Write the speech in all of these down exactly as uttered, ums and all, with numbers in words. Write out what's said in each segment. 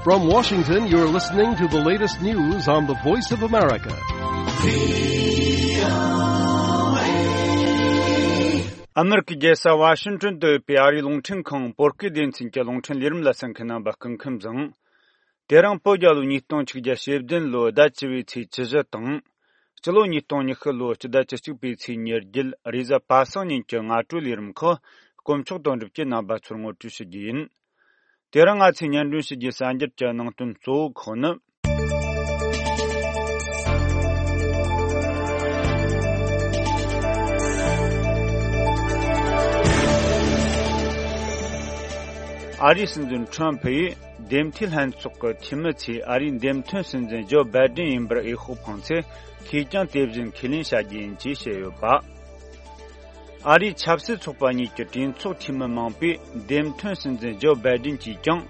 From Washington, you're listening to the latest news on the Voice of America. ཨ་མེ་རི་ཀའི་རྒྱལ་ས་ཝ་ཤིང་ཏོན་དུ་ཡོད་པའི་ཨ་རིའི་རླུང་འཕྲིན་ཁང་བོད་སྐད་སྡེ་ཚན་གྱི་རླུང་འཕྲིན་ལས་རིམ་ལ་གསན་མཁན་རྣམ་པ་སྐུ་ཁམས་བཟང་། དེ་རིང་བོད་རྒྱལ་ལོ་ཉིས་སྟོང་ཆིག་བརྒྱ་ཞེ་བདུན་ལོའི་ཟླ་བཅུ་བའི་ཚེས་བཅུ་བཞི་དང་། སྤྱི་ལོ་ཉིས་སྟོང་ཉི་ཤུ་ལོའི་སྤྱི་ཟླ་བཅུ་གཅིག་པའི་ཚེས་ཉེར་བརྒྱད་རེས་གཟའ་པ་སངས་ཉིན་གྱི་སྔ་དྲོའི་ལས་རིམ་ཁག་དཀོན་མཆོག་དོན་གྲུབ་ཀྱིས་རྣམ་པ་ཚོར་ངོ་སྤྲོད་ཞུ་རྒྱུ་ཡིན། དེ་རིང་ང་ཚོས་སྙན་སྒྲོན་ཞུ་རྒྱུའི་གསར་འགྱུར་གྱི་ནང་དོན་གཙོ་བོ་ཁག་ནི། ཨ་རིའི་སྲིད་འཛིན་ཁྲོམ་ཕུ་ཡིས་འདེམས་ཐོན་ལྷན་ཚོགས་ཀྱི་འཐུས་མི་ཚོས་ཨ་རིའི་འདེམས་ཐོན་སྲིད་འཛིན་ཇོ་བྷའི་ཌེན་ཡིན་པར་འོས་ཤོག་འཕངས་ཚེ། ཁེ་རྐྱང་དེ་བཞིན་ཁས་ལེན་བྱ་རྒྱུ་ཡིན་ཅེས་བཤད་ཡོད་པ། ཨ་རིའི་ཆབ་སྲིད་ཚོགས་པ་གཉིས་ཀྱི་གྲོས་ཚོགས་འཐུས་མི་མང་པོས་འདེམས་ཐོན་སྲིད་འཛིན་ཇོ་བྷའི་ཌེན་གྱིས་ཀྱང་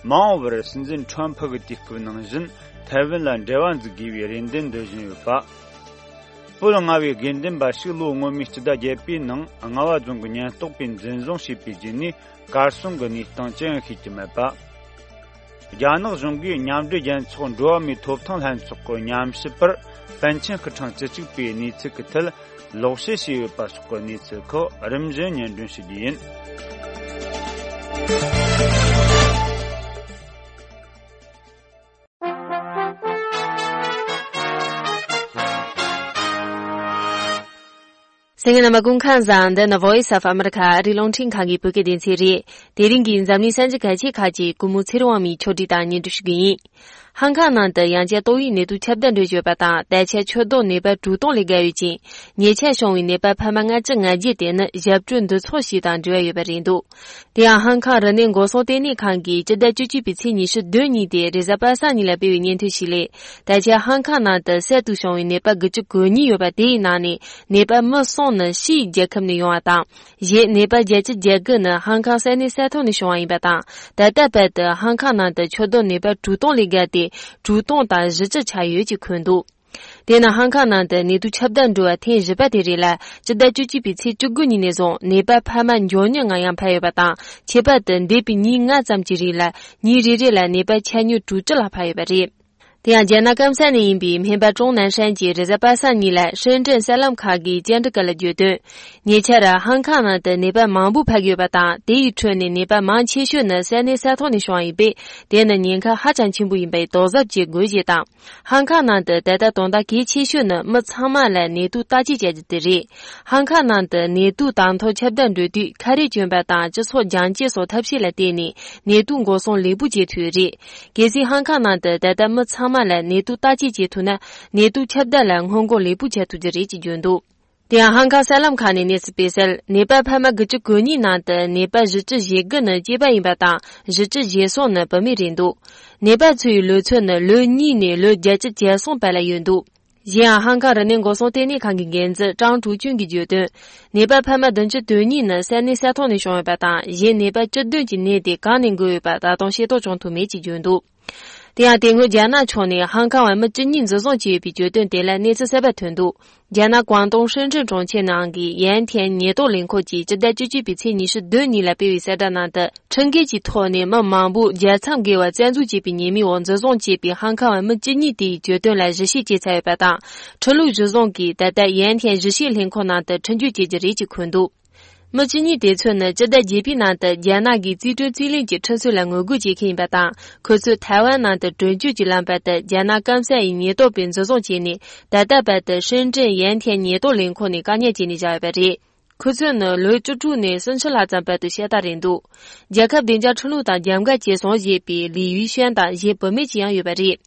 མ་འོངས་པར་སྲིད་འཛིན་ཁྲོམ་ཕུ་གི་དུས་སྐབས་ནང་བཞིན་ཐའེ་ཝན་ལ་འབྲེལ་བ་འཛུགས་དགོས་པའི་རེ་འདུན་འདོན་བཞིན་ཡོད་པ། བོད་མངའ་བའི་དགེ་འདུན་པ་ཞིག་ལོ་སྔོན་མའི་སྤྱི་ཟླ་བརྒྱད་པའི་ནང་རྔ་བ་རྫོང་གི་ཉེན་རྟོག་པས་འཛིན་བཟུང་བྱས་པའི་རྗེས་ནས་གར་སོང་གི་གནས་སྟངས་ཅི་ཡང་ཤེས་ཀྱི་མེད་པ། རྒྱ་ནག་གཞུང་གིས་མཉམ་འབྲེལ་རྒྱལ་ཚོགས་འགྲོ་བ་མིའི་ཐོབ་ཐང་ལྷན་ཚོགས་ཀྱི་ཉམས་ཞིབ་པར་པཎ་ཆེན་སྐུ་ཕྲེང་བཅུ་གཅིག་པའི་གནས་ཚུལ་གྱི་ཐད་ལོག་བཤད་བྱས་ཡོད་པ་སོགས་ཀྱི་གནས་ཚུལ་ཁག་རིམ་བཞིན་སྙན་སྒྲོན་ཞུ་རྒྱུ་ཡིན། གསན་མཁན་རྣམ་པ་སྐུ་ཁམས་བཟང་། འདི་ནི་Voice of America ཨ་རིའི་རླུང་འཕྲིན་ཁང་གི་བོད་སྐད་སྡེ་ཚན་རེད། དེ་རིང་གི་འཛམ་གླིང་གསར་འགྱུར་གལ་ཆེ་ཁག་ཅིག་སྐུ་ངོ་ཚེ་རིང་དབང་མོས་ཕྱོགས་སྒྲིག་དང་སྙན་སྒྲོན་ཞུ་གི་ཡིན། ཧང་ཀང་ནང་དུ་ཡང་བསྐྱར་ཏོག་དབྱིབས་ནད་དུག་ཁྱབ་གདལ་འགྲོ་བཞིན་ཡོད་པ་དང་། ད་ཆ་ཆུ་དོག་ནད་པ་དྲུག་སྟོང་ལས་བརྒལ་ཡོད་ཅིང་། ཉེ་ཆར་བྱུང་བའི་ནད་པ་ཕལ་མ་ལྔ་བཅུ་ང་བརྒྱད་དེ་ནི་ཞབས་བྲོ་འདུ་ཚོགས་ཤིག་དང་འབྲེལ་བ་ཡོད་པ་རེད་འདུག་དེ་ཡང་ཧང་ཀང་རིག་གནས་འགོག་སྲུང་ལྟེ་གནས་ཁང་གིས་སྤྱི་ཟླ་བཅུ་གཅིག་པའི་ཚེས་ཉི་ཤུ་བདུན་ཉིན་ཏེ་རེས་གཟའ་པ་སངས་ཉིན་ལ་སྤེལ་བའི་སྙན་ཐོའི་ཞིག་ལས། ད་ཆ་ཧང་ཀང་ནང་དུ་གསར་དུ་བྱུང་བའི་ནད་པ་དགུ་བཅུ་གོ་གཉིས་ཡོད་པ། དེའི་ནང་ནས་ནད་པ་མི་གསུམ་ནི་ཕྱིའི་རྒྱལ་ཁབ་ནས་ཡོང་བ་དང་། གཞན་ནད་པ་བརྒྱད་ཅུ་གྱ་དགུ་ནི་ཧང་ཀང་ས་གནས་ས་ཐོག་ནས་བྱུང་བ་ཡིན་པ་དང་། ད་ལྟ་བར་དུ་ཧང་ཀང་ནང་དུ་ཆུ་དོག་ནད་པ་དྲུག་སྟོང་ལས་བརྒལ་ཏེ་དྲུག་སྟོང་དང་བཞི་བཅུ་ཆགས་ཡོད་ཅེས་འཁོད་འདུག་དེས་ན་ཧང་ཀང་ནང་དུ་ནད་དུག་ཁྱབ་གདལ་འགྲོ་བ་ཐེངས་བཞི་པ་དེ་རེད་ལ། སྤྱི་ཟླ་བཅུ་གཅིག་པའི་ཚེས་བཅུ་དགུ་ཉིན་ནས་བཟུང་ནད་པ་ཕལ་མ་མགྱོགས་མྱུར་ངང་ཡང་འཕར་ཡོད་པ་དང་། ཁྱད་པར་དུ་འདས་པའི་ཉིན་ལྔ་ཙམ་གྱི་རིང་ལ་ཉིན་རེ་རེ་ལ་ནད་པ་ཆ་སྙོམས་དྲུག་ཅུ་ལྷག་འཕར་ཡོད་པ་རེད། དེ་ཡང་རྒྱ་ནག་སྐམ་ས་ནས་ཡིན་པའི་སྨན་པ་ཀྲོང་ནན་ཧྲན་གྱིས་རེས་གཟའ་པ་སངས་ཉིན་ལ་ཧྲེན་ཀྲེན་གསར་ལམ་ཁག་གི་བཅར་འདྲི་སྐབས་ལ་བརྗོད་དོན། ཉེ་ཆར་ཧང་ཀང་ནང་དུ་ནད་པ་མང་པོ་འཕར་གྱི་ཡོད་པ་དང་། དེ་ཡི་ཁྲོད་ནས་ནད་པ་མང་ཆེ་ཤོས་ནི་ས་གནས་ས་ཐོག་ནས་བྱུང་བ་ཡིན་པས། དེ་ནི་ཉེན་ཁ་ཧ་ཅང་ཆེན་པོ་ཡིན་པས་དོགས་གཟབ་བྱེད་དགོས་ཞེས་དང་། ཧང་ཀང་ནང་དུ་ད་ལྟ་དོན་དག་གལ་ཆེ་ཤོས་ནི་མི་ཚང་མ་ལ་ནད་དུག་བརྟག་དཔྱད་བྱ་རྒྱུ་དེ་རེད། ཧང་ཀང་ནང་དུ་ནད་དུག་དང་ཐོག་ཁྱབ་གདལ་འགྲོ་དུས་ཁ་རས་གྱོན་པ་དང་སྤྱི་ཚོགས་རྒྱང་བཀྱེད་སོགས་ཐབས་ཤེས་ལ་བརྟེན་ནས་ནད་དུག་འགོག་སྲུང་ལེགས་པོ་བྱེད་ཐུབ་ཡོད་རེད། གལ་སྲིད་ཧང་ཀང་ནང་དུ་ད་ལྟ་མི་ཚང་མ་ལ་ནད་དུག་བརྟག་དཔྱད་བྱེད་ཐུབ་ན། ནད་དུག་ཁྱབ་གདལ་ལ་སྔོན་འགོག་ལེགས་པོ་བྱེད་ཐུབ་རྒྱུ་རེད་ཅེས་བརྗོད་འདུག་དེ་ཡང་ཧང་ཀང་གསར་ལམ་ཁག་ནས་གནས་ཚུལ་སྤེལ་གསལ། ནད་པ་ཕལ་མ་དགུ་བཅུ་གོ་གཉིས་ནང་དུ་ནད་པ་བཞི་བཅུ་ཞེ་དགུ་ནི་སྐྱེས་པ་ཡིན་པ་དང་། བཞི་བཅུ་ཞེ་གསུམ་ནི་བུད་མེད་རེད་འདུག་ནད་པ་ཚོའི་ལོ་ཚོད་ནི་ལོ་གཉིས་ནས་ལོ་བརྒྱད་ཅུ་གྱ་གསུམ་བར་ལ་ཡོད་འདུག་གཞན་ཡང་ཧང་ཀང་རིག་གནས་འགོག་སྲུང་ལྟེ་གནས་ཁང་གི་འགན་འཛིན་ཀྲང་ཀྲུའུ་ཅུན་གྱིས་བརྗོད་དོན། ནད་པ་ཕལ་མ་བདུན་ཅུ་དོན་གཉིས་ནི་ས་གནས་ས་ཐོག་ནས་བྱུང་ཡོད་པ་དང་། གཞན་ནད་པ་བཅུ་བདུན་གྱི་ནད་དེ་གང་ནས་འགོས་ཡོད་པ་ད་དུང་ཤེས་རྟོགས་བྱུང་ཐུབ་མེད་ཅེས་བརྗོད་འདུག་དེ་ཡང་དེ་སྔོན་རྒྱ་ནག་ཕྱོགས་ནས་ཧང་ཀང་བ་མི་བཅུ་གཉིས་འཛིན་བཟུང་བྱས་ཡོད་པའི་བརྗོད་དོན་དེ་ལ་གནས་ཚུལ་གསར་པ་ཐོན་འདུག་རྒྱ་ནག་ཀོང་ཏུང་ཧྲེང་ཀྲེན་གྲོང་ཁྱེར་ནང་གི་ཡན་ཐན་ཉེན་རྟོག་ལས་ཁུངས་ཀྱིས་སྤྱི་ཟླ་བཅུ་གཅིག་པའི་ཚེས་ཉི་ཤུ་བདུན་ཉིན་ལ་སྤེལ་བའི་གསལ་བསྒྲགས་ནང་དུ། ཁྲིམས་འགལ་གྱི་ཐོག་ནས་མི་མང་པོ་རྒྱལ་མཚམས་བརྒལ་བར་བཙན་འཛུལ་བྱས་པའི་ཉེས་མིང་འོག་འཛིན་བཟུང་བྱས་པའི་ཧང་ཀང་བ་མི་བཅུ་གཉིས་དེའི་བརྗོད་དོན་ལ་གཞི་བྱས་བྱས་ཚར་ཡོད་པ་དང་། ཁྲིམས་ལུགས་གཞི་བཟུང་གིས་ད་ལྟ་ཡན་ཐན་གཞིས་བྱེས་ལྷན་ཁང་ནང་དུ་ཁྲིམས་གཅོད་བྱེད་རྒྱུ་རེད་ཅེས་འཁོད་འདུག་མི་བཅུ་གཉིས་དེ་ཚོ་ནི་སྤྱི་ཟླ་བརྒྱད་པའི་ནང་དུ་རྒྱ་ནག་གི་རྩིས་སྤྲོད་རྩིས་ལེན་གྱི་ཁྲིམས་སྲོལ་ལ་ངོ་རྒོལ་བྱེད་མཁན་ཡིན་པ་དང་། ཁོ་ཚོས་ཐའེ་ཝན་ནང་དུ་བྲོས་བྱོལ་གྱི་ལམ་བར་དུ་རྒྱ་ནག་སྐམ་ས་ཡི་ཉེན་རྟོག་པས་འཛིན་བཟུང་བྱས་ནས། ད་ལྟ་བར་དུ་ཧྲེང་ཀྲེན་ཡན་ཐན་ཉེན་རྟོག་ལས་ཁུངས་ནས་བཀག་ཉར་བྱས་ནས་བཞག་ཡོད་པ་རེད། ཁོ་ཚོ་ནི་ལོ་བཅུ་དྲུག་ནས་སུམ་ཅུ་ལྷག་ཙམ་བར་དུ་ཤ་སྟག་རེད་འདུག་རྒྱལ་ཁབ་བདེ་འཇགས་ཁྲིམས་ལུགས་དང་རྒྱབ་འགལ་བྱས་སོང་ཞེས་པའི་ལི་ཡུས་ཤན་དང་གཞན་བུད་མེད་ཅིག་ཡང་ཡོད་པ་རེད།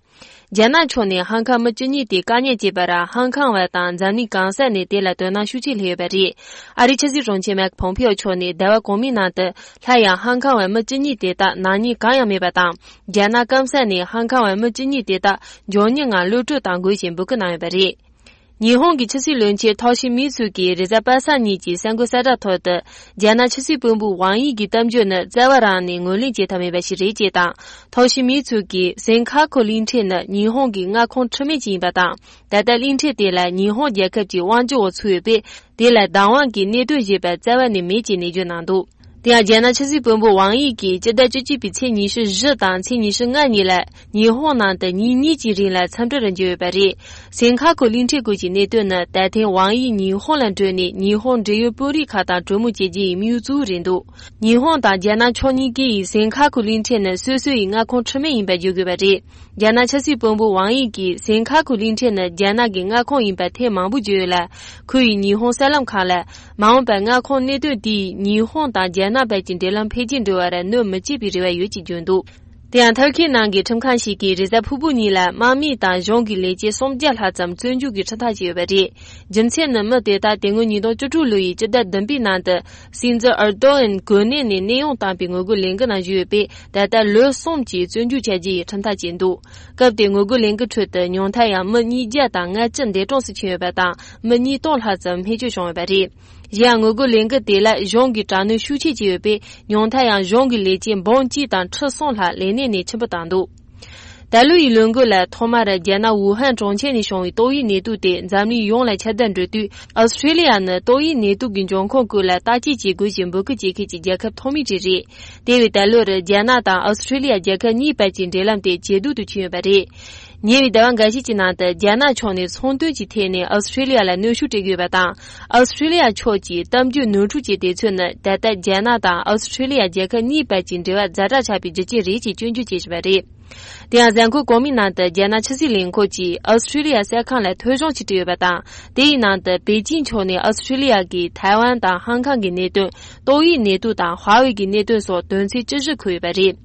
རྒྱ་ནག་ཕྱོགས་ནས་ཧང་ཀང་མི་བཅུ་གཉིས་དེ་བཀག་ཉར་བྱས་པར། ཧང་ཀང་བ་དང་འཛམ་གླིང་གང་ས་ནས་དེ་ལ་དོ་སྣང་ཤུགས་ཆེ་སླེབས་ཡོད་པ་རེད། ཨ་རིའི་ཕྱི་སྲིད་དྲུང་ཆེ་མེག་པོམ་པེའོ་མཆོག་ནས་ཟླ་བ་གོང་མའི་ནང་དུ། སླར་ཡང་ཧང་ཀང་བ་མི་བཅུ་གཉིས་དེ་དག་ནག་ཉེས་གང་ཡང་མེད་པ་དང་། རྒྱ་ནག་སྐམ་ས་ནས་ཧང་ཀང་བ་མི་བཅུ་གཉིས་དེ་དག་མགྱོགས་མྱུར་ངང་གློད་བཀྲོལ་གཏང་དགོས་ཞེས་འབོད་སྐུལ་གནང་ཡོད་པ་རེད། ཉི་ཧོང་གི་ཕྱི་སྲིད་བློན་ཆེན་ཐོ་ཤི་མི་ཚུ་གིས་རེས་གཟའ་པ་སངས་ཉིན་གྱི་གསར་འགོད་གསལ་བསྒྲགས་ཐོག་ཏུ། རྒྱ་ནག་ཕྱི་སྲིད་བློན་པོ་ཝང་དབྱི་གི་གཏམ་བརྗོད་ནི་རྩ་བ་རང་ནས་ངོས་ལེན་བྱེད་ཐབས་མེད་པ་ཞིག་རེད་ཅེས་དང་། ཐོ་ཤི་མི་ཚུ་གིས་སན་ཁ་ཁོ་གླིང་ཕྲན་ནི་ཉི་ཧོང་གི་མངའ་ཁོངས་ཁྲིམས་མེད་ཅིག་ཡིན་པ་དང་། ད་ལྟ་གླིང་ཕྲན་དེ་ལ་ཉི་ཧོང་རྒྱལ་ཁབ་ཀྱི་དབང་སྒྱུར་འོག་ཚུད་ཡོད་པས། དེ་ལ་བདག་དབང་གི་གནད་དོན་ཞེས་པ་རྩ་བ་ནས་མེད་ཅེས་ནན་བརྗོད་གནང་འདུག་དེ་ཡང་རྒྱ་ནག་ཆབ་སྲིད་དཔོན་པོ་ཝང་དབྱི་གིས་སྤྱི་ཟླ་བཅུ་གཅིག་པའི་ཚེས་ཉི་ཤུ་བཞི་དང་ཚེས་ཉི་ཤུ་ལྔ་གཉིས་ལ་ཉི་ཧོང་ནང་དུ་ཉིན་གཉིས་ཀྱི་རིང་ལ་འཚམས་འདྲི་རེ་བྱས་ཡོད་པ་རེད། སན་ཁ་ཁུ་གླིང་ཕྲན་སྐོར་གྱི་གནད་དོན་ནི། ད་ཐེངས་ཝང་དབྱི་ཉི་ཧོང་ལ་འགྲོ་ནས་ཉི་ཧོང་འབྲེལ་ཡོད་དཔོན་རིགས་ཁག་དང་གྲོས་མོལ་བྱེད་རྒྱུ་ཡི་དམིགས་ཡུལ་གཙོ་བོ་རེད་འདུག་ཉི་ཧོང་དང་རྒྱ་ནག་ཕྱོགས་གཉིས་ཀས་སན་ཁ་ཁུ་གླིང་ཕྲན་ནི་སོ་སོ་ཡི་མངའ་ཁོངས་འཁྲུལ་མེད་ཡིན་པར་བརྗོད་དགོས་པ་རེད། རྒྱ་ནག་ཆབ་སྲིད་དཔོན་པོ་ཝང་དབྱི་གིས་སན་ཁ་ཁུ་གླིང་ཕྲན་ནི་རྒྱ་ནག་གི་མངའ་ཁོངས་ཡིན་པ་ཐེངས་མང་པོ་བརྗོད་ཡོད་ལ། ཁོ་ཡིས་ཉི་ཧོང་གསར་ལམ་ཁག་ལ། མ་འོངས་པར་མངའ་ཁོངས་གནད་དོན་དེས་ཉི་ཧོང་དང་རྒྱ་ནག་བར་གྱི་འབྲེལ་ལམ་འཕེལ་རྒྱས་འགྲོ་བར་གནོད་མི་བྱེད་པའི་རེ་བ་ཡོད་ཅེས་བརྗོད་འདུག་དེ་ཡང་ཐར་ཁེ་ནང་གི་ཁྲིམས་ཁང་ཞིག་གིས་རེས་གཟའ་ཕུར་བུ་ཉིན་ལ་དམག་མི་དང་གཞུང་གི་ལས་བྱེད་སུམ་བརྒྱ་ལྷག་ཙམ་བཙོན་འཇུག་གི་ཁྲིམས་ཐག་བཅད་ཡོད་པ་རེད། རྒྱུ་མཚན་ནི་མི་དེ་དག་དེ་སྔོན་ཉིས་སྟོང་བཅུ་དྲུག་ལོ་ཡི་སྤྱི་ཟླ་བདུན་པའི་ནང་དུ། སྲིད་འཛིན་ཨར་དོ་ཨན་གོ་གནས་ནས་གནས་དབྱུང་བཏང་པའི་ངོ་རྒོལ་ལས་འགུལ་ནང་ཞུགས་ཡོད་པས། ད་ལྟ་ལོ་གསུམ་གྱི་བཙོན་འཇུག་བྱ་རྒྱུ་ཡི་ཁྲིམས་ཐག་བཅད་འདུག་སྐབས་དེའི་ངོ་རྒོལ་ལས་འགུལ་ཁྲོད་དུ་ཉུང་མཐར་ཡང་མི་ཉིས་བརྒྱ་དང་ལྔ་བཅུ་འདས་གྲོངས་སུ་ཕྱིན་ཡོད་པ་དང་། མི་ཉིས་སྟོང་ལྷག་ཙམ་རྨས་སྐྱོན་བྱུང་ཡོད་པ་རེད། གཞན་ཡང་ངོ་རྒོལ་ལས་འགུལ་དེ་ལ་གཞུང་གིས་དྲག་གནོན་ཤུགས་ཆེ་བྱས་ཡོད་པས། ཉུང་མཐར་ཡང་གཞུང་གི་ལས་བྱེད་འབུམ་གཅིག་དང་ཁྲི་གསུམ་ལྷག་ལས་གནས་ནས་ཕྱིར་འབུད་བཏང་འདུག་ད་ལོ་ཡི་ལོ་འགོ་ལ་ཐོག་མར་རྒྱ་ནག་ཝུ་ཧན་གྲོང་ཁྱེར་ནས་བྱུང་བའི་ཏོག་དབྱིབས་ནད་དུག་དེ་འཛམ་གླིང་ཡོངས་ལ་ཁྱབ་གདལ་འགྲོ་དུས། ཨོ་སི་ཁྲེ་ལི་ཡ་ནི་ཏོག་དབྱིབས་ནད་དུག་གི་འབྱུང་ཁུངས་སྐོར་ལ་བརྟག་དཔྱད་བྱེད་དགོས་ཞེས་འབོད་སྐུལ་བྱེད་མཁན་གྱི་རྒྱལ་ཁབ་ཐོག་མའི་གྲས་རེད། དེ་བས་ད་ལོར་རྒྱ་ནག་དང་ཨོ་སི་ཁྲེ་ལི་ཡ་རྒྱལ་ཁབ་གཉིས་བར་གྱི་འབྲེལ་ལམ་དེ་ཇེ་སྡུག་ཏུ་ཕྱིན་ཡོད་པ་རེད། ཉེ་བའི་ཟླ་བ་འགའ་ཤས་ཀྱི་ནང་དུ་རྒྱ་ནག་ཕྱོགས་ནས་ཚོང་དོན་གྱི་ཐད་ནས་ཨོ་སི་ཁྲེ་ལི་ཡ་ལ་གནོན་ཤུགས་སྤྲད་ཀྱི་ཡོད་པ་དང་། ཨོ་སི་ཁྲེ་ལི་ཡ་ཕྱོགས་ཀྱི་གཏམ་རྒྱུད་ནོར་འཁྲུལ་གྱི་དེ་ཚོ་ནི་ད་ལྟ་རྒྱ་ནག་དང་ཨོ་སི་ཁྲེ་ལི་ཡ་རྒྱལ་ཁབ་གཉིས་བར་གྱི་འབྲེལ་བ་ཛ་དྲག་ཆགས་པའི་རྒྱུ་རྐྱེན་རེད་ཅེས་སྐྱོན་བརྗོད་བྱེད་བཞིན་པ་རེད། དེ་ཡང་གཟའ་འཁོར་གོང་མའི་ནང་དུ་རྒྱ་ནག་ཕྱི་སྲིད་ལས་ཁུངས་ཀྱིས་ཨོ་སི་ཁྲེ་ལི་ཡ་གསར་ཁང་ལ་ཐོ་གཞུང་ཅིག་སྤྲད་ཡོད་པ་དང་། དེའི་ནང་དུ་པེ་ཅིན་ཕྱོགས་ནས་ཨོ་སི་ཁྲེ་ལི་ཡ་གིས་ཐའེ་ཝན་དང་ཧང་ཀང་གི་གནད་དོན། ཏོག་དབྱིབས་ནད་དུག་དང་ཧྭ་ཝེ་གི་གནད་དོན་སོགས་དོན་ཚན་བཅུ་བཞི་འཁོད་ཡོད་པ་རེད།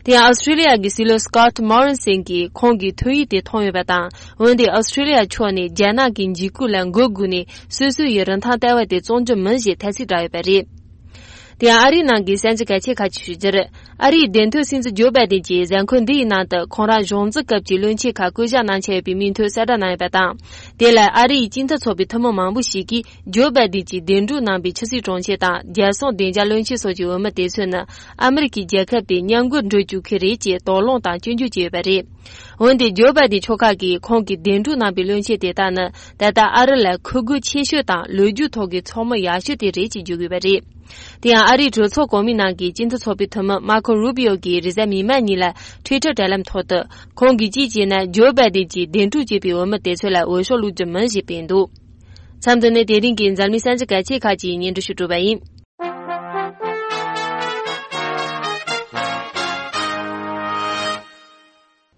དེ་ཡང་ཨོ་སི་ཁྲེ་ལི་ཡ་གི་སྲིད་བློན་སི་ཀོ་ཊི་མོ་རི་སན་གྱིས་ཁོང་གི་ཐོན་ཡིག་དེ་མཐོང་ཡོད་པ་དང་། འོན་ཏེ་ཨོ་སི་ཁྲེ་ལི་ཡ་ཕྱོགས་ནས་རྒྱ་ནག་གི་འཇིགས་སྐུལ་ལ་མགོ་སྒུར་ནས་སོ་སོ་ཡི་རིན་ཐང་ལྟ་བ་དེ་བཙོང་རྒྱུ་མིན་ཞེས་ཐ་ཚིག་བསྒྲགས་ཡོད་པ་རེད། དེ་ཡང་ཨ་རིའི་ནང་གི་གསར་འགྱུར་གལ་ཆེ་ཁག་ཅིག་ཞུ་རྒྱུར། ཨ་རིའི་བདེན་དོན་སྲིད་འཛིན་ཇོ་བྷའི་ཌེན་གྱིས་གཟའ་འཁོར་འདི་ཡི་ནང་དུ་ཁོང་རང་གཞུང་འཛིན་སྐབས་ཀྱི་བློན་ཆེན་ཁག་བསྐོ་གཞག་གནང་འཆར་ཡོད་པའི་མིང་ཐོ་གསལ་བསྒྲགས་གནང་ཡོད་པ་དང་། དེ་ལ་ཨ་རིའི་སྤྱི་མཐུན་ཚོགས་པའི་འཐུས་མི་མང་པོ་ཞིག་གིས་ཇོ་བྷའི་ཌེན་གྱིས་གདན་དྲུག་གནང་པའི་ཕྱི་སྲིད་དྲུང་ཆེ་དང་རྒྱལ་སྲུང་བདེ་འཇགས་བློན་ཆེན་སོགས་ཀྱི་འོས་མི་དེ་ཚོ་ནི་ཨ་མི་རི་ཀའི་རྒྱལ་ཁབ་དེ་མཉམ་འགུལ་འགྲོ་བཅུག་གི་རེད་ཅེས་དོགས་སློང་དང་སྐྱོན་བརྗོད་བྱས་ཡོད་པ་རེད། འོན་ཏེ་ཇོ་བྷའི་ཌེན་ཕྱོགས་ཁག་གིས་ཁོང་གིས་གདན་དྲུག་གནང་པའི་བློན་ཆེན་དེ་དག་ནི་ད་ལྟ་ཨ་རི་ལ་ཁུར་རྒོལ་ཆེ་ཤོས་དང་ལོ་རྒྱུས་ཐོག་གི་ཚོགས་མི་ཡག་ཤོས་དེ་རེད་ཅེས་བརྗོད་དགོས་པ་རེད། དེ་ཡང་ཨ་རིའི་གྲོས་ཚོགས་གོང་མའི་ནང་གི་སྤྱི་མཐུན་ཚོགས་པའི་འཐུས་མི་མར་ཁོ་རུ་བྷི་ཨོ་གིས་རེས་གཟའ་མིག་དམར་ཉིན་ལ་ཊུའི་ཊར་དྲ་ལམ་ཐོག་ཏུ། ཁོང་གིས་ཅིའི་ཕྱིར་ན་ཇོ་བྷའི་ཌེན་གྱིས་གདན་དྲུག་བྱས་པའི་འོས་མི་དེ་ཚོ་ལ་འོས་ཤོག་བླུག་རྒྱུ་མིན་ཞེས་བཏོན་འདུག་མཚམས་འདི་ནས་དེ་རིང་གི་འཛམ་གླིང་གསར་འགྱུར་གལ་ཆེ་ཁག་ཅིག་སྙན་སྒྲོན་ཞུ་གྲུབ་པ་ཡིན།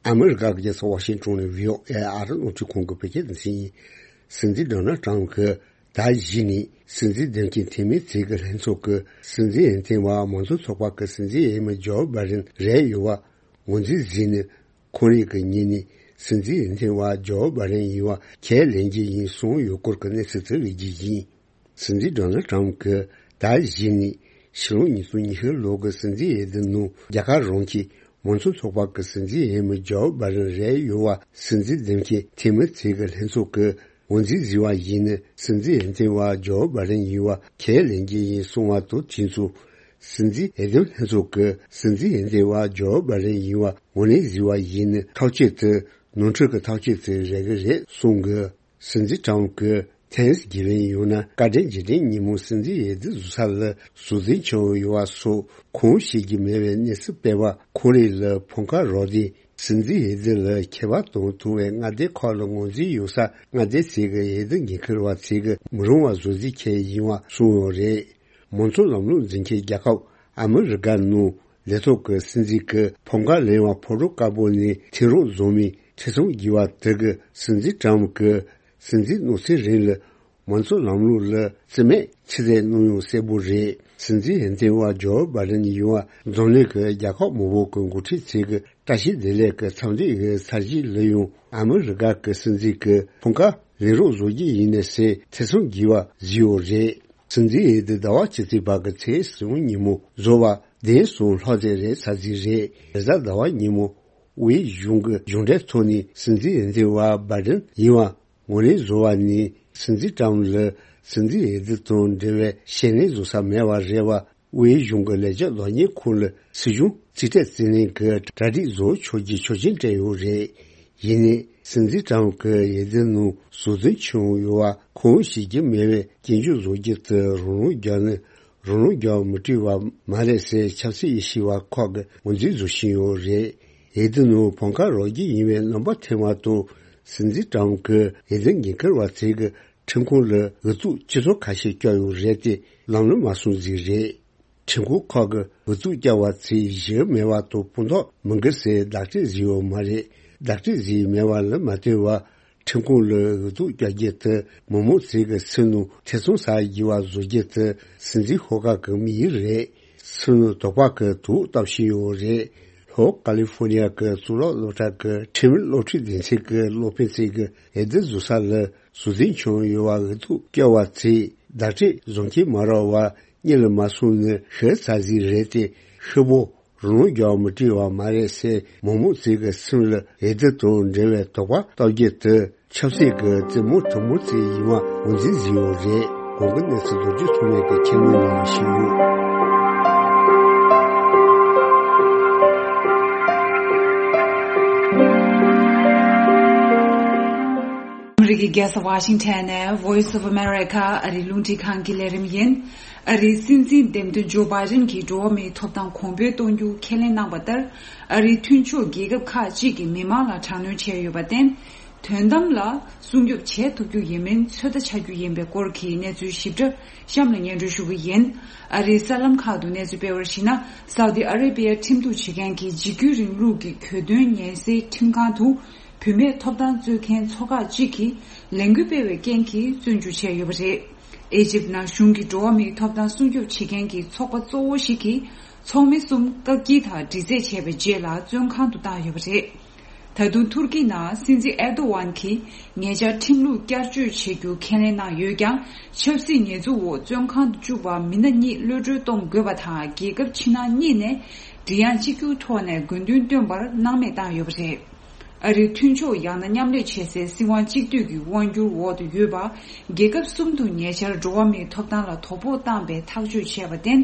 ཨ་མི་རི་ཀ་གི་རྒྱལ་ས་ཝ་ཤིང་ཊོན་ནས་བྷི་ཨོ་ཨེ་ཨ་རི་རླུང་འཕྲིན་ཁང་གི་བོད་སྐད་སྡེ་ཚན་ཡིན། སྲིད་འཛིན་ཌོ་ནལ་ཊམ་གྱིས་ཟླ་བཞི་ནས་སྲིད་འཛིན་འདེམས་མཁན་འཐུས་མིའི་ཚད་ཀྱི་ལྷན་ཚོགས་ཀྱི་སྲིད་འཛིན་འོས་འདེམས་པ་མང་གཙོ་ཚོགས་པ་གི་སྲིད་འཛིན་འོས་མི་ཇོ་བྷའི་ཌེན་རེད་ཡོད་པ་ངོས་འཛིན་བཟོས་ནས། ཁོང་རང་གིས་ཉིན་ནས་སྲིད་འཛིན་འོས་འདེམས་པ་ཇོ་བྷའི་ཌེན་ཡིན་པ་ཁས་ལེན་གྱི་ཡིན་གསུངས་ཡོད་སྐོར་གྱི་གནས་ཚུལ་དེ་སླེབས་རྒྱུ་ཡིན། སྲིད་འཛིན་ཌོ་ནལ་ཊམ་གྱིས་ཟླ་བཞི་ནས་ཕྱི་ལོ་ཉིས་སྟོང་ཉི་ཤུ་ལོ་གི་སྲིད་འཛིན་འོས་བསྡུ་ནང་རྒྱ་གར་རང་གི་མང་གཙོ་ཚོགས་པ་གི་སྲིད་འཛིན་འོས་མི་ཇོ་བྷའི་ཌེན་རེད་ཡོད་པ་སྲིད་འཛིན་འདེམས་མཁན་འཐུས་མི་ཚོས་ཀྱི་ལྷན་ཚོགས་ཀྱིས་ངོས་འཛིན་བཟོས་པ་ཡིན་ན། སྲིད་འཛིན་འོས་འདེམས་པ་ཇོ་བྷའི་ཌེན་ཡིན་པ་ཁས་ལེན་གྱི་ཡིན་གསུངས་པ་དང་དུས་མཚུངས། སྲིད་འཛིན་འོས་འདེམས་ལྷན་ཚོགས་ཀྱིས་སྲིད་འཛིན་འོས་འདེམས་པ་ཇོ་བྷའི་ཌེན་ཡིན་པ་ངོས་ལེན་བཟོས་པ་ཡིན་ན། ཐག་གཅོད་དེ་ནོར་འཁྲུལ་གྱི་ཐག་གཅོད་ཅིག་རེད་ཀྱི་རེད་གསུངས་ཀྱི། སྲིད་འཛིན་ཊམ་གྱིས་ཐེངས་དགེ་བའི་ཡང་ན་བཀའ་དྲིན་རྗེས་དྲན་ཉིན་མོ་སྲིད་འཛིན་འོས་བསྡུ་བཟོ་ས་ལ་བཟོ་རྫུན་ཁྱེར་ཡོང་ཡོད་པ་སོགས་ཁོང་ཤེས་ཀྱི་མེད་པའི་གནས་ཚུལ་སྤེལ་བ། ཁོང་རང་ལ་འཕོངས་ཁ་རོག་སྟེ་སྲིད་འཛིན་འོས་བསྡུ་ལ་ཁྱད་པར་གཏོང་ཐུབ་པའི་མངའ་སྡེ་ཁག་ལ་ངོས་འཛིན་ཡོད་ས་མངའ་སྡེ་ཚོས་ཀྱི་འོས་བསྡུ་འགན་འཁུར་བ་ཚོས་ཀྱི་མི་རུང་བ་བཟོ་རྩིས་ཁྱེར་ཡོང་བ་གསུངས་ཡོད་རེད། མང་གཙོ་ལམ་ལུགས་འཛིན་མཁན་རྒྱལ་ཁབ་ཨ་མི་རི་ཀ་ནང་ལས་ཐོག་གི་སྲིད་འཛིན་གྱི་འཕོངས་ཁ་ལེན་པ་ཕོ་བྲང་དཀར་པོ་ནས་ཐེ་རོ་བཟོ་མིའི་ཐེ་ཚོམ་བགྱིས་པ་དེ་གིས་སྲིད་འཛིན་ཊམ་གྱི་སྲིད་འཛིན་གནང་ཚུལ་རིང་ལ་མང་གཙོ་ལམ་ལུགས་ལ་རྩིས་མེད་ཕྱིར་བསྡད་གནང་ཡོད་གསལ་པོ་རེད། སྲིད་འཛིན་འོས་འདེམས་པ་ཇོ་བྷའི་ཌེན་ཡིན་པ་འཛམ་གླིང་གི་རྒྱལ་ཁབ་མང་པོ་གི་འགོ་ཁྲིད་ཚོས་ཀྱི་བཀྲ་ཤིས་བདེ་ལེགས་ཀྱི་འཚམས་འདྲི་ཡི་ཚར་གཅིག་ལ་ཡང་ཨ་མི་རི་ཀ་གི་སྲིད་འཛིན་གྱི་འཕོངས་ཁ་ལེན་རོགས་བཟོ་རྒྱུ་ཡིན་ནས་ཟེར་ཐེ་ཚོམ་བགྱིས་པ་བཟོས་ཡོད་རེད། སྲིད་འཛིན་འོས་བསྡུ་ཟླ་བ་ཕྱི་ཚེས་བར་གྱི་ཚེས་གསུམ་ཉིན་མོ་བཟོ་བ་བདེན་གསུམ་ལྷག་ཙམ་རེད་ཚར་གཅིག་རེད། རེས་གཟའ་ཟླ་བ་ཉིན་མོ་དབུས་གཞུང་གི་གཞུང་འབྲེལ་ཐོག་ནས་སྲིད་འཛིན་འོས་འདེམས་པ་བྷའི་ཌེན་ཡིན་པ་ངོས་ལེན་བཟོ་བ་ནས་སྲིད་འཛིན་ཊམ་ལ་སྲིད་འཛིན་འོས་བསྡུ་དང་འབྲེལ་བའི་བྱས་ཉེས་བཟོ་ས་མེད་པ་རེད་པ། དབུས་གཞུང་གི་ལས་བྱེད་ལོག་གཉེར་ཁང་ལ་སྲིད་གཞུང་རྩིས་སྤྲོད་རྩིས་ལེན་གྱི་གྲ་སྒྲིག་བཟོ་ཆོག་རྒྱུའི་ཆོག་མཆན་སྤྲད་ཡོད་རེད། ཡིན་ནའི་སྲིད་འཛིན་ཊམ་གྱི་འོས་བསྡུ་ནང་བཟོ་རྫུན་ཁྱེར་ཡོང་ཡོད་པ་ཁོང་ཤེས་ཀྱི་མེད་པའི་སྐྱོན་བརྗོད་བཟོ་རྒྱུ་དེ་རང་དབང་བརྒྱབ་ནས་ རང་ལུགས་རྒྱག་མི་སྤྲད་པ་མ་རེད་ཟེར་ཆབ་སྲིད་དབྱེ་ཞིབ་པ་ཁག་གིས་ངོས་འཛིན་བཟོ་བཞིན་ཡོད་རེད། འོས་བསྡུ་ནང་བོད་ཁ་རོགས་རྒྱུ་ཡིན་པའི་རྣམ་པ་ཐོན་མ་གཏོགས། སྲིད་འཛིན་ཀྲམ་གྱིས་འོས་བསྡུ་འགན་འཁུར་བ་ཚོས་ཀྱི་ཁྲིམས་ཁང་ལ་འོས་ཚུགས་སྤྱི་ཚོགས་ཁ་ཤས་བསྐྱལ་ཡོད་རེད་དེ། ལམ་ལྷོང་མ་སོང་ཟིག་རེད། ཁྲིམས་ཁང་ཁག་གི་འོས་ཚུགས་བསྐྱལ་བ་ཚོས་གཞི་མེད་པ་དང་དཔང་རྟགས་མི་འགལ་ཟེར་བརྡ་སྤྲོད་བཟོས་ཡོད་མ་རེད། བརྡ་སྤྲོད་བཟོས་མེད་པ་ལ་མ་ལྟོས་པར། ཁྲིམས་ཁང་ལ་འོས་ཚུགས་བསྐྱལ་རྒྱུ་དེ་མི་མང་ཚོས་ཀྱི་སེམས་ནང་ཐེ་ཚོམ་ཟ་དགོས་པ་བཟོ་རྒྱུ་དེ། སྲིད་འཛིན་ཧོ་ཀ་གི་དམིགས་ཡུལ་རེད། སེམས་ནང་དོགས་པ་གི་དུག་བཏབ་བཞིན་ཡོད་རེད། ལྷོ་ཀ་ལི་ཧྥོ་ནི་ཡ་གི་གཙུག་ལག་སློབ་གྲྭ་གི་ཁྲིམས་སློབ་ཁྲིད་སྡེ་ཚན་གྱི་སློབ་དཔོན་ཚོས་ཀྱི་འོས་བསྡུ་བཟོ་ས་ལ་ཟུར་འཛིན་བྱུང་ཡོད་པ། འོས་ཚུགས་བསྐྱལ་བ་ཚོས་བརྡ་སྤྲོད་བཟོ་མཁན་མ་རག་པ་གཉིད་ལ་མ་སོང་ནི་ཤི་ཚར་ཟིག་རེད་དེ། ཤི་བོ་རང་ལུགས་རྒྱག་མི་སྤྲད་པ་མ་རེད་ཟེར་མི་མང་ཚོས་ཀྱི་སེམས་ལ་འོས་བསྡུ་དང་འབྲེལ་བའི་དོགས་པ་བཏབ་རྒྱུ་དེ། ཆབ་སྲིད་ཀྱི་རྩེད་མོ་གྲུ་མོ་ཚོ་ཡིན་པ་ངོས་འཛིན་བཟོས་ཡོད་རེད། གོང་གི་གནས་ཚུལ་རྡོ་རྗེ་ཐོགས་མེད་ཀྱིས་ཁྱེར་ནས་ཉན་ཞུ། ཨ་མི་རི་ཀའི་རྒྱལ་ས་ཝ་ཤིང་ཊོན་ནས་Voice of America ཨ་རིའི་རླུང་འཕྲིན་ཁང་གི་ལས་རིམ་ཡིན། ཨ་རིའི་སྲིད་འཛིན་འདེམས་ཐོན་ཇོ་བྷའི་ཌེན་གྱིས་འགྲོ་བ་མིའི་ཐོབ་ཐང་གོང་འཕེལ་གཏོང་རྒྱུ་ཁས་ལེན་གནང་བ་ལྟར། ཨ་རིའི་མཐུན་ཕྱོགས་རྒྱལ་ཁབ་ཁག་ཅིག་གིས་མི་མང་ལ་དྲག་གནོན་བྱས་ཡོད་པར་བརྟེན། དོན་དམ་ལ་སྲུང་སྐྱོབ་བྱེད་ཐུབ་རྒྱུ་ཡིན་མིན་ཚོད་ལྟ་བྱ་རྒྱུ་ཡིན་པའི་སྐོར་གྱི་གནས་ཚུལ་ཞིབ་ཕྲ་གཤམ་ལ་སྙན་སྒྲོན་ཞུ་གི་ཡིན། ཨ་རིའི་གསར་ལམ་ཁག་ཏུ་གནས་ཚུལ་སྤེལ་བར་གཞིགས་ན། སའུ་ཏི་ཨ་རེ་བྷི་ཡ་ཁྲིམས་གཏུག་བྱེད་མཁན་གྱི་འཇིགས་སྐུལ་རིང་ལུགས་ཀྱི་གྱོད་དོན་ཉེན་སེལ་ཁྲིམས་ཁང་དུ། བུད་མེད་ཐོབ་ཐང་རྩོད་མཁན་ཚོགས་ཁག་ཅིག་གིས་ལས་འགུལ་སྤེལ་བའི་རྐྱེན་གྱིས་བཙོན་འཇུག་བྱས་ཡོད་པ་རེད། ཨེ་ཇིབ་ནང་གཞུང་གི་འགྲོ་བ་མིའི་ཐོབ་ཐང་སྲུང་སྐྱོབ་བྱེད་མཁན་གྱི་ཚོགས་པ་གཙོ་བོ་ཞིག་གིས་ཚོགས་མི་གསུམ་བཀག་སྐྱིལ་དང་འདྲི་རྩད་བྱས་པའི་རྗེས་ལ་བཙོན་ཁང་དུ་བཏང་ཡོད་པ་རེད། ད་དུང་ཐུར་ཀི་ནང་སྲིད་འཛིན་ཨེར་ཏོ་ཝན་གྱིས་ཉེ་ཆར་ཁྲིམས་ལུགས་བསྐྱར་བཅོས་བྱེད་རྒྱུ་ཁས་ལེན་གནང་ཡོད་ཀྱང་། ཆབ་སྲིད་ཉེས་འཛུགས་འོག་བཙོན་ཁང་དུ་བཅུག་པ་མི་སྣ་གཉིས་གློད་གྲོལ་གཏོང་དགོས་པ་དང་། རྒྱལ་ཁབ་ཕྱི་ནང་གཉིས་ནས་མགྲིན་དབྱངས་གཅིག་གྱུར་ཐོག་ནས་དགོས་འདུན་བཏོན་པར་སྣང་མེད་བཏང་ཡོད་པ་རེད། ཨ་རིའི་མཐུན་ཕྱོགས་ཡང་ན་མཉམ་ལས་བྱེད་སའི་སྲིད་དབང་གཅིག་སྡུད་ཀྱི་དབང་སྒྱུར་འོག་ཏུ་ཡོད་པ། རྒྱལ་ཁབ་གསུམ་དུ་ཉེ་ཆར་འགྲོ་བ་མིའི་ཐོབ་ཐང་ལ་དོ་ཕོག་བཏང་པའི་ཐག་གཅོད་བྱས་པར་བརྟེན།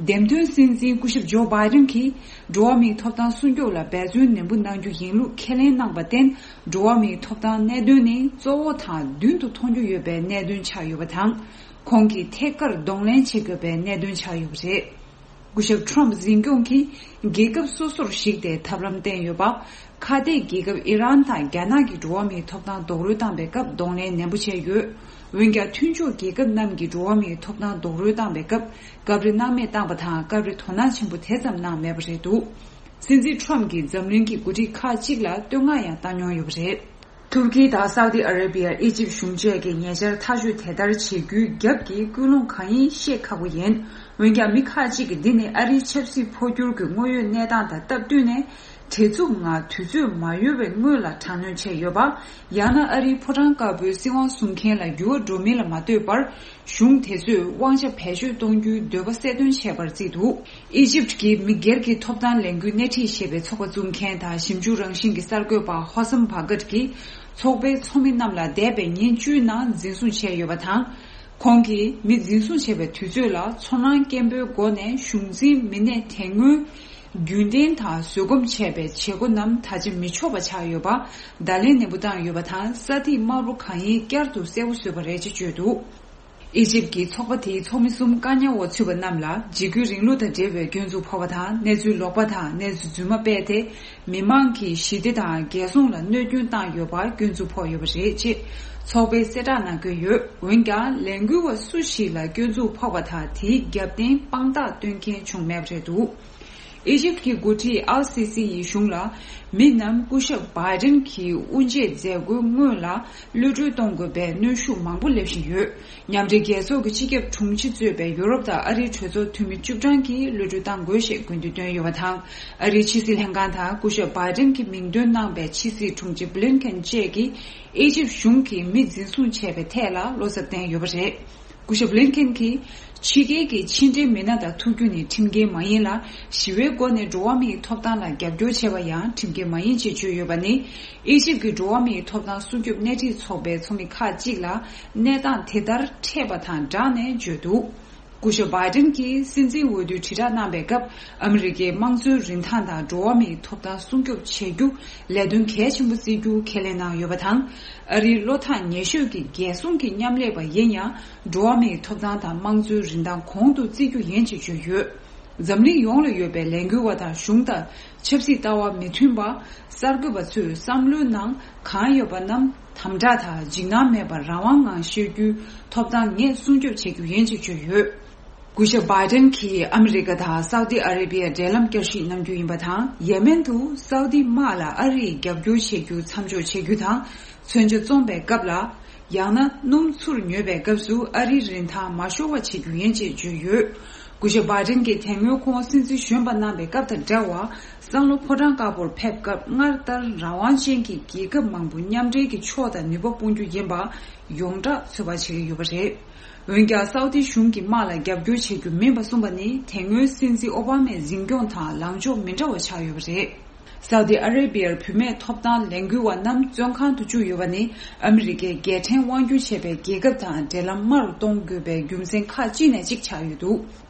འདེམས་ཐོན་སྲིད་འཛིན་སྐུ་ཞབས་ཇོ་བྷའི་ཌེན་གྱིས་འགྲོ་བ་མིའི་ཐོབ་ཐང་སྲུང་སྐྱོབ་ལ་འབད་བརྩོན་ནན་པོ་གནང་རྒྱུ་ཡིན་ལུགས་ཁས་ལེན་གནང་བར་བརྟེན། འགྲོ་བ་མིའི་ཐོབ་ཐང་གནད་དོན་ནི་གཙོ་བོ་དང་མདུན་དུ་མཐོང་རྒྱུ་ཡོད་པའི་གནད་དོན་ཆགས་ཡོད་པ་དང་། ཁོང་གིས་ཐད་ཀར་གདོང་ལེན་བྱེད་དགོས་པའི་གནད་དོན་ཆགས་ཡོད་པ་རེད། སྐུ་ཞབས་ཁྲོམ་འཛིན་སྐྱོང་གིས་རྒྱལ་ཁབ་སོ་སོར་གཞིགས་ཏེ་ཐབས་ལམ་བསྟན་ཡོད་པ། ཁ་གཏད་རྒྱལ་ཁབ་ཨི་རན་དང་རྒྱ་ནག་གིས་འགྲོ་བ་མིའི་ཐོབ་ཐང་རྡོག་རོལ་བཏང་པའི་སྐབས་གདོང་ལེན་ནན་པོ་བྱས་ཡོད། འོན་ཀྱང་མཐུན་ཕྱོགས་རྒྱལ་ཁབ་རྣམས་ཀྱིས་འགྲོ་བ་མིའི་ཐོབ་ཐང་རྡོག་རོལ་བཏང་པའི་སྐབས་སྐབས་རེ་སྣང་མེད་བཏང་པ་དང་། སྐབས་རེ་དོ་སྣང་ཆེན་པོ་དེ་ཙམ་གནང་མེད་པ་རེད་འདུག་སྲིད་འཛིན་ཁྲོམ་གྱིས་འཛམ་གླིང་གི་འགོ་ཁྲིད་ཁག་ཅིག་ལ་བསྟོད་བསྔགས་ཡང་བཏང་མྱོང་ཡོད་པ་རེད། ཐུར་ཀི་དང་སའུ་ཏི་ཨ་རེ་བྷི་ཡ། ཨི་ཇིབ་གཞུང་བཅས་ཀྱིས་ཉེ་ཆར་ཐག་གཅོད་དེ་ལྟར་བྱེད་རྒྱུའི་རྒྱབ་ཀྱི་ཀུན་སློང་གང་ཡིན་ཤེས་ཁག་པོ་ཡིན། འོན་ཀྱང་མི་ཁག་ཅིག་གིས་འདི་ནི་ཨ་རིའི་ཆབ་སྲིད་འཕོ་འགྱུར་གྱི་དངོས་ཡོད་གནས་སྟངས་དང་སྟབས་བསྟུན་ནས། བྲེལ་འཚུབ་ངང་དུས་ཚོད་མ་ཡོལ་བའི་སྔོན་ལ་དྲག་གནོན་བྱས་ཡོད་པ། ཡང་ན་ཨ་རིའི་ཕོ་བྲང་དཀར་པོའི་སྲིད་དབང་བཟུང་མཁན་ལ་འགྱུར་བ་འགྲོ་མིན་ལ་མ་ལྟོས་པར། གཞུང་དེ་ཚོས་དབང་ཆ་བེད་སྤྱོད་གཏོང་རྒྱུའི་འདོད་པ་གསལ་སྟོན་བྱས་པར་བརྩིས་འདུག་ཨི་ཇིབ་ཀྱི་མི་སྒེར་གྱི་ཐོབ་ཐང་ལས་འགུལ་སྣེ་ཁྲིད་ཞེས་པའི་ཚོགས་པ་བཙུགས་མཁན་དང་ཞིབ་འཇུག་རང་བཞིན་གྱི་གསར་འགོད་པ་ཧོ་སམ་བྷ་གཏ་གིས། ཚོགས་པའི་ཚོགས་མི་རྣམས་ལ་འདས་པའི་ཉིན་བཅུའི་ནང་འཛིན་བཟུང་བྱས་ཡོད་པ་དང་། ཁོང་གིས་མི་འཛིན་བཟུང་བྱས་པའི་དུས་ཚོད་ལ་ཚོར་སྣང་སྐྱེན་པོའི་སྒོ་ནས་གཞུང་འཛིན་མི་སྣས་དེ་སྔོན་རྒྱུན་ལྡན་དང་བཟོད་སྒོམ་བྱས་པའི་བྱེད་སྒོ་རྣམས་ད་ཆ་མི་ཆོག་པ་ཆགས་ཡོད་པ། བརྡ་ལན་ནན་པོ་བཏང་ཡོད་པ་དང་། ས་ཐིག་དམར་པོ་གང་ཡིན་བསྐྱར་དུ་གསལ་པོ་བཟོས་པ་རེད་ཅེས་བརྗོད་འདུག་ཨི་ཇིབ་ཀྱི་ཚོགས་པ་དེའི་ཚོགས་མི་གསུམ་བཀག་ཉར་འོག་ཚུད་པ་རྣམས་ལ་འཇིགས་སྐུལ་རིང་ལུགས་དང་འབྲེལ་བའི་སྐྱོན་འཛུགས་ཕོག་པ་དང་། གནས་ཚུལ་ལོག་པ་དང་གནས་ཚུལ་རྫུན་མ་སྤེལ་ཏེ། མི་མང་གི་ཞི་བདེ་དང་རྒྱལ་སྲུང་ལ་གནོད་སྐྱོན་བཏང་ཡོད་པར་སྐྱོན་འཛུགས་ཕོག་ཡོད་པ་རེད་ཅེས་ཚོགས་པའི་གསལ་བསྒྲགས་ནང་བཀོད་ཡོད། འོན་ཀྱང་ལས་འགུལ་བ་སུ་ཞིག་ལ་སྐྱོན་འཛུགས་ཕོག་པ་དང་དེའི་རྒྱབ་རྟེན་དཔང་རྟགས་སྟོན་མཁན་བྱུང་མེད་པ་རེད་འདུག་ཨི་ཇིབ་ཀྱི་འགོ་ཁྲིད་ཨལ་སི་སི་ཡིས་གཞུང་ལ། མི་རྣམས་སྐུ་ཞབས་བྷའི་ཌེན་གྱི་དབུ་འབྱེད་མཛད་སྒོའི་སྔོན་ལ་གློད་གྲོལ་གཏོང་དགོས་པའི་གནོན་ཤུགས་མང་པོ་སླེབས་བཞིན་ཡོད། མཉམ་འབྲེལ་རྒྱལ་ཚོགས་ཀྱི་སྤྱི་ཁྱབ་དྲུང་ཆེ་གཙོས་པའི་ཡུ་རོབ་དང་ཨ་རིའི་གྲོས་ཚོགས་འཐུས་མི་བཅུ་གྲངས་ཀྱིས་གློད་གྲོལ་གཏང་དགོས་ཞེས་དགོས་འདུན་བཏོན་ཡོད་པ་དང་། ཨ་རིའི་ཕྱི་སྲིད་ལྷན་ཁང་དང་སྐུ་ཞབས་བྷའི་ཌེན་གྱི་མིང་འདོན་གནང་པའི་ཕྱི་སྲིད་དྲུང་ཆེ་བྷི་ལིན་ཁེན་བཅས་ཀྱིས་ཨི་ཇིབ་གཞུང་གིས་མི་འཛིན་བཟུང་བྱས་པའི་ཐད་ལ་བློ་འཚབ་བསྟན་ཡོད་པ་རེད། སྐུ་ཞབས་ལིན་ཁེན་གྱིས། ཕྱི་རྒྱལ་གྱི་ཕྱི་འབྲེལ་མི་སྣ་དང་ཐུག་རྒྱུ་ནི་ཁྲིམས་འགལ་མ་ཡིན་ལ། ཞི་བའི་སྒོ་ནས་འགྲོ་བ་མིའི་ཐོབ་ཐང་ལ་རྒྱབ་སྐྱོར་བྱས་པ་ཡང་ཁྲིམས་འགལ་མ་ཡིན་ཅེས་བརྗོད་ཡོད་པ་ནི། ཨི་ཇིབ་ཀྱི་འགྲོ་བ་མིའི་ཐོབ་ཐང་སྲུང་སྐྱོབ་སྣེ་ཁྲིད་ཚོགས་པའི་ཚོགས་མི་ཁག་ཅིག་ལ་གནས་སྟངས་དེ་ལྟར་འཕྲད་པ་དང་སྦྲགས་ནས་བརྗོད་འདུག་སྐུ་ཞབས་བྷའི་ཏིན་གྱིས་སྲིད་འཛིན་འོས་བསྡུའི་དྲིལ་བསྒྲགས་གནང་བའི་སྐབས། ཨ་མི་རི་ཀའི་དམངས་གཙོའི་རིན་ཐང་དང་འགྲོ་བ་མིའི་ཐོབ་ཐང་སྲུང་སྐྱོབ་བྱེད་རྒྱུ་ལས་དོན་གལ་ཆེན་པོ་བརྩི་རྒྱུ་ཁས་ལེན་གནང་ཡོད་པ་དང་། ཨ་རིའི་བློ་ཐག་ཉེ་ཤོས་ཀྱི་རྒྱལ་སྲུང་གི་མཉམ་ལས་པ་ཡིན་ཡང་། འགྲོ་བ་མིའི་ཐོབ་ཐང་དང་དམངས་གཙོའི་རིན་ཐང་གོང་དུ་བརྩི་རྒྱུ་ཡིན་ཅེས་བརྗོད་ཡོད། འཛམ་གླིང་ཡོངས་ལ་ཡོད་པའི་ལས་འགུལ་བ་དང་གཞུང་དང་། ཆབ་སྲིད་ལྟ་བ་མི་མཐུན་པ། གསར་འགོད་པ་ཚོས་བསམ་བློའི་ནང་གང་ཡོད་པ་རྣམས་དམ་དྲག་དང་འཇིགས་སྣང་མེད་པར་རང་དབང་ངང་བཤད་རྒྱུའི་ཐོབ་ཐང་ངས་སྲུང་སྐྱོབ་བྱེད་རྒྱུ་ཡིན་ཅེས་བརྗོད་ཡོད། སྐུ་ཞབས་བྷའི་ཏན་གྱིས་ཨ་མི་རི་ཀ་དང་སའུ་ཏི་ཨ་རེ་བྷི་ཡར་འབྲེལ་ལམ་བསྐྱར་ཞིབ་གནང་རྒྱུ་ཡིན་པ་དང་། ཡེ་མེན་དུ་སའུ་ཏི་དམག་ལ་ཨ་རིས་རྒྱབ་སྐྱོར་བྱེད་རྒྱུ་མཚམས་འཇོག་བྱེད་རྒྱུ་དང་། མཚོན་ཆ་བཙོང་པའི་སྐབས་ལ། ཡང་ན་སྣུམ་ཚུར་ཉོ་བའི་སྐབས་སུ་ཨ་རིའི་རིན་ཐང་མ་ཤོར་བ་བྱེད་རྒྱུ་ཡིན་ཅེས་བརྗོད་ཡོད། སྐུ་ཞབས་བྷའི་ཏན་གྱིས་དེ་སྔོན་ཁོང་སྲིད་འཛིན་གཞོན་པ་གནང་བའི་སྐབས་དང་འདྲ་བར། སང་ལོ་ཕོ་བྲང་དཀར་པོར་ཕེབས་སྐབས། སྔར་ལྟར་རང་དབང་ཅན་གྱི་རྒྱལ་ཁབ་མང་པོ་མཉམ་འབྲེལ་གྱི་ཕྱོགས་དང་ནུས་པ་སྤུངས་རྒྱུ་ཡིན་པ་ཡོངས་གྲགས་ཚོད་དཔག་བྱེད་ཀྱི་ཡོད་པ་རེད། འོན་ཀྱང་། སའུ་ཏི་གཞུང་གིས་དམག་ལ་རྒྱབ་སྐྱོར་བྱེད་རྒྱུ་མིན་པ་གསུངས་པ་ནི། དེ་སྔོན་སྲིད་འཛིན་ཨོ་བྷ་མའི་འཛིན་སྐྱོང་དང་ལངས་ཕྱོགས་མི་འདྲ་བ་ཆགས་ཡོད་པ་རེད། སའུ་ཏི་ཨ་རེ་བྷི་ཡར་བུད་མེད་ཐོབ་ཐང་ལས་འགུལ་བ་རྣམས་བཙོན་ཁང་དུ་བཅུག་ཡོད་པ་ནི། ཨ་མི་རི་ཀས་རྒྱལ་ཕྲན་དབང་སྒྱུར་བྱས་པའི་རྒྱལ་ཁབ་དང་འབྲེལ་ལམ་དམའ་རུ་གཏོང་དགོས་པའི་རྒྱུ་མཚན་ཁག་ཅིག་ནས་གཅིག་ཆགས་ཡོད་འདུག་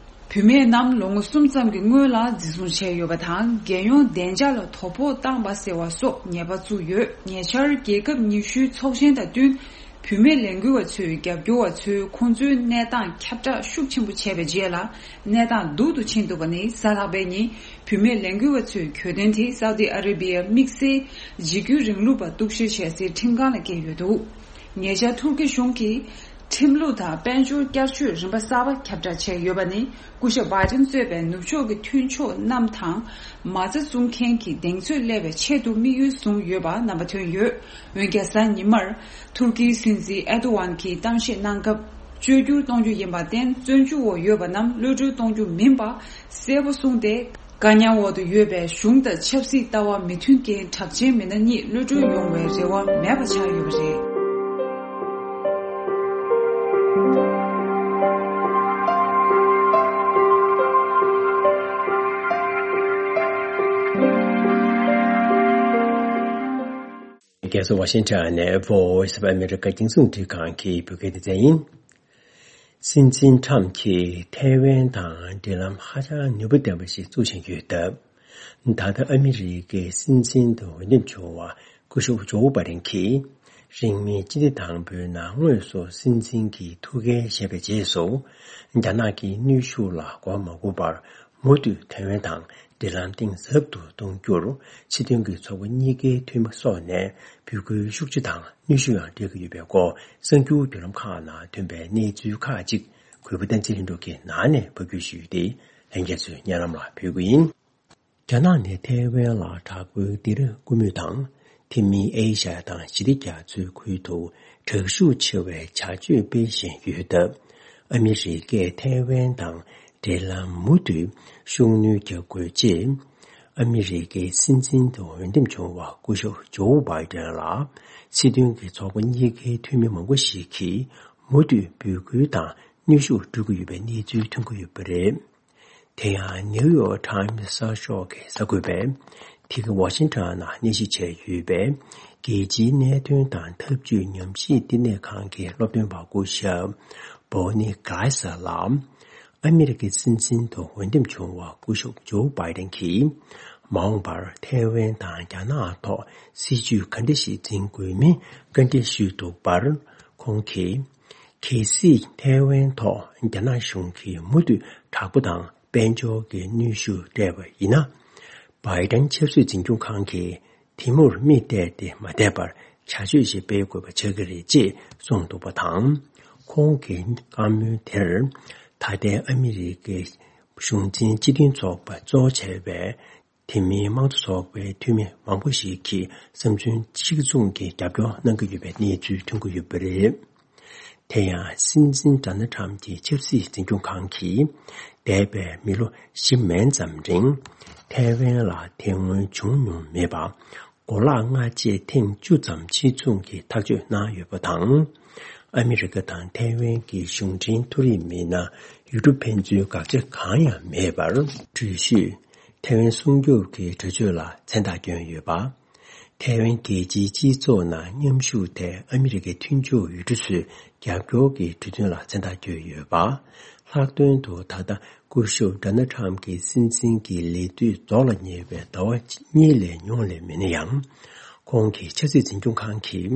བུད་མེད་རྣམས་ལོ་ངོ་གསུམ་ཙམ་གྱི་སྔོན་ལ་འཛིན་བཟུང་བྱས་ཡོད་པ་དང་། རྒྱལ་ཡོངས་བདེ་འཇགས་ལ་དོ་ཕོག་བཏང་པ་ཟེར་བ་སོགས་ཉེས་པ་བཙུགས་ཡོད། ཉེ་ཆར་རྒྱལ་ཁབ་ཉི་ཤུའི་ཚོགས་ཆེན་དང་བསྟུན། བུད་མེད་ལས་འགུལ་བ་ཚོའི་རྒྱབ་སྐྱོར་བ་ཚོས་ཁོང་ཚོའི་གནས་སྟངས་ཁྱབ་བསྒྲགས་ཤུགས་ཆེན་པོ་བྱས་པའི་རྗེས་ལ། གནས་སྟངས་སྡུག་ཏུ་ཕྱིན་འདུག་པ་ནི། གཟའ་ལྷག་པའི་ཉིན་བུད་མེད་ལས་འགུལ་བ་ཚོའི་གྱོད་དོན་དེ་སའུ་ཏི་ཨ་རེ་བྷི་ཡའི་དམིགས་བསལ་འཇིགས་སྐུལ་རིང་ལུགས་པ་གཏུག་བཤེར་བྱེད་སའི་ཁྲིམས་ཁང་ལ་བཀལ་ཡོད་འདུག་ཉེ་ཆར་ཐུར་ཀི་གཞུང་གིས་ཁྲིམས་ལུགས་དང་དཔལ་འབྱོར་བསྐྱར་བཅོས་རིམ་པ་གསར་པ་ཁྱབ་བསྒྲགས་བྱས་ཡོད་པ་ནི། སྐུ་ཞབས་བྷའི་ཏན་གཙོས་པའི་ནུབ་ཕྱོགས་ཀྱི་མཐུན་ཕྱོགས་རྣམས་དང་། མ་རྩ་བཙུགས་མཁན་གྱི་གདེང་ཚོད་སླེབས་པའི་ཆེད་དུ་དམིགས་ཡུལ་བཟུང་ཡོད་པ་རྣམ་པ་ཐོན་ཡོད། འོན་ཀྱང་། གཟའ་ཉི་མར་ཐུར་ཀིའི་སྲིད་འཛིན་ཨེར་ཏོ་ཝན་གྱིས་གཏམ་བཤད་གནང་སྐབས། བཅོས་བསྒྱུར་གཏོང་རྒྱུ་ཡིན་པར་བརྟེན། བཙོན་འཇུག་འོག་ཡོད་པ་རྣམས་གློད་གྲོལ་གཏོང་རྒྱུ་མིན་པ་གསལ་པོ་གསུངས་ཏེ། བཀག་ཉར་འོག་ཏུ་ཡོད་པའི་གཞུང་དང་ཆབ་སྲིད་ལྟ་བ་མི་མཐུན་རྐྱེན་གྲགས་ཅན་མི་སྣ་གཉིས་གློད་གྲོལ་ཡོང་བའི་རེ་བ་མེད་པ་ཆགས་ཡོད་པ་རེད། རྒྱལ་ས་ཝ་ཤིང་ཊོན་ནས་Voice of America་རྒྱང་སྲིང་རླུང་འཕྲིན་ཁང་གི་བོད་སྐད་སྡེ་ཚན་ཡིན། སྲིད་འཛིན་ཁྲམ་གྱིས་ཐའེ་ཝན་དང་འབྲེལ་ལམ་ཧ་ཅང་ནུས་པ་ལྡན་པ་ཞིག་བཙུགས་བཞིན་ཡོད་སྟབས། ད་ལྟ་ཨ་མི་རི་ཀའི་སྲིད་འཛིན་དུ་འོས་འདེམས་བྱུང་བ་སྐུ་ཞབས་ཇོ་བྷའི་ཌེན་གྱིས། རིང་མིན་སྤྱི་ཟླ་དང་པོའི་ནང་དངོས་སུ་སྲིད་འཛིན་གྱི་ཐུགས་འགན་བཞེས་པའི་རྗེས་སུ། རྒྱ་ནག་གི་གནོན་ཤུགས་ལ་མགོ་མ་སྒུར་བར། མུ་མཐུད་ཐའེ་ཝན་དང་འབྲེལ་ལམ་གཏིང་ཟབ་ཏུ་གཏོང་རྒྱུར། སྲིད་དོན་གྱི་ཚོགས་པ་གཉིས་ཀའི་འཐུས་མི་སོགས་ནས་འབོད་སྐུལ་ཤུགས་ཆེ་དང་གནོན་ཤུགས་ཡང་སྤྲད་ཀྱི་ཡོད་པའི་སྐོར། གསར་འགྱུར་བརྒྱུད་ལམ་ཁག་ནང་ཐོན་པའི་གནས་ཚུལ་ཁག་ཅིག་གུས་པ་བསྟན་འཛིན་ལྷུན་གྲུབ་ཀྱིས་ནང་ནས་ཕབ་སྒྱུར་ཞུས་ཏེ། ལྷན་རྒྱས་ཚོའི་སྙན་ལམ་ལ་ཕུལ་གྱི་ཡིན། རྒྱ་ནག་ནས་ཐའེ་ཝན་ལ་དྲག་པོའི་སྡིགས་ར་བསྐུལ་མུས་དང་། དེ་མིན་ཨེ་ཤ་ཡ་དང་ཞི་བདེ་རྒྱ་མཚོའི་ཁུལ་དུ་དྲག་ཤུགས་ཆེ་བའི་བྱ་སྤྱོད་སྤེལ་བཞིན་ཡོད་སྟབས། ཨ་མི་རི་ཀས་ཐའེ་ཝན་དང་འབྲེལ་ལམ་མུ་མཐུད་ཤུགས་སྣོན་རྒྱག་དགོས་ཅེས། ཨ་མི་རི་ཀའི་སྲིད་འཛིན་དུ་འོས་འདེམས་བྱུང་བ་སྐུ་ཞབས་ཇོ་བྷའི་ཌེན་ལ། སྲིད་དོན་གྱི་ཚོགས་པ་གཉིས་ཀའི་འཐུས་མི་མང་པོ་ཞིག་གིས་མུ་མཐུད་འབོད་སྐུལ་དང་གནོན་ཤུགས་སྤྲོད་ཀྱི་ཡོད་པའི་གནས་ཚུལ་ཐོན་གྱི་ཡོད་པ་རེད། དེ་ཡང་ནིའུ་ཡོག་ཊའིམ་གསར་ཤོག་གིས་གསར་འགོད་པས། དེ་ག་ཝ་ཤིང་ཊོན་ནང་གནས་གཞི་བྱས་ཡོད་པའི་རྒྱལ་སྤྱིའི་གནད་དོན་དང་འཐབ་ཇུས་ཉམས་ཞིབ་བསྟི་གནས་ཁང་གི་སློབ་སྟོན་པ་སྐུ་ཞབས་བྷོ་ནི་གྷ་ལི་སར་ལ། ཨ་མི་རི་ཀའི་སྲིད་འཛིན་དུ་འོས་འདེམས་བྱུང་བ་སྐུ་ཞབས་ཇོ་བྷའི་ཌེན་གྱིས། མ་འོངས་པར་ཐའེ་ཝན་དང་རྒྱ་ནག་ཐོག་སྲིད་ཇུས་ག་འདྲ་ཞིག་འཛིན་དགོས་མིན་བཀའ་འདྲི་ཞུས་འདུག་པར། ཁོང་གིས། གལ་སྲིད་ཐའེ་ཝན་ཐོག་རྒྱ་ནག་གཞུང་གིས་མུ་མཐུད་དྲག་པོ་དང་དཔལ་འབྱོར་གྱི་གནོན་ཤུགས་སྤྲད་པ་ཡིན་ན། བྷའི་ཌེན་ཆབ་སྲིད་འཛིན་སྐྱོང་ཁང་གིས་དེ་མུར་མིག་གཏད་དེ་མ་བསྡད་པར་བྱ་སྤྱོད་ཞིག་སྤེལ་དགོས་པ་ཆགས་ཀྱི་རེད་ཅེས་གསུངས་འདུག་པ་དང་། ཁོང་གི་བཀའ་མོལ་དེར། ད་ལྟའི་ཨ་མི་རི་ཀའི་གཞུང་འཛིན་སྤྱི་མཐུན་ཚོགས་པ་གཙོ་བྱས་པའི། དེ་མིན་དམངས་གཙོ་ཚོགས་པའི་འཐུས་མི་མང་པོ་ཞིག་གིས་བསམ་ཚུལ་གཅིག་མཚུངས་ཀྱི་རྒྱབ་སྐྱོར་གནང་གི་ཡོད་པའི་གནས་ཚུལ་ཐོན་གྱི་ཡོད་པ་རེད། དེ་ཡང་སྲིད་འཛིན་ཌོ་ནལ་ཊམ་གྱི་ཆབ་སྲིད་འཛིན་སྐྱོང་ཁང་གིས་འདས་པའི་མི་ལོ་བཞི་མན་ཙམ་རིང་ཐའེ་ཝན་ལ་དེ་སྔོན་བྱུང་མྱོང་མེད་པ་གོ་ལག་སྔ་རྗེས་ཐེངས་བཅུ་ཙམ་ཕྱིར་ཚོང་གི་ཐག་གཅོད་གནང་ཡོད་པ་དང་། ཨ་མི་རི་ཀ་དང་ཐའེ་ཝན་གྱི་གཞུང་འབྲེལ་མཐོ་རིམ་མི་སྣ་ཡུལ་གྲུ་ཕན་ཚུན་དགག་བྱ་གང་ཡང་མེད་པར་འགྲུལ་བཞུད། ཐའེ་ཝན་སྲུང་སྐྱོབ་ཀྱི་གྲོས་ཆོད་ལ་མཚན་རྟགས་བསྐྱོན་ཡོད་པ། ཐའེ་ཝན་རྒྱལ་སྤྱིའི་སྤྱི་ཚོགས་ནང་མཉམ་ཞུགས་ཐད་ཨ་མི་རི་ཀའི་མཐུན་ཕྱོགས་ཡུལ་གྲུ་ཚོས་རྒྱབ་སྐྱོར་གྱི་གྲོས་མཐུན་ལ་མཚན་རྟགས་བསྐྱོན་ཡོད་པ། ལྷག་དོན་དུ་ད་ལྟ་སྐུ་ཞབས་ཌོ་ནལ་ཊམ་གྱི་སྲིད་འཛིན་གྱི་ལས་དུས་རྫོགས་ལ་ཉེ་བའི་ཟླ་བ་གཉིས་ལས་ཉུང་ལས་མེད་ན་ཡང་། ཁོང་གི་ཆབ་སྲིད་འཛིན་སྐྱོང་ཁང་གིས་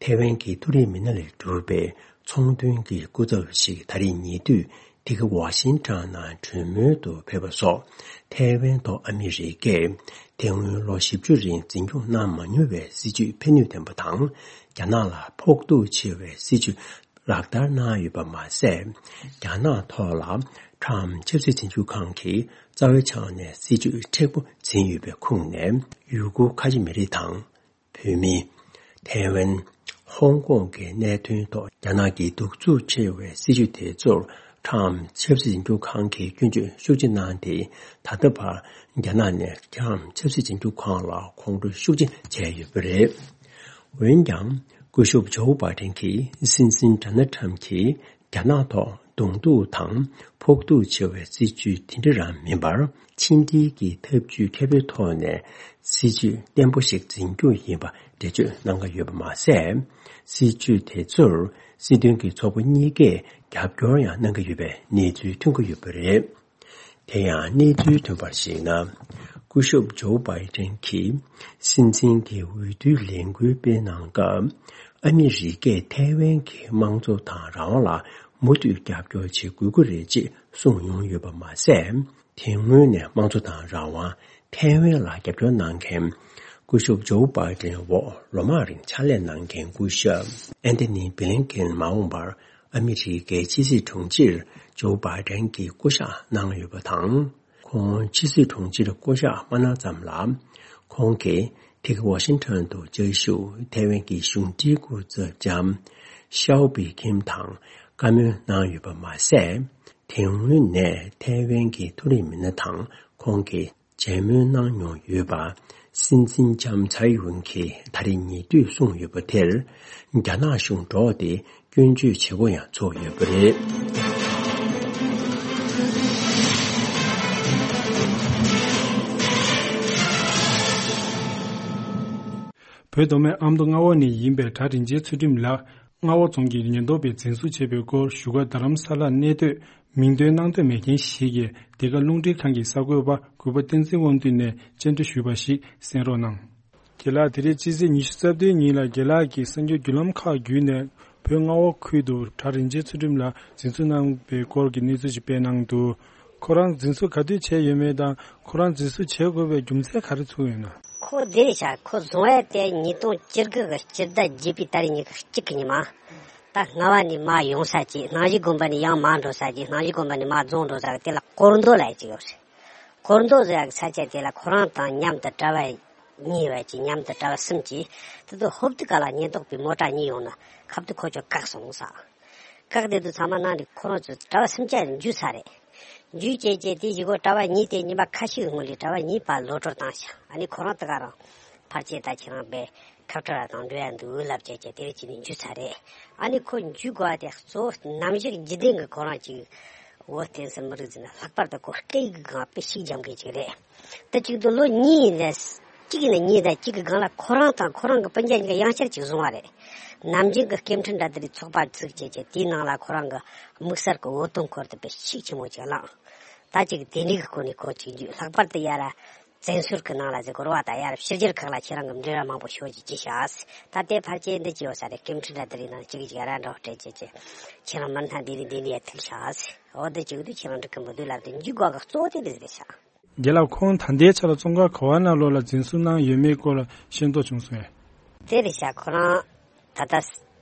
ཐའེ་ཝན་གྱི་མཐོ་རིམ་མི་སྣ་ལས་གྲུབ་པའི་ཚོང་དོན་གྱི་སྐུ་ཚབ་ཞིག་ད་རེས་ཉེ་དུས་དེ་ག་ཝ་ཤིང་ཊོན་ནང་གྲོས་མོལ་དུ་ཕེབས་པ་སོགས། ཐའེ་ཝན་ཐོག་ཨ་མི་རི་ཀས་དེ་སྔོན་ལོ་བཞི་བཅུ་རིང་འཛིན་སྐྱོང་གནང་མ་མྱོང་བའི་སྲིད་བྱུས་ཕན་ནུས་ལྡན་པ་དང་། རྒྱ་ནག་ལ་ཕོག་ཐུག་ཆེ་བའི་སྲིད་བྱུས་ལག་བསྟར་གནང་ཡོད་པ་མ་ཟད། རྒྱ་ནག་ཐོག་ལ་ཊམ་ཆབ་སྲིད་འཛིན་སྐྱོང་ཁང་གིས་རྩ་བའི་ཆ་ནས་སྲིད་བྱུས་མཁྲེགས་པོ་འཛིན་ཡོད་པའི་ཁོངས་ནས། ཡུ་གུར་ཁ་ཆེ་མི་རིགས་དང་། བོད་མི། ཐའེ་ཝན། ཧོང་ཀོང་གི་གནད་དོན་ཐོག་རྒྱ་ནག་གི་གདུག་རྩུབ་ཆེ་བའི་སྲིད་བྱུས་དེ་ཚོར་ཊམ་ཆབ་སྲིད་འཛིན་སྐྱོང་ཁང་གིས་སྐྱོན་བརྗོད་ཤུགས་ཆེ་གནང་སྟེ། ད་ལྟ་བར་རྒྱ་ནག་ནས་ཊམ་ཆབ་སྲིད་འཛིན་སྐྱོང་ཁང་ལ་ཁོང་ཁྲོ་ཤུགས་ཆེ་བྱས་ཡོད་པ་རེད། འོན་ཀྱང་། སྐུ་ཞབས་ཇོ་བྷའི་ཌེན་གྱིས་སྲིད་འཛིན་ཌོ་ནལ་ཊམ་གྱིས་རྒྱ་ནག་ཐོག་གདོང་ཐུག་དང་ཕོག་ཐུག་ཆེ་བའི་སྲིད་བྱུས་དེ་འདྲ་རང་མིན་པར། ཕྱི་འབྲེལ་གྱི་ཐབས་ཇུས་མཁས་པོའི་ཐོག་ནས་སྲིད་བྱུས་བརྟན་པོ་ཞིག་འཛིན་རྒྱུ་ཡིན་པ་འགྲེལ་བརྗོད་གནང་གི་ཡོད་པ་མ་ཟད། སྲིད་བྱུས་དེ་ཚོར་སྲིད་དོན་གྱི་ཚོགས་པ་གཉིས་ཀས་རྒྱབ་སྐྱོར་ཡང་གནང་གི་ཡོད་པའི་གནས་ཚུལ་ཐོན་གྱི་ཡོད་པ་རེད། དེ་ཡང་གནས་ཚུལ་ཐོན་པར་གཞིགས་ན། སྐུ་ཞབས་ཇོ་བྷའི་ཌེན་གྱིས་སྲིད་འཛིན་གྱི་འོས་བསྡུའི་ལས་འགུལ་སྤེལ་གནང་སྐབས། ཨ་མི་རི་ཀས་ཐའེ་ཝན་གྱི་དམངས་གཙོ་དང་རང་དབང་ལ་མུ་མཐུད་རྒྱབ་སྐྱོར་བྱེད་དགོས་ཀྱི་རེད་ཅེས་གསུངས་མྱོང་ཡོད་པ་མ་ཟད། དེ་སྔོན་ནས་དམངས་གཙོ་དང་རང་དབང་། ཐའེ་ཝན་ལ་རྒྱབ་སྐྱོར་གནང་མཁན། སྐུ་ཞབས་ཇོ་བྷའི་ཌེན་འོག་ལོ་མང་རིང་ཕྱག་ལས་གནང་མཁན་སྐུ་ཞབས་ཨན་ཐོ་ནི་བྷི་ལིན་ཀེན་མ་འོངས་པར་ཨ་མི་རི་ཀའི་ཕྱི་སྲིད་དྲུང་ཆེར་ཇོ་བྷའི་ཌེན་གྱིས་བསྐོ་གཞག་གནང་ཡོད་པ་དང་། ཁོང་ཕྱི་སྲིད་དྲུང་ཆེར་བསྐོ་གཞག་མ་གནང་ཙམ་ལ། ཁོང་གིས་དེ་ག་ཝ་ཤིང་ཊོན་དུ་བཅའ་བཞུགས་ཐའེ་ཝན་གྱི་གཞུང་འབྲེལ་སྐུ་ཚབ་ལྕམ་ཤའོ་པི་ཁིམ་དང་བཀའ་མོལ་གནང་ཡོད་པ་མ་ཟད། དེ་སྔོན་ནས་ཐའེ་ཝན་གྱི་མཐོ་རིམ་མི་སྣ་དང་ཁོང་གིས་མཇལ་མོལ་གནང་མྱོང་ཡོད་པ། སྲིད་འཛིན་ལྕམ་ཚའེ་ཡུན་གྱིས་ད་རེས་ཉེ་དུས་གསུངས་ཡོད་པ་དེར། རྒྱ་ནག་གཞུང་སྒྲོག་སྟེ་སྐྱོན་བརྗོད་བྱེད་པོ་ཡང་ཚོགས་ཡོད་པ་རེད། བོད་མདོ་སྨད་ཨ་མདོ་རྔ་བ་ནས་ཡིན་པའི་གྲྭ་རིན་ཆེན་ཚུལ་ཁྲིམས་ལགས། རྔ་བ་རྫོང་གི་ཉེན་རྟོག་པས་འཛིན་བཟུང་བྱས་པའི་སྐོར་བཞུགས་སྒར་རྡ་རམ་ས་ལར་གནས་སྡོད་མིང་འདོན་གནང་འདོད་མེད་མཁན་ཞིག་གིས་འདི་ག་རླུང་འཕྲིན་ཁང་གི་གསར་འགོད་པ་གུས་པ་བསྟན་འཛིན་དབང་འདུས་ནས་བཅར་འདྲི་ཞུས་པ་ཞིག་གསན་རོགས་གནང་། རྒན་ལགས། དེ་རིང་སྤྱི་ཚེས་ཉི་ཤུ་རྩ་བདུན་ཉིན་ལ་རྒན་ལགས་ཀྱིས་གསར་འགྱུར་བརྒྱུད་ལམ་ཁག་བརྒྱུད་ནས་བོད་རྔ་བ་ཁུལ་དུ་གྲྭ་རིན་ཆེན་ཚུལ་ཁྲིམས་ལགས་འཛིན་བཟུང་གནང་བའི་སྐོར་གྱི་གནས་ཚུལ་ཞིག་སྤེལ་གནང་འདུག་ཁོ་རང་འཛིན་བཟུང་ག་དུས་བྱས་ཡོད་མེད་དང་ཁོ་རང་འཛིན་བཟུང་བྱེད་དགོས་པའི་རྒྱུ་མཚན་ག་རེ་ཚུགས་ཡོད་ན། ཁོ་འདི་རེད་ཤག་ཁོ་བཟུང་བ་དེ་ཉིས་སྟོང་བཅུ་དགུ་གི་སྤྱི་ཟླ་བརྒྱད་པའི་ཏ་རིག་ཉི་ཤུ་གཅིག་གི་ཉི་མ། ད་རྔ་བ་ནས་མར་ཡོང་ས་ཅིག་སྣང་ཞིག་དགོན་པ་ནས་ཡང་མར་འགྲོ་ས་ཅིག་སྣང་ཞིག་དགོན་པ་ནས་མར་རྫོང་འགྲོ་ས་གི་དེ་ལ་སྐོར་མདོ་ལ་ཡ་ཅིག་ཡོད་རེད། སྐོར་མདོ་ཟེར་ཡག་ས་ཆ་དེ་ལ་ཁོ་རང་དང་མཉམ་དུ་གྲྭ་པ་གཉིས་ཡོད་ཅིག་མཉམ་དུ་གྲྭ་པ་གསུམ་གྱིས་དེ་ཚོ་ཧོབ་ཏེ་ག་ལ་ཉེན་རྟོག་པའི་མོ་ཊ་གཉིས་ཡོང་ན་ཁབ་ཏུ་ཁོ་ཚོ་བཀག་སོང་ས། བཀག་དེ་དུ་ཚང་མ་ནང་ནས་ཁོ་རང་ཚོ་གྲྭ་པ་སུམ་ཅུ་འཇུས་ཚར་རེད། འཇུས་བྱས་བྱས་དེ་གཞུག་གུ་གྲྭ་པ་གཉིས་དེ་ཉི་མ་ཁ་ཤས་སྔོན་ལ་གྲྭ་པ་གཉིས་ཕར་ལོག་སྤྲོད་བཏང་ཤག་ཨ་ནི་ཁོ་རང་དེ་ག་རང་ཕར་ཆེ་ད་ཁྱེད་རང་པས་ཁབ་ཁྲ་ར་དང་འགྲོ་ཡ་འདུག་ལབ་བྱས་བྱས་དེ་རེ་བྱས་ནས་འཇུས་ཚར་རེད། ཨ་ནི་ཁོ་འཇུས་དགོས་པ་དེ་གཙོ་བོ་ནམ་ཞིག་འཇིག་རྟེན་གྱི་ཁོ་རང་ཅིག་འོ་བསྟན་སྲིད་མི་རིགས་ཟེར་ན་ལྷག་པར་དུ་ཁོ་སྐད་ཡིག་གི་སྒང་དཔེ་ཤུགས་རྒྱབ་མཁན་ཅིག་རེད། ད་གཅིག་ཏུ་ལོ་གཉིས་ཡིན་ཙང་། གཅིག་ཡིན་ན་གཉིས་དང་གཅིག་གི་སྒང་ལ་ཁོ་རང་དང་ཁོ་རང་གི་སྤུན་ཀྱག་གཉིས་ཀ་ཡང་བསྐྱར་ཅིག་བཟུང་བ་རེད། ནམ་རྒྱུན་གྱི་སྐད་འཕྲིན་འདྲ་དེ་རིགས་ཚོགས་པ་བཙུགས་བྱས་བྱས་དེའི་ནང་ལ་ཁོ་རང་གི་དམིགས་བསལ་གྱི་འོད་སྟོན་འཁོར་དུ་དཔེ་ཤུགས་ཆེན་མོ་ཅིག་བསླངས། ད་ཅིག་དེ་འདྲའི་གི་སྒོ་ནས་ཁོ་ཅིག་འཇུས། ལྷག་པར་དུ་ཡ་ར་བཙན་བྱོལ་གྱི་ནང་ལ་ཟེར་དགོས་རེད་པ། ད་ཡ་ར་ཕྱི་རྒྱལ་ཁག་ལ་ཁྱེད་རང་གི་འབྲེལ་བ་མང་པོ་ཤོར་གྱི་ཅི་ཤག་ད་དེ་ཕལ་ཆེར་འདི་ཅི་ཡོད་ས་རེད། སྐད་འཕྲིན་འདྲ་དེ་རིགས་ནང་གཅིག་གཅིག་ཡ་ར་འདྲ་བོ་སྤྲད་བྱས་བྱས་ཁྱེད་རང་མུ་མཐུད་འདི་ནས་འདི་ནས་ཡ་ཐུག་ཤག་འོ་འདི་ཅིག་འདུག་ཁྱེད་རང་འགྲིག་གི་མི་འདུག་ལབ་དེ་འཇུས་དགོས་གི་གཙོ་བོ་དེ་འདི་རེད་ཤག་རྒན་ལགས། ཁོང་ད་ལྟའི་ཆ་ལ་བཙོན་ཁང་ག་བ་ནང་ལོགས་ལ་འཛིན་བཟུང་གནང་ཡོད་མེད་སྐོར་ལ་ཤེས་རྟོགས་བྱུང་སོང་ངས། དེ་རེད་ཤག་ཁོ་རང་ད་ལྟ་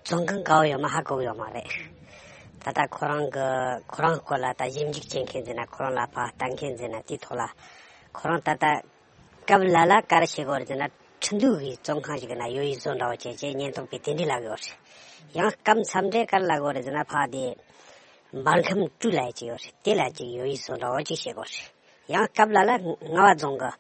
བཙོན་ཁང་ག་བ་ཡོད་མེད་ཧ་གོ་གི་ཡོད་མ་རེད། ད་ལྟ་ཁོ་རང་གི་ཁོ་རང་སྐོར་ལ་ད་ཞིབ་འཇུག་བྱེད་མཁན་ཟེར་ན་ཁོ་རང་ལ་ཕར་ལྟ་མཁན་ཟེར་ན་དེའི་ཐོག་ལ་ཁོ་རང་ད་ལྟ་སྐབས་ལ་ལ་ག་རེ་བྱེད་དགོས་རེད་ཟེར་ན་ཁྲིན་ཏུའུ་གི་བཙོན་ཁང་ཞིག་ན་ཡོད་ཡིག་བཟོ་འདྲ་བོ་བྱས་བྱས་ཉེན་རྟོག་པས་དེ་འདྲ་ལབ་ཡོད་རེད། ཡང་སྐབས་མཚམས་རེ་ག་རེ་ལབ་དགོས་རེད་ཟེར་ན་ཕར་དེ་འབར་ཁམས་སྤྲུལ་ལབ་ཡག་ཅིག་ཡོད་རེད། དེ་ལ་ཅིག་ཡོད་ཡིག་བཟོ་འདྲ་བོ་ཅིག་བྱེད་དགོས་རེད། ཡང་སྐབས་ལ་ལ་རྔ་བ་རྫོང་གི་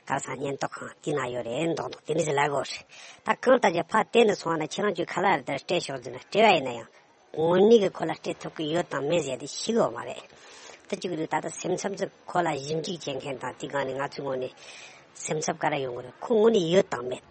ག་ས་ཉེན་རྟོག་ཁང་དེ་ན་ཡོད་རེད་མདོག་མདོག་དེ་འདྲ་ཟེར་ལབ་དགོས་རེད། ད་གང་ལྟར་ཀྱང་ཕར་བལྟས་ནས་སོང་བ་ན་ཁྱེད་རང་ཚོས་ག་ལ་རེ་ལྟར་སྤྲད་ཤོག་ཟེར་ན་སྤྲད་པ་ཡིན་ན་ཡང་དངོས་གནས་ཀྱི་ཁོ་ལ་སྤྲད་ཐུབ་ཀྱི་ཡོད་དང་མེད་ཟེར་དེ་ཤེས་ཀྱི་ཡོད་མ་རེད། ད་ཅིག་རེད། ད་ལྟ་སེམས་འཚབ་ཚོས་ཁོ་ལ་ཞིབ་འཇུག་བྱེད་མཁན་དང་དེ་སྒང་ནས་ང་ཚོའི་ངོས་ནས་སེམས་འཚབ་ག་རེ་ཡོང་གི་རེད། ཁོ་དངོས་གནས་ཡོད་དང་མེད་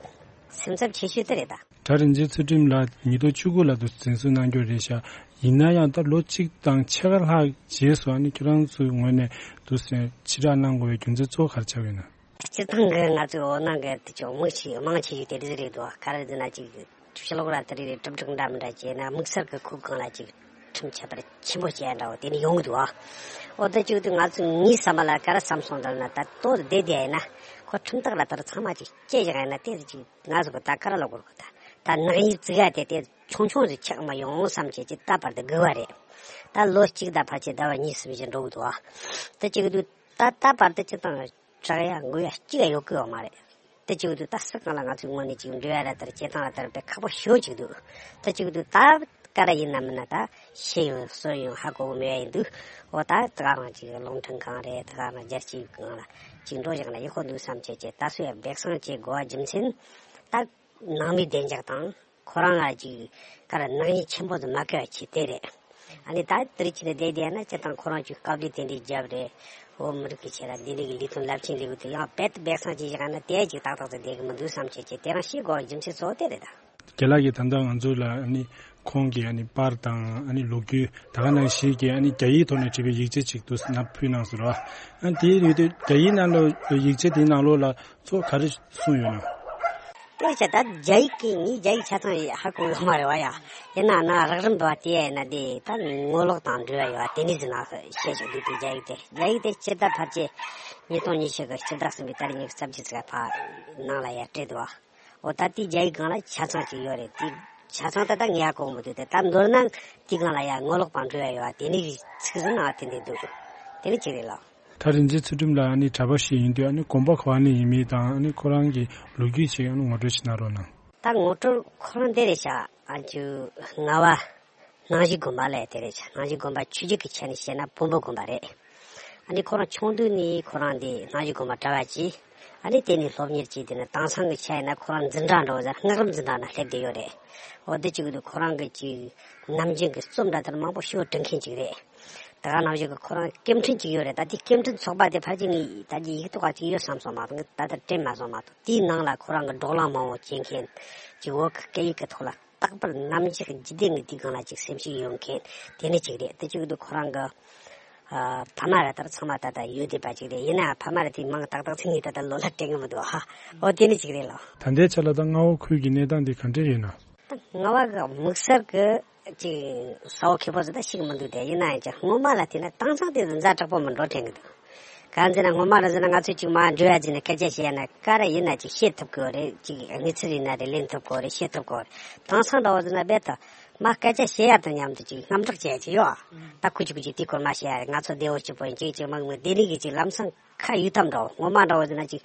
སེམས་འཚབ་ཆེ་ཤོས་དེ་རེད་ད། གྲྭ་རིན་ཆེན་ཚུལ་ཁྲིམས་ལགས་ཉིས་སྟོང་བཅུ་དགུ་ལ་དུ་འཛིན་བཟུང་གནང་རྒྱུ་རེད་ཤག་ཡིན་ན་ཡང་ད་ལོ་གཅིག་དང་ཕྱེད་ཀ་ལྷག་རྗེས་སུ་ཨ་ནི་ཁྱེད་རང་ཚོའི་ངོས་ནས་འདུག་སེ་ཕྱིར་བསྒྲགས་གནང་དགོས་པའི་རྒྱུ་མཚན་གཙོ་བོ་ག་རེ་ཆགས་ཡོད་ན། སྤྱིར་བཏང་གི་ང་ཚོའི་འོད་སྣང་གི་དེ་ཚོ་མི་ཞིག་མང་ཆེ་ཤོས་དེ་འདྲ་རེད་འདུག་ག་རེ་ཟེར་ན་ཅིག་ཕྱི་ལོགས་ལ་དེ་རིགས་གྲུབ་འབྲས་འདྲ་མི་འདྲ་བྱས་ན་དམིགས་བསལ་གྱི་ཁོའི་སྒང་ལ་ཅིག་ཁྲིམས་ཁྱད་པར་ཆེན་པོ་བྱས་འདྲ་བོ་དེ་ནི་ཡོང་གི་འདུག་འོ་ད་ཅིག་དུས་ང་ཚོ་ངའི་བསམ་པ་ལ་ག་རེ་བསམ་སོང་ད་ལབ་ན། ད་ལྟོ་བསྡད་བསྡད་ཡིན་ན་ཁོ་ཁྲིམས་ཐག་ལ་ད་ཚང་མ་ཅིག་བཅད་བཞག་ཡིན་ན་དེ་ཅིག་ང་ཚོ་གི་ད་ག་རེ་ལབ་དགོས་རེད། ད་ད་ནག་ཉེས་བཙུགས་ཡ་དེ་དེ་ཆུང་ཆུང་ཟིག་ཆགས་མ་ཡོང་བསམ་བྱས་ཅིག་ད་བར་དུ་སྒུག་པ་རེད། ད་ལོ་གཅིག་དང་ཕལ་ཆེར་ཟླ་བ་གཉིས་གསུམ་ཞིག་འགྲོ་གི་འདུག་ད་ད་བར་དུ་སྤྱིར་བཏང་དྲག་ཡ་འགུལ་ཡ་གཅིག་ཡང་ཡོད་ཀྱི་ཡོད་མ་རེད། དེ་གཅིག་དུས་ད་སུ་གང་ལ་ང་ཚོའི་ངོས་ནས་ཅིག་འབྲེལ་བ་ར་ལྟར་བྱེད་སྟངས་ལ་ལྟར་དཔེ་ཁག་པོ་ཞེ་པོ་ཅིག་འདུག་དེ་གཅིག་དུས་ད་ག་རེ་ཡིན་ན་མིན་ན་ད་ཤེས་ཡོན་གསོན་ཡོན་ཧ་གོ་གི་མེད་པ་ཡིན་དུས། འོ་ད་དེ་ག་རང་ཅིག་རླུང་འཕྲིན་ཁང་རེད། དེ་ག་རང་རྒྱལ་སྤྱིའི་སྒང་ལ་ཅིག་འགྲོ་བཞག་ན་ཡག་པོ་འདུག་བསམ་བྱས་བྱས། ད་སུ་ཡང་སྦས་གསང་བྱེད་དགོས་པ་རྒྱུ་མཚན་ད་ནང་མི་བདེ་འཇགས་དང་། ཁོ་རང་ལ་ཅིག་ག་རེ་ནག་ཉེས་ཆེན་པོ་དུ་མ་བཀལ་བ་ཆེད་དེ་རེད། ཨ་ནི་ད་དེ་རིགས་ཆེད་དུ་བསྡད་བསྡད་ན་སྤྱིར་བཏང་ཁོ་རང་ཅིག་དཀའ་ལས་དེ་འདྲའི་བརྒྱབ་རེད། འོ་མི་རིགས་ཀྱི་ཆེད་ལ་འདི་འདྲའི་གི་ལས་དོན་རླབས་ཆེན་ལས་འགུལ་དུ་ཡང་རྦད་དེ་སྦས་གསང་བྱས་བཞག་ན་དེ་ཅིག་ཏག་ཏག་ཏུ་བསྡད་གི་མི་འདུག་བསམ་བྱས་བྱས་དེ་རང་ཤེས་དགོས་པ་རྒྱུ་མཚན་གཙོ་བོ་དེ་རེད་ད། རྒན་ལགས་ཀྱིས་ད་ལྟ་ང་ཚོ་ལ་ཨ་ནི་ཁོང་གི་ཨ་ནི་པར་དང་ཨ་ནི་ལོ་རྒྱུས་ད་ག་ནང་བཞིན་གྱི་ཨ་ནི་རྒྱ་ཡིག་ཐོག་ནས་བྲིས་པའི་ཡིག་ཆ་ཅིག་ཏུ་ནང་ཕུལ་གནང་ཟེར་བ། ཨ་ནི་དེའི་ཡུལ་དུ་རྒྱ་ཡིག་ནང་ལོགས་ཡིག་ཆ་དེའི་ནང་ལོགས་ལ་གཙོ་བོ་ག་རེ་གསུངས་ཡོད་ན། དེ་བྱས་ད་རྒྱ་ཡིག་གི་ངས་རྒྱ་ཡིག་ཆ་ཚང་ཧ་གོ་ཡོད་མ་རེད་བ་ཡ། ཡིན་ན་ན་རགས་རིམ་འདྲ་བ་དེ་ཡིན་ན་དེ་ད་ངོ་ལོག་དང་འབྲེལ་བ་ཡོད་བ་དེ་ནས་ཟིན་ན་བཤད་ཆོག་འདུག་དེ་རྒྱ་ཡིག་དེ་རྒྱ་ཡིག་དེ་སྤྱིར་ད་ཕལ་ཆེར་ཉིས་སྟོང་ཉི་ཤུ་གི་ཕྱི་ཟླ་གསུམ་པའི་ཏ་རིག་ཉི་ཤུ་རྩ་བརྒྱད་ཙམ་ཕར་ནང་ལ་ཡར་སྤྲད་འདུག་བ། འོ་ད་དེ་རྒྱ་ཡིག་སྒང་ལ་ཆ་ཚང་ཅིག་ཡོད་རེད། དེ་ཆ་ཚང་ད་ལྟ་ངས་ཧ་གོ་མི་འདུག་དེ་ད་མདོར་ན་དེ་སྒང་ལ་ཡ་ངོ་ལོག་དང་འབྲེལ་བ་ཡོད་བ་དེ་ནས་ཚིག་ཟིན་ན་དེ་འདྲ་འདུག་དེ་ནི་ཅིག་རེད་ལགས། ད་རིན་ཆེན་ཚུལ་ཁྲིམས་ལགས་ཨ་ནི་གྲྭ་པ་ཞིག་ཡིན་དུས་ཨ་ནི་དགོན་པ་ག་བ་ནས་ཡིན་མིན་དང་ཨ་ནི་ཁོ་རང་གི་ལོ་རྒྱུས་ཞིག་ཨ་ནི་ངོ་སྤྲོད་ཞིག་གནང་རོགས་གནང་། ད་ངོ་སྤྲོད་ཁོ་རང་འདི་རེད་ཤག་ཨ་ཅུ་རྔ་བ་སྣང་ཞིག་དགོན་པ་ལ་དེ་རེད་ཤག་སྣང་ཞིག་དགོན་པ་ཆོས་བརྒྱུད་ཀྱི་ཆ་ནས་བཤད་ན་བོན་པོ་དགོན་པ་རེད། ཨ་ནི་ཁོ་རང་ཆུང་དུས་ནས་ཁོ་རང་འདི་སྣང་ཞིག་དགོན་པ་གྲྭ་པ་བྱས། ཨ་ནི་དེ་ནས་སློབ་གཉེར་བྱས། དེ་ནས་དེང་སང་གི་ཆ་ཡིན་ན་ཁོ་རང་འཛིན་གྲྭ་འདྲ་བོ་ཟེར་སྔགས་རིམ་འཛིན་གྲྭ་ནང་སླེབས་བསྡད་ཡོད་རེད། འོ་དེ་གཅིག་གི་དུས་ཁོ་རང་གི་ཅིག་ནམ་རྒྱུན་གྱི་རྩོམ་འདྲ་དེར་མང་པོ་ཞེ་པོ་འབྲི་མཁན་ཅིག་རེད། དེ་ག་ནང་བཞིན་གྱི་ཁོ་རང་སྐྱེམས་འཕྲིན་ཅིག་ཡོད་རེད། ད་དེ་སྐྱེམས་འཕྲིན་ཚོགས་པ་དེ་ཕལ་ཆེར་ངས་ད་ཀྱི་ཡིག་ཐོག་ག་ཅིག་ཡོད་བསམ་སོང་མ་གཏོགས། ངས་ད་ལྟ་དྲན་མ་སོང་མ་གཏོགས། དེའི་ནང་ལ་ཁོ་རང་གི་བགྲོ་གླེང་མང་པོ་བྱེད་མཁན་ཅིག་བོད་ཀྱི་སྐད་ཡིག་གི་ཐོག་ལ་རྟག་པར་ནམ་ཞིག་འཇིག་རྟེན་གྱི་དེའི་སྒང་ལ་ཅིག་སེམས་ཤུགས་ཡོད་མཁན་དེ་ནི་ཅིག་རེད། དེ་གཅིག་གི་དུས་ཁོ་རང་གི་ཨ་ཕ་མ་ར་ལྟར་ཚང་མ་ད་ལྟ་ཡོད་བསྡད་པ་ཅིག་རེད། ཡིན་ན་ཕ་མ་ར་དེ་མིང་ཏག་ཏག་ཅིག་ངས་ད་ལྟ་ལོ་ལ་དྲན་གི་མི་འདུག་ཧ། འོ་དེ་ནི་ཅིག་རེད་ལགས། ད་ལྟའི་ཆ་ལ་ད་རྔ་བ་ཁུལ་གྱི་གནས་སྟངས་འདི་ག་འདྲ་ཡོད་ན། རྔ་བ་གི་དམིགས་བསལ་གྱི་ཅིག་ས་བོན་ཁེ་པོ་ཟིག་ད་ཤེས་ཀྱི་མི་འདུག་དེ་ཡིན་ན་ཡང་ཅིག་སྔོན་མ་ལ་བལྟས་ན་དེང་སང་དེ་ཚོ་ཛ་དྲག་པོ་མི་འགྲོ་དྲན་གྱི་འདུག་གང་ཟེར་ན་སྔོན་མ་ར་ཟེར་ན་ང་ཚོས་ཅིག་མར་འབྲེལ་བ་བྱས་ནས་སྐད་ཆ་བཤད་ན་ག་རེ་ཡིན་ན་ཅིག་བཤད་ཐུབ་ཀྱི་ཡོད་རེད། ཅིག་གནས་ཚུལ་ཡིན་ན་རེད། ལེན་ཐུབ་ཀྱི་ཡོད་རེད། བཤད་ཐུབ་ཀྱི་ཡོད་རེད། དེང་སང་འདྲ་བོ་ཟེར་ན་རྦད་དེ་མར་སྐད་ཆ་བཤད་ཡ་དང་མཉམ་དུ་ཅིག་རྔམ་སྐྲག་བྱེད་ཡ་ཅིག་ཡོད། ད་ཁུ་ཅིག་ཁུ་ཅིག་དེ་སྐོར་མ་བཤད་ཡ་རེད། ང་ཚོ་བདེ་བོ་སྐྱིད་པོ་ཡིན། ཅིག་ཅིག་མ་གི་མི་དེ་ནི་གི་ཅིག་ལམ་སང་ཁ་ཡུད་ཙམ་འདྲ་བོ། སྔོན་མ་འདྲ་བོ་ཟེར་ན་ཅིག་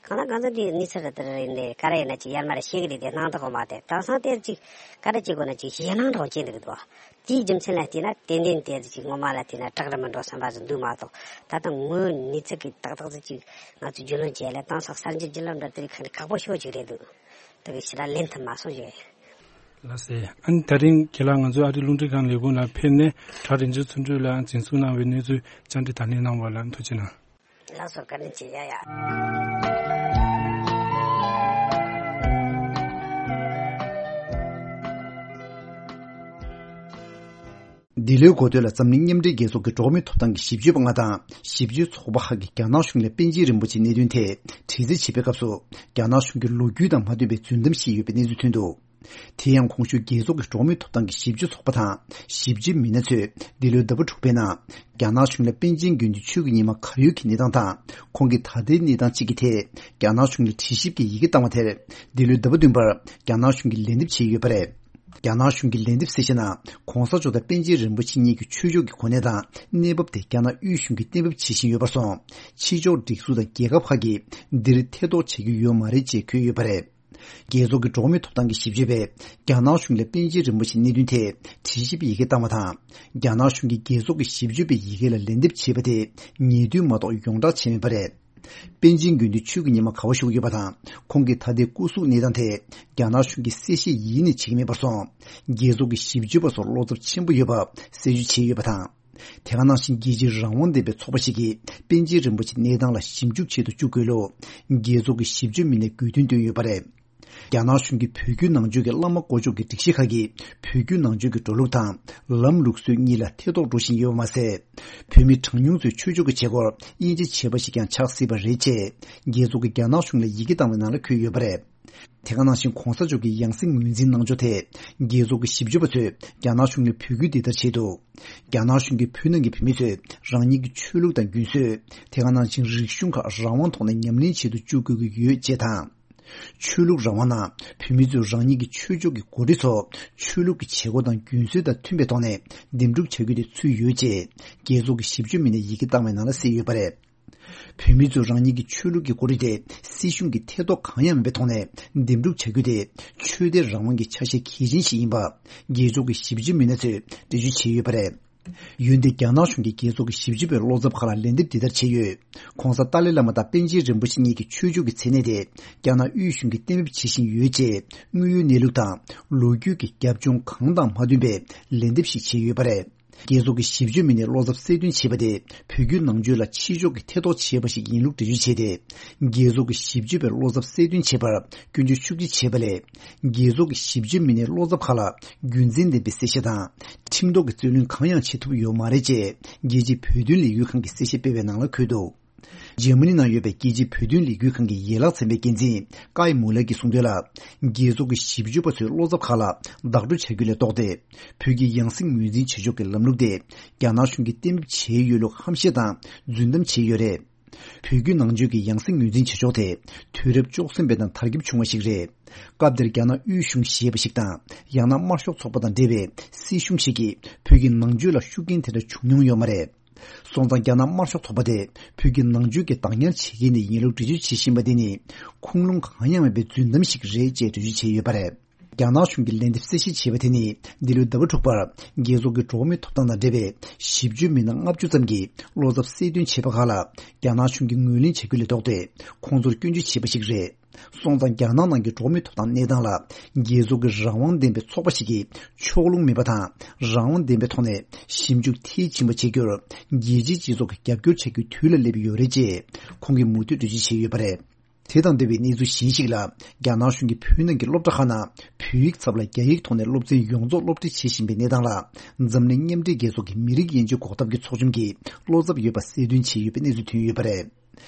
གང་ལ་གང་འཚམ་དེ་གནས་ཚུལ་རེ་དེ་རེ་ཡིན་ནས་ག་རེ་ཡིན་ན་ཅིག་ཡར་མར་བཤད་གི་རེད། དེ་སྣང་དག་གོ་མ་དེ་དེང་སང་དེར་ཅིག་ག་རེ་བྱེད་དགོས་ན་ཅིག་ཞེད་སྣང་འདྲ་བོ་སྐྱེ་འདུག་གི་འདུག་དེའི་རྒྱུ་མཚན་ལ་བལྟས་ན་ཏན་ཏན་དེར་ཅིག་སྔོན་མ་ལ་བལྟས་ན་སྐྲག་ར་མི་འགྲོ་བསམ་པ་ཟིག་འདུག་མ་གཏོགས། ད་ལྟ་དངོས་གནས་ཚུལ་གི་ཏག་ཏག་ཟིག་ཅིག་ང་ཚོས་རྒྱུས་ལོན་བྱས་ལ་དེང་སང་གསར་འགྱུར་བརྒྱུད་ལམ་འདྲ་དེ་རིགས་ག་འདྲ་ཁག་པོ་ཞེ་པོ་ཅིག་རེད་འདུག་དེ་གི་ཕྱིར་ར་ལེན་ཐུབ་མ་སོང་ཞེས། ལགས་སེ། ཨ་ནི་དེ་རིང་ཁྱེད་ལ་ང་ཚོའི་ཨ་རིའི་རླུང་འཕྲིན་ཁང་ལས་ཁུངས་ལ་ཕེབས་ནས་གྲྭ་རིན་ཆེན་ཚུལ་ཁྲིམས་ལགས་འཛིན་བཟུང་གནང་བའི་གནས་ཚུལ་བཅར་འདྲི་དང་ལེན་གནང་བ་ལ་ཐུགས་རྗེ་གནང་། ལགས་སོ། བཀའ་དྲིན་ཆེ། ཡ་ཡ། འདི་ལོའི་འགོ་སྟོད་ལ་འཛམ་གླིང་མཉམ་འབྲེལ་རྒྱལ་ཚོགས་ཀྱི་འགྲོ་བ་མིའི་ཐོབ་ཐང་གི་ཞིབ་དཔྱོད་པ་ལྔ་དང་ཞིབ་དཔྱོད་ཚོགས་པ་ཁག་གིས་རྒྱ་ནག་གཞུང་ལ་པཎ་ཆེན་རིན་པོ་ཆེའི་གནད་དོན་ཐད་དྲི་རྩད་བྱེད་པའི་སྐབས་སུ། རྒྱ་ནག་གཞུང་གི་ལོ་རྒྱུས་དང་མ་མཐུན་པའི་རྫུན་གཏམ་བཤད་ཡོད་པའི་གནས་ཚུལ་ཐོན་འདུག་དེ་ཡང་གོང་ཞུས་རྒྱལ་ཚོགས་ཀྱི་འགྲོ་བ་མིའི་ཐོབ་ཐང་གི་ཞིབ་དཔྱོད་ཚོགས་པ་དང་ཞིབ་དཔྱོད་མི་སྣ་ཚོས་འདི་ལོའི་ཟླ་བ་དྲུག་པའི་ནང་རྒྱ་ནག་གཞུང་ལ་པཎ་ཆེན་དགེ་འདུན་ཆོས་ཀྱི་ཉི་མ་གར་ཡོད་ཀྱི་གནས་སྟངས་དང་། ཁོང་གི་ད་ལྟའི་གནས་སྟངས་བཅས་ཀྱི་ཐད་རྒྱ་ནག་གཞུང་ལ་དྲི་ཞིབ་ཀྱི་ཡི་གེ་བཏང་བ་དེར། འདི་ལོའི་ཟླ་བ་བདུན་པར་རྒྱ་ནག་གཞུང་གིས་ལན་འདེབས་བྱས་ཡོད་པ་རེད། རྒྱ་ནག་གཞུང་གིས་ལན་འདེབས་གསལ་བཤད་ནང་། གོང་ས་མཆོག་དང་པཎ་ཆེན་རིན་པོ་ཆེ་གཉིས་ཀྱི་ཆོས་ཕྱོགས་ཀྱི་གོ་གནས་དང་གནས་བབ་དེ་རྒྱ་ནག་དབུས་གཞུང་གིས་གཏན་འབེབས་བྱེད་བཞིན་ཡོད་པར་སོང་། ཕྱི་ཕྱོགས་སྒྲིག་འཛུགས་དང་རྒྱལ་ཁབ་ཁག་གིས་འདིར་ཐེ་གཏོགས་བྱེད་རྒྱུ་ཡོད་མ་རེད་ཅེས་འཁོད་ཡོད་པ་རེད། རྒྱལ་ཚོགས་ཀྱི་འགྲོ་བ་མིའི་ཐོབ་ཐང་གི་ཞིབ་དཔྱོད་པས་རྒྱ་ནག་གཞུང་ལ་པཎ་ཆེན་རིན་པོ་ཆེའི་གནད་དོན་ཐད་དྲི་ཞིབ་ཡི་གེ་བཏང་བ་དང་། རྒྱ་ནག་གཞུང་གིས་རྒྱལ་ཚོགས་ཀྱི་ཞིབ་དཔྱོད་པའི་ཡི་གེ་ལ་ལན་འདེབས་བྱས་པ་དེ་ཉེས་དོན་མ་གཏོགས་ཡོངས་གྲགས་བྱས་མེད་པ་རེད། པཎ་ཆེན་དགེ་འདུན་ཆོས་ཀྱི་ཉི་མ་ག་པར་བཞུགས་ཡོད་པ་དང་། ཁོང་གི་ད་ལྟའི་སྐུ་གཟུགས་གནས་སྟངས་ཐད་རྒྱ་ནག་གཞུང་གིས་གསལ་བཤད་ཡེ་ནས་བྱེད་ཀྱི་མེད་པར་སོང་། རྒྱལ་ཚོགས་ཀྱི་ཞིབ་དཔྱོད་པ་ཚོར་བློ་འཚབ་ཆེན་པོ་ཡོད་པ་གསལ་བརྗོད་བྱས་ཡོད་པ་དང་། དེ་ག་ནང་བཞིན་རྒྱལ་སྤྱིའི་རང་དབང་ལྡན་པའི་ཚོགས་པ་ཞིག་གིས་པཎ་ཆེན་རིན་པོ་ཆེའི་གནས་སྟངས་ལ་ཞིབ་འཇུག་བྱེད་དུ་བཅུག་དགོས་ལུགས་རྒྱལ་ཚོགས་ཀྱི་ཞིབ་དཔྱོད་མི་སྣས་དགོས་འདུན་བཏོན་ཡོད་པ་རེད། རྒྱ་ནག་གཞུང་གིས་བོད་བརྒྱུད་ནང་ཆོས་ཀྱི་བླ་མ་དཀོན་མཆོག་གི་སྒྲིག་གཞི་ཁག་གིས་བོད་བརྒྱུད་ནང་ཆོས་ཀྱི་འགྲོ་ལུགས་དང་ལམ་ལུགས་སྲོལ་གཉིས་ལ་ཐེ་གཏོགས་འགྲོ་བཞིན་ཡོད་པ་མ་ཟད། བོད་མི་གྲངས་ཉུང་ཚོའི་ཆོས་ཕྱོགས་ཀྱི་བྱེད་སྒོར་དབྱེ་འབྱེད་བྱས་པ་ཞིག་ཀྱང་ཆགས་སྲིད་པ་རེད་ཅེས་རྒྱལ་ཚོགས་ཀྱིས་རྒྱ་ནག་གཞུང་ལ་ཡི་གེ་བཏང་བའི་ནང་ལ་འཁོད་ཡོད་པ་རེད། དེ་ག་ནང་བཞིན་གོང་ས་མཆོག་གི་ཡང་སྲིད་ངོས་འཛིན་གནང་ཕྱོགས་ཐད་རྒྱལ་ཚོགས་ཀྱི་ཞིབ་དཔྱོད་པ་ཚོས་རྒྱ་ནག་གཞུང་ལ་འབོད་སྐུལ་འདི་ལྟར་བྱས་འདུག་རྒྱ་ནག་གཞུང་གིས་བོད་ནང་གི་བོད་མི་ཚོས་རང་ཉིད་ཀྱི་ཆོས་ལུགས་དང་རྒྱུན་སྲོལ། དེ་ག་ནང་བཞིན་རིག་གཞུང་ཁག་རང་དབང་ཐོག་ནས་ཉམས་ལེན་བྱེད་དུ་བཅུག་དགོས་ཀྱི་ཡོད་ཅེས་དང་། ཆོས་ལུགས་རང་དབང་ནང་བོད་མི་ཚོས་རང་ཉིད་ཀྱི་ཆོས་ཕྱོགས་ཀྱི་འགོ་ཁྲིད་ཚོ་ཆོས་ལུགས་ཀྱི་བྱེད་སྒོ་དང་རྒྱུན་སྲོལ་དང་མཐུན་པའི་ཐོག་ནས་འདེམས་སྒྲུག་བྱ་རྒྱུ་དེ་ཚུད་ཡོད་ཅེས་རྒྱལ་ཚོགས་ཀྱི་ཞིབ་དཔྱོད་མི་སྣས་ཡི་གེ་བཏང་བའི་ནང་ལ་གསལ་ཡོད་པ་རེད། བོད་མི་ཚོས་རང་ཉིད་ཀྱི་ཆོས་ལུགས་ཀྱི་འགོ་ཁྲིད་དེ་སྲིད་གཞུང་གི་ཐེ་གཏོགས་གང་ཡང་མེད་པའི་ཐོག་ནས་འདེམས་སྒྲུག་བྱ་རྒྱུ་དེ་ཆོས་དད་རང་དབང་གི་ཆ་ཤས་གལ་ཆེན་ཞིག་ཡིན་པ་རྒྱལ་ཚོགས་ཀྱི་ཞིབ་དཔྱོད་མི་སྣ་ཚོས་འགྲེལ་བརྗོད་བྱས་ཡོད་པ་རེད། འོན་ཏེ་རྒྱ་ནག་གཞུང་གིས་རྒྱལ་ཚོགས་ཀྱི་ཞིབ་དཔྱོད་པའི་བློ་འཚབ་ཁག་ལ་ལན་འདེབས་འདི་ལྟར་བྱས་ཡོད། ྋགོང་ས་ཏཱ་ལའི་བླ་མ་དང་པཎ་ཆེན་རིན་པོ་ཆེ་གཉིས་ཀྱི་ཆོས་ཕྱོགས་ཀྱི་མཚན་གནས་དེ་རྒྱ་ནག་དབུས་གཞུང་གིས་གཏན་འབེབས་བྱེད་བཞིན་ཡོད་ཅེས་དངོས་ཡོད་གནས་ལུགས་དང་ལོ་རྒྱུས་ཀྱི་རྒྱབ་ལྗོངས་གང་དང་མ་མཐུན་པའི་ལན་འདེབས་ཤིག་བྱས་ཡོད་པ་རེད། རྒྱལ་ཚོགས་ཀྱི་ཞིབ་དཔྱོད་མི་སྣས་བློ་འཚབ་གསལ་སྟོན་བྱས་པ་དེ་བོད་བརྒྱུད་ནང་ཆོས་ལ་ཕྱི་ཕྱོགས་ཀྱི་ཐེ་གཏོགས་བྱས་པ་ཞིག་ཡིན་ལུགས་འགྲེལ་བརྗོད་བྱས་ཏེ། རྒྱལ་ཚོགས་ཀྱི་ཞིབ་དཔྱོད་པས་བློ་འཚབ་གསལ་སྟོན་བྱས་པར་སྐྱོན་བརྗོད་ཤུགས་ཆེ་བྱས་པ་ལས། རྒྱལ་ཚོགས་ཀྱི་ཞིབ་དཔྱོད་མི་སྣའི་བློ་འཚབ་ཁག་ལ་རྒྱུ་མཚན་ལྡན་པའི་གསལ་བཤད་དང་ཁྲིམས་ཐོག་གི་རྩོད་གླེང་གང་ཡང་བྱེད་ཐུབ་ཡོད་མ་རེད་ཅེས་རྒྱལ་སྤྱིའི་བོད་དོན་ལས་འགུལ་ཁང་གིས་གསལ་བཤད་སྤེལ་བའི་ནང་ལ་འཁོད་འདུག་འཇར་མ་ནི་ནང་ཡོད་པའི་རྒྱལ་སྤྱིའི་བོད་དོན་ལས་འགུལ་ཁང་གི་ཡན་ལག་ཚན་པའི་འགན་འཛིན་ཀའི་མུ་ལེར་གྱིས་གསུངས་དོན་ལ། རྒྱལ་ཚོགས་ཀྱི་ཞིབ་དཔྱོད་པ་ཚོའི་བློ་འཚབ་ཁག་ལ་བདག་སྤྲོད་བྱ་རྒྱུ་ལས་ལྡོག་སྟེ། བོད་ཀྱི་ཡང་སྲིད་ངོས་འཛིན་བྱེད་ཕྱོགས་ཀྱི་ལམ་ལུགས་དེ་རྒྱ་ནག་གཞུང་གིས་གཏན་འབེབས་བྱས་ཡོད་ལུགས་ཧམ་བཤད་དང་རྫུན་གཏམ་བྱས་ཡོད་རེད། བོད་བརྒྱུད་ནང་ཆོས་ཀྱི་ཡང་སྲིད་ངོས་འཛིན་བྱེད་ཕྱོགས་དེ་དུས་རབས་བཅུ་གསུམ་པའི་ནང་དར་ཁྱབ་བྱུང་བ་ཞིག་རེད། སྐབས་དེར་རྒྱ་ནག་དབུས་གཞུང་ཞེས་པ་ཞིག་དང་ཡང་ན་དམར་ཤོག་ཚོགས་པ་དང་འབྲེལ་བའི་སྲིད་གཞུང་ཞིག་གིས་བོད་ཀྱི་ནང་ཆོས་ལ་ཤུགས་རྐྱེན་དེ་འདྲ་བྱུང་མྱོང་ཡོད་མ་རེད། སོང་ཙང་རྒྱ་ནག་དམར་ཤོག་ཚོགས་པ་དེ་བོད་ཀྱི་ནང་ཆོས་ཀྱི་བདག་ཉར་བྱེད་མཁན་དེ་ཡིན་ལུགས་འགྲེལ་བརྗོད་བྱེད་བཞིན་པ་དེ་ནི་ཁུངས་ལུང་གང་ཡང་མེད་པའི་རྫུན་གཏམ་ཞིག་རེད་ཅེས་འགྲེལ་བརྗོད་བྱས་ཡོད་པ་རེད། རྒྱ་ནག་གཞུང་གིས་ལན་འདེབས་གསལ་བཤད་བྱས་པ་དེ་ནི་འདི་ལོའི་ཟླ་བ་དྲུག་པར་རྒྱལ་ཚོགས་ཀྱི་འགྲོ་བ་མིའི་ཐོབ་ཐང་དང་འབྲེལ་བའི་ཞིབ་དཔྱོད་མི་སྣ་ལྔ་བཅུ་ཙམ་གྱིས་བློ་འཚབ་གསལ་སྟོན་བྱས་པ་ཁག་ལ་རྒྱ་ནག་གཞུང་གིས་ངོས་ལེན་བྱ་རྒྱུ་ལས་ལྡོག་སྟེ་ཁོང་ཚོར་སྐྱོན་བརྗོད་བྱས་པ་ཞིག་རེད། སོང་ཙང་རྒྱ་ནག་ནང་གི་འགྲོ་བ་མིའི་ཐོབ་ཐང་གནས་སྟངས་ལ་རྒྱལ་ཚོགས་ཀྱི་རང་དབང་ལྡན་པའི་ཚོགས་པ་ཞིག་གིས་ཕྱོགས་ལྷུང་མེད་པ་དང་རང་དབང་ལྡན་པའི་ཐོག་ནས་ཞིབ་འཇུག་མཐིལ་ཕྱིན་པ་བྱེད་རྒྱུར་རྒྱལ་སྤྱིའི་སྤྱི་ཚོགས་ཀྱིས་རྒྱབ་སྐྱོར་བྱ་རྒྱུའི་དུས་ལ་སླེབས་ཡོད་རེད་ཅེས་ཁོང་གིས་མུ་མཐུད་འགྲེལ་བརྗོད་བྱས་ཡོད་པ་རེད། དེ་དང་འབྲེལ་བའི་གནས་ཚུལ་གཞན་ཞིག་ལ། རྒྱ་ནག་གཞུང་གིས་བོད་ནང་གི་སློབ་གྲྭ་ཁག་ནང་བོད་ཡིག་ཚབ་ལ་རྒྱ་ཡིག་ཐོག་ནས་སློབ་ཚན་ཡོངས་རྫོགས་སློབ་ཁྲིད་བྱེད་བཞིན་པའི་གནས་སྟངས་ལ། འཛམ་གླིང་མཉམ་འབྲེལ་རྒྱལ་ཚོགས་ཀྱི་མི་རིགས་དབྱེ་འབྱེད་འགོག་ཐབས་ཀྱི་ཚོགས་ཆུང་གིས་བློ་འཚབ་ཡོད་པ་གསལ་སྟོན་བྱས་ཡོད་པའི་གནས་ཚུལ་ཐོན་ཡོད་པ་རེད།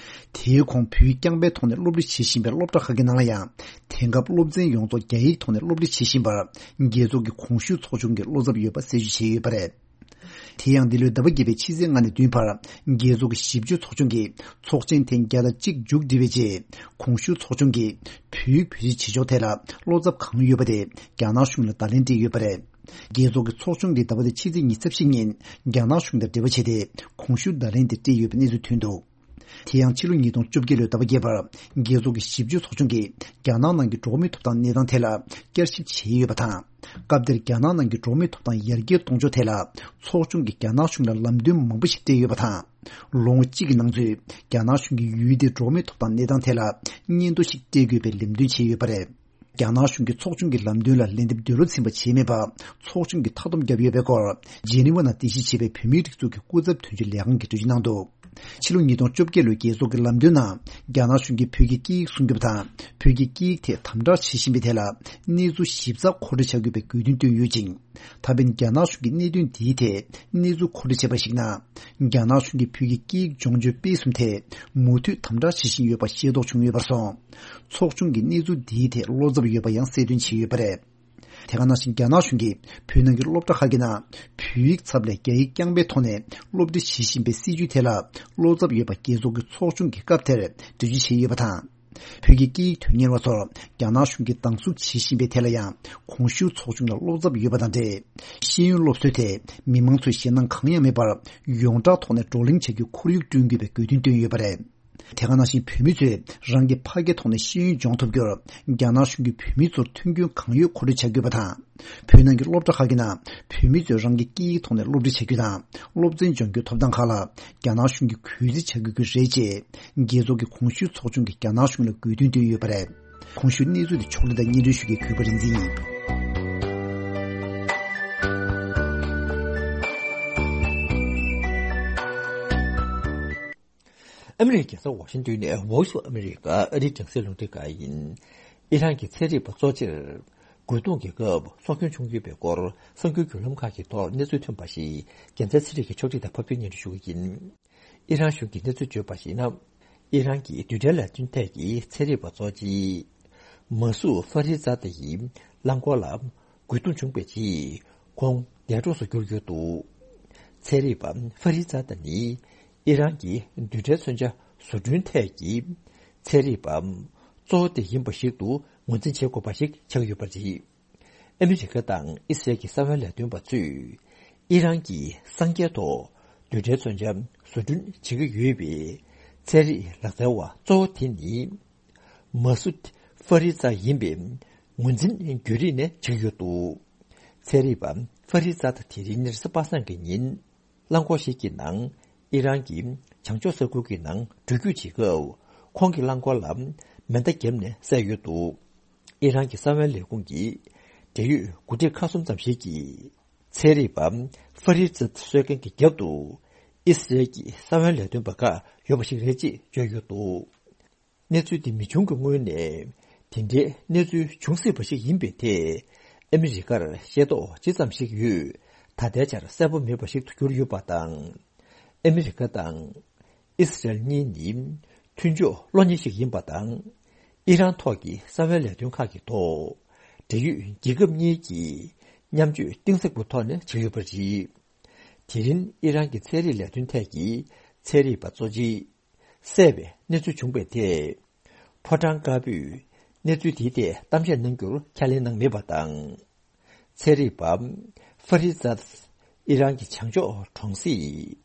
དེའི་གོང་བོད་ཡིག་རྐྱང་པའི་ཐོག་ནས་སློབ་ཁྲིད་བྱེད་བཞིན་པའི་སློབ་གྲྭ་ཁག་གི་ནང་ལ་ཡང་། དེང་སྐབས་སློབ་ཚན་ཡོངས་རྫོགས་རྒྱ་ཡིག་ཐོག་ནས་སློབ་ཁྲིད་བྱེད་བཞིན་པར། རྒྱལ་ཚོགས་ཀྱི་གོང་ཞུས་ཚོགས་ཆུང་གིས་བློ་འཚབ་ཡོད་པ་གསལ་བརྗོད་བྱས་ཡོད་པ་རེད། དེ་ཡང་འདི་ལོའི་ཟླ་བ་བརྒྱད་པའི་ཕྱི་ཚེས་ལྔ་ནས་བདུན་བར་རྒྱལ་ཚོགས་ཀྱི་ཞིབ་དཔྱོད་ཚོགས་ཆུང་གིས་ཚོགས་ཆེན་ཐེངས་བརྒྱ་དང་གཅིག་མཇུག་བསྒྲིལ་བའི་རྗེས། གོང་ཞུས་ཚོགས་ཆུང་གིས་བོད་ཡིག་བེད་སྤྱོད་བྱེད་ཕྱོགས་ཐད་ལ་བློ་འཚབ་གང་ཡོད་པ་དེ་རྒྱ་ནག་གཞུང་ལ་བརྡ་ལན་སྤྲད་ཡོད་པ་རེད། རྒྱལ་ཚོགས་ཀྱི་ཚོགས་ཆུང་གིས་ཟླ་བ་འདིའི་ཕྱི་ཚེས་ཉི་ཤུ་རྩ་བཞི་ཉིན་རྒྱ་ནག་གཞུང་དང་འབྲེལ་བ་བྱས་ཏེ་གོང་ཞུས་བརྡ་ལན་དེ་སྤྲད་ཡོད་པའི་གནས་ཚུལ་ཐོན་འདུག་དེ་ཡང་ཕྱི་ལོ་ཉིས་སྟོང་བཅོ་བརྒྱད་ལོའི་ཟླ་བ་བརྒྱད་པར་རྒྱལ་ཚོགས་ཀྱི་ཞིབ་དཔྱོད་ཚོགས་ཆུང་གིས་རྒྱ་ནག་ནང་གི་འགྲོ་བ་མིའི་ཐོབ་ཐང་གནས་སྟངས་ཐད་ལ་བསྐྱར་ཞིབ་བྱས་ཡོད་པ་དང་། སྐབས་དེར་རྒྱ་ནག་ནང་གི་འགྲོ་བ་མིའི་ཐོབ་ཐང་ཡར་རྒྱས་གཏོང་ཕྱོགས་ཐད་ལ་ཚོགས་ཆུང་གིས་རྒྱ་ནག་གཞུང་ལ་ལམ་སྟོན་མང་པོ་ཞིག་སྤྲད་ཡོད་པ་དང་། ལོ་ངོ་གཅིག་གི་ནང་ཚུད་རྒྱ་ནག་གཞུང་གིས་ཡུལ་དེའི་འགྲོ་བ་མིའི་ཐོབ་ཐང་གནས་སྟངས་ཐད་ལ་སྙན་ཐོ་ཞིག་སྤྲད་དགོས་པའི་ལམ་སྟོན་བྱས་ཡོད་པ་རེད། རྒྱ་ནག་གཞུང་གིས་ཚོགས་ཆུང་གི་ལམ་སྟོན་ལ་ལན་འདེབས་འདོད་བློ་ཚིམ་པ་བྱས་མེད་པ་ཚོགས་ཆུང་གིས་མཐའ་སྡོམ་བརྒྱབ་ཡོད་པའི་སྐོར་ཇེ་ནི་ཝ་ནང་རྟེན་གཞི་བྱས་པའི་བོད་མིའི་སྒྲིག་འཛུགས་ཀྱི་སྐུ་ཚབ་དོན་གཅོད་ལས་ཁང་གིས་འགྲེལ་བརྗོད་གནང་འདུག་ཕྱི་ལོ་ཉིས་སྟོང་བཅོ་བརྒྱད་ལོའི་རྒྱལ་ཚོགས་ཀྱི་ལམ་སྟོན་ནང་རྒྱ་ནག་གཞུང་གིས་བོད་ཀྱི་སྐད་ཡིག་སྲུང་སྐྱོབ་དང་བོད་ཀྱི་སྐད་ཡིག་ཐད་དམ་དྲག་བྱེད་བཞིན་པའི་ཐད་ལ་གནས་ཚུལ་ཞིབ་ཚགས་མཁོ་སྤྲོད་བྱ་དགོས་པའི་དགོས་འདུན་བཏོན་ཡོད་ཅིང་། ད་ཕན་རྒྱ་ནག་གཞུང་གིས་གནད་དོན་འདིའི་ཐད་གནས་ཚུལ་མཁོ་སྤྲོད་བྱས་པར་གཞིགས་ན། རྒྱ་ནག་གཞུང་གིས་བོད་ཀྱི་སྐད་ཡིག་སྦྱོང་སྤྱོད་སྤེལ་གསུམ་ཐད་མུ་མཐུད་དམ་དྲག་བྱེད་བཞིན་ཡོད་པ་ཤེས་རྟོགས་བྱུང་ཡོད་པར་སོང་། ཚོགས་ཆུང་གིས་གནས་ཚུལ་འདིའི་ཐད་བློ་འཚབ་ཡོད་པ་ཡང་གསལ་སྟོན་བྱས་ཡོད་པ་རེད། དེ་ག་ནང་བཞིན་རྒྱ་ནག་གཞུང་གིས་བོད་ནང་གི་སློབ་གྲྭ་ཁག་གི་ནང་བོད་ཡིག་ཚབ་ལས་རྒྱ་ཡིག་རྐྱང་པའི་ཐོག་ནས་སློབ་ཁྲིད་བྱེད་བཞིན་པའི་སྲིད་བྱུས་ཐད་ལ་བློ་འཚབ་ཡོད་པ་རྒྱལ་ཚོགས་ཀྱི་ཚོགས་ཆུང་གིས་སྐབས་དེར་འགྲེལ་བརྗོད་བྱས་ཡོད་པ་དང་། བོད་ཀྱི་སྐད་ཡིག་དོན་གཉེར་བ་ཚོར་རྒྱ་ནག་གཞུང་གིས་སྡང་ཟུག་བྱེད་བཞིན་པའི་ཐད་ལ་ཡང་གོང་ཞུས་ཚོགས་ཆུང་ལ་བློ་འཚབ་ཡོད་པ་དང་འབྲེལ། ཤེས་ཡོན་སློབ་གསོའི་ཐད་མི་མང་ཚོས་ཞེད་སྣང་གང་ཡང་མེད་པར་ཡོངས་གྲགས་ཐོག་ནས་བགྲོ་གླེང་བྱ་རྒྱུའི་ཁོར་ཡུག་བསྐྲུན་དགོས་པའི་དགོས་འདུན་བཏོན་ཡོད་པ་རེད། དེ་ག་ནང་བཞིན་བོད་མི་ཚོས་རང་གི་ཕ་སྐད་ཐོག་ནས་ཤེས་ཡོན་སྦྱོང་ཐུབ་རྒྱུར་རྒྱ་ནག་གཞུང་གིས་བོད་མི་ཚོར་མཐུན་རྐྱེན་གང་ཡོད་མཁོ་སྤྲོད་བྱ་དགོས་པ་དང་། བོད་ནང་གི་སློབ་གྲྭ་ཁག་གི་ནང་བོད་མི་ཚོས་རང་གི་སྐད་ཡིག་ཐོག་ནས་སློབ་ཁྲིད་བྱ་རྒྱུ་དང་སློབ་ཚན་སྦྱོང་རྒྱུའི་ཐོབ་ཐང་ཁག་ལ་རྒྱ་ནག་གཞུང་གིས་གུས་བརྩི་བྱ་དགོས་ཀྱི་རེད་ཅེས་རྒྱལ་ཚོགས་ཀྱི་གོང་ཞུས་ཚོགས་ཆུང་གིས་རྒྱ་ནག་གཞུང་ལ་དགོས་འདུན་བཏོན་ཡོད་པ་རེད། གོང་ཞུས་གནས་ཚུལ་དེ་ཕྱོགས་སྒྲིག་དང་སྙན་སྒྲོན་ཞུ་མཁན་གུས་པ་རིག་འཛིན་ཡིན། ཨ་མི་རི་ཀའི་རྒྱལ་ས་ཝ་ཤིང་ཏོན་ནས་Voice of America ཨ་རིའི་རྒྱང་སྲིང་རླུང་འཕྲིན་ཁང་ཡིན། ཨི་རན་གྱི་ཚན་རིག་པ་གཙོ་ཆེར་རྒོལ་རྡུང་གི་སྐབས་སྲོག་སྐྱོན་བྱུང་ཡོད་པའི་སྐོར་གསར་འགྱུར་བརྒྱུད་ལམ་ཁག་གི་ཐོག་གནས་ཚུལ་ཐོན་པ་ཞིག་རྒྱལ་མཚན་ཚེ་རིང་གིས་ཕྱོགས་སྒྲིག་དང་ཕབ་སྒྱུར་སྙན་སྒྲོན་ཞུ་གི་ཡིན། ཨི་རན་གཞུང་གིས་གནས་ཚུལ་བརྗོད་པར་གཞིགས་ན། ཨི་རན་གྱི་རྡུལ་ཕྲན་ལས་དོན་ཐད་ཀྱི་ཚན་རིག་པ་གཙོ་ཆེ་མ་སུ་ཧྥ་རི་ཛ་ད་ཡི་རླངས་འཁོར་ལ་རྒོལ་རྡུང་བྱུང་བའི་རྗེས་ཁོང་འདས་གྲོངས་སུ་གྱུར་ཡོད་འདུག་ཚན་རིག་པ་ཧྥ་རི་ཛ་ད་ནི་ཨི་རན་གྱི་རྡུལ་ཕྲན་མཚོན་ཆ་བཟོ་སྐྲུན་ཐད་ཀྱི་ཚན་རིག་པ་གཙོ་བོ་དེ་ཡིན་པ་ཞིག་ཏུ་ངོས་འཛིན་བྱེད་དགོས་པ་ཞིག་ཆགས་ཡོད་པ་རེད། ཨ་མི་རི་ཀ་དང་ཨི་སི་རལ་གྱི་གསང་བའི་ལས་དོན་པ་ཚོས་ཨི་རན་གྱིས་སངས་རྒྱས་ཐོག་རྡུལ་ཕྲན་མཚོན་ཆ་བཟོ་སྐྲུན་བྱེད་ཀྱི་ཡོད་པའི་ཚན་རིག་ལག་རྩལ་བ་གཙོ་བོ་དེ་ནི་མ་སུད་ཧྥ་རི་ཛ་ཡིན་པའི་ངོས་འཛིན་བརྒྱུད་རིམ་ནས་བྱེད་ཀྱི་ཡོད་འདུག་ཚན་རིག་པ་ཧྥ་རི་ཛ་དེ་རིང་ཉེར་གསུམ་པ་སངས་ཀྱི་ཉིན། རླངས་འཁོར་ཞིག་གི་ནང་ཨི་རན་གྱི་བྱང་ཕྱོགས་ས་ཁུལ་གྱི་ནང་འགྲུལ་སྐྱོད་བྱེད་སྐབས། ཁོང་གི་རླངས་འཁོར་ལ་མེ་མདའ་བརྒྱབ་ནས་བསད་ཡོད་འདུག་ཨི་རན་གྱི་གསང་བའི་ལས་ཁུངས་ཀྱི་འབྲེལ་ཡོད་འགོ་ཁྲིད་ཁག་གསུམ་ཙམ་ཞིག་གིས། ཚན་རིག་པ་ཧྥ་རི་ཛ་གསོད་མཁན་གྱི་རྒྱབ་ཏུ་ཨི་སི་རལ་གྱི་གསང་བའི་ལས་དོན་པ་ཁག་ཡོད་པ་ཞིག་རེད་ཅེས་བརྗོད་ཡོད་འདུག་གནས་ཚུལ་འདི་མི་བྱུང་གི་སྔོན་ནས་དེ་འདྲའི་གནས་ཚུལ་འབྱུང་སྲིད་པ་ཞིག་ཡིན་པའི་ཐད་ཨ་མི་རི་ཀར་ཤེས་རྟོགས་ཇི་ཙམ་ཞིག་ཡོད་ད་ལྟའི་ཆར་གསལ་པོ་མེད་པ་ཞིག་ཏུ་གྱུར་ཡོད་པ་དང་། ཨ་མི་རི་ཀ་དང་ཨི་སི་རལ་གཉིས་ནི་མཐུན་ཕྱོགས་གློ་ཉེ་ཞིག་ཡིན་པ་དང་། ཨི་རན་ཐོག་གི་གསང་བའི་ལས་དོན་ཁག་གི་ཐོག་འབྲེལ་ཡོད་རྒྱལ་ཁབ་གཉིས་ཀྱིས་མཉམ་སྤྱོད་གཏིང་ཟབ་པོའི་ཐོག་ནས་བྱས་ཡོད་པ་རེད། དེ་རིང་ཨི་རན་གྱི་ཚན་རིག་ལས་དོན་ཐད་ཀྱི་ཚན་རིག་པ་གཙོ་ཆེ་བསད་པའི་གནས་ཚུལ་བྱུང་བའི་ཐད། ཕོ་བྲང་དཀར་པོས་གནས་ཚུལ་དེའི་ཐད་གཏམ་བཤད་གནང་རྒྱུར་ཁས་ལེན་གནང་མེད་པ་དང་། ཚན་རིག་པ་ཧྥ་རི་ཛ་ཨི་རན་གྱི་བྱང་ཕྱོགས་གྲོང་གསེབ་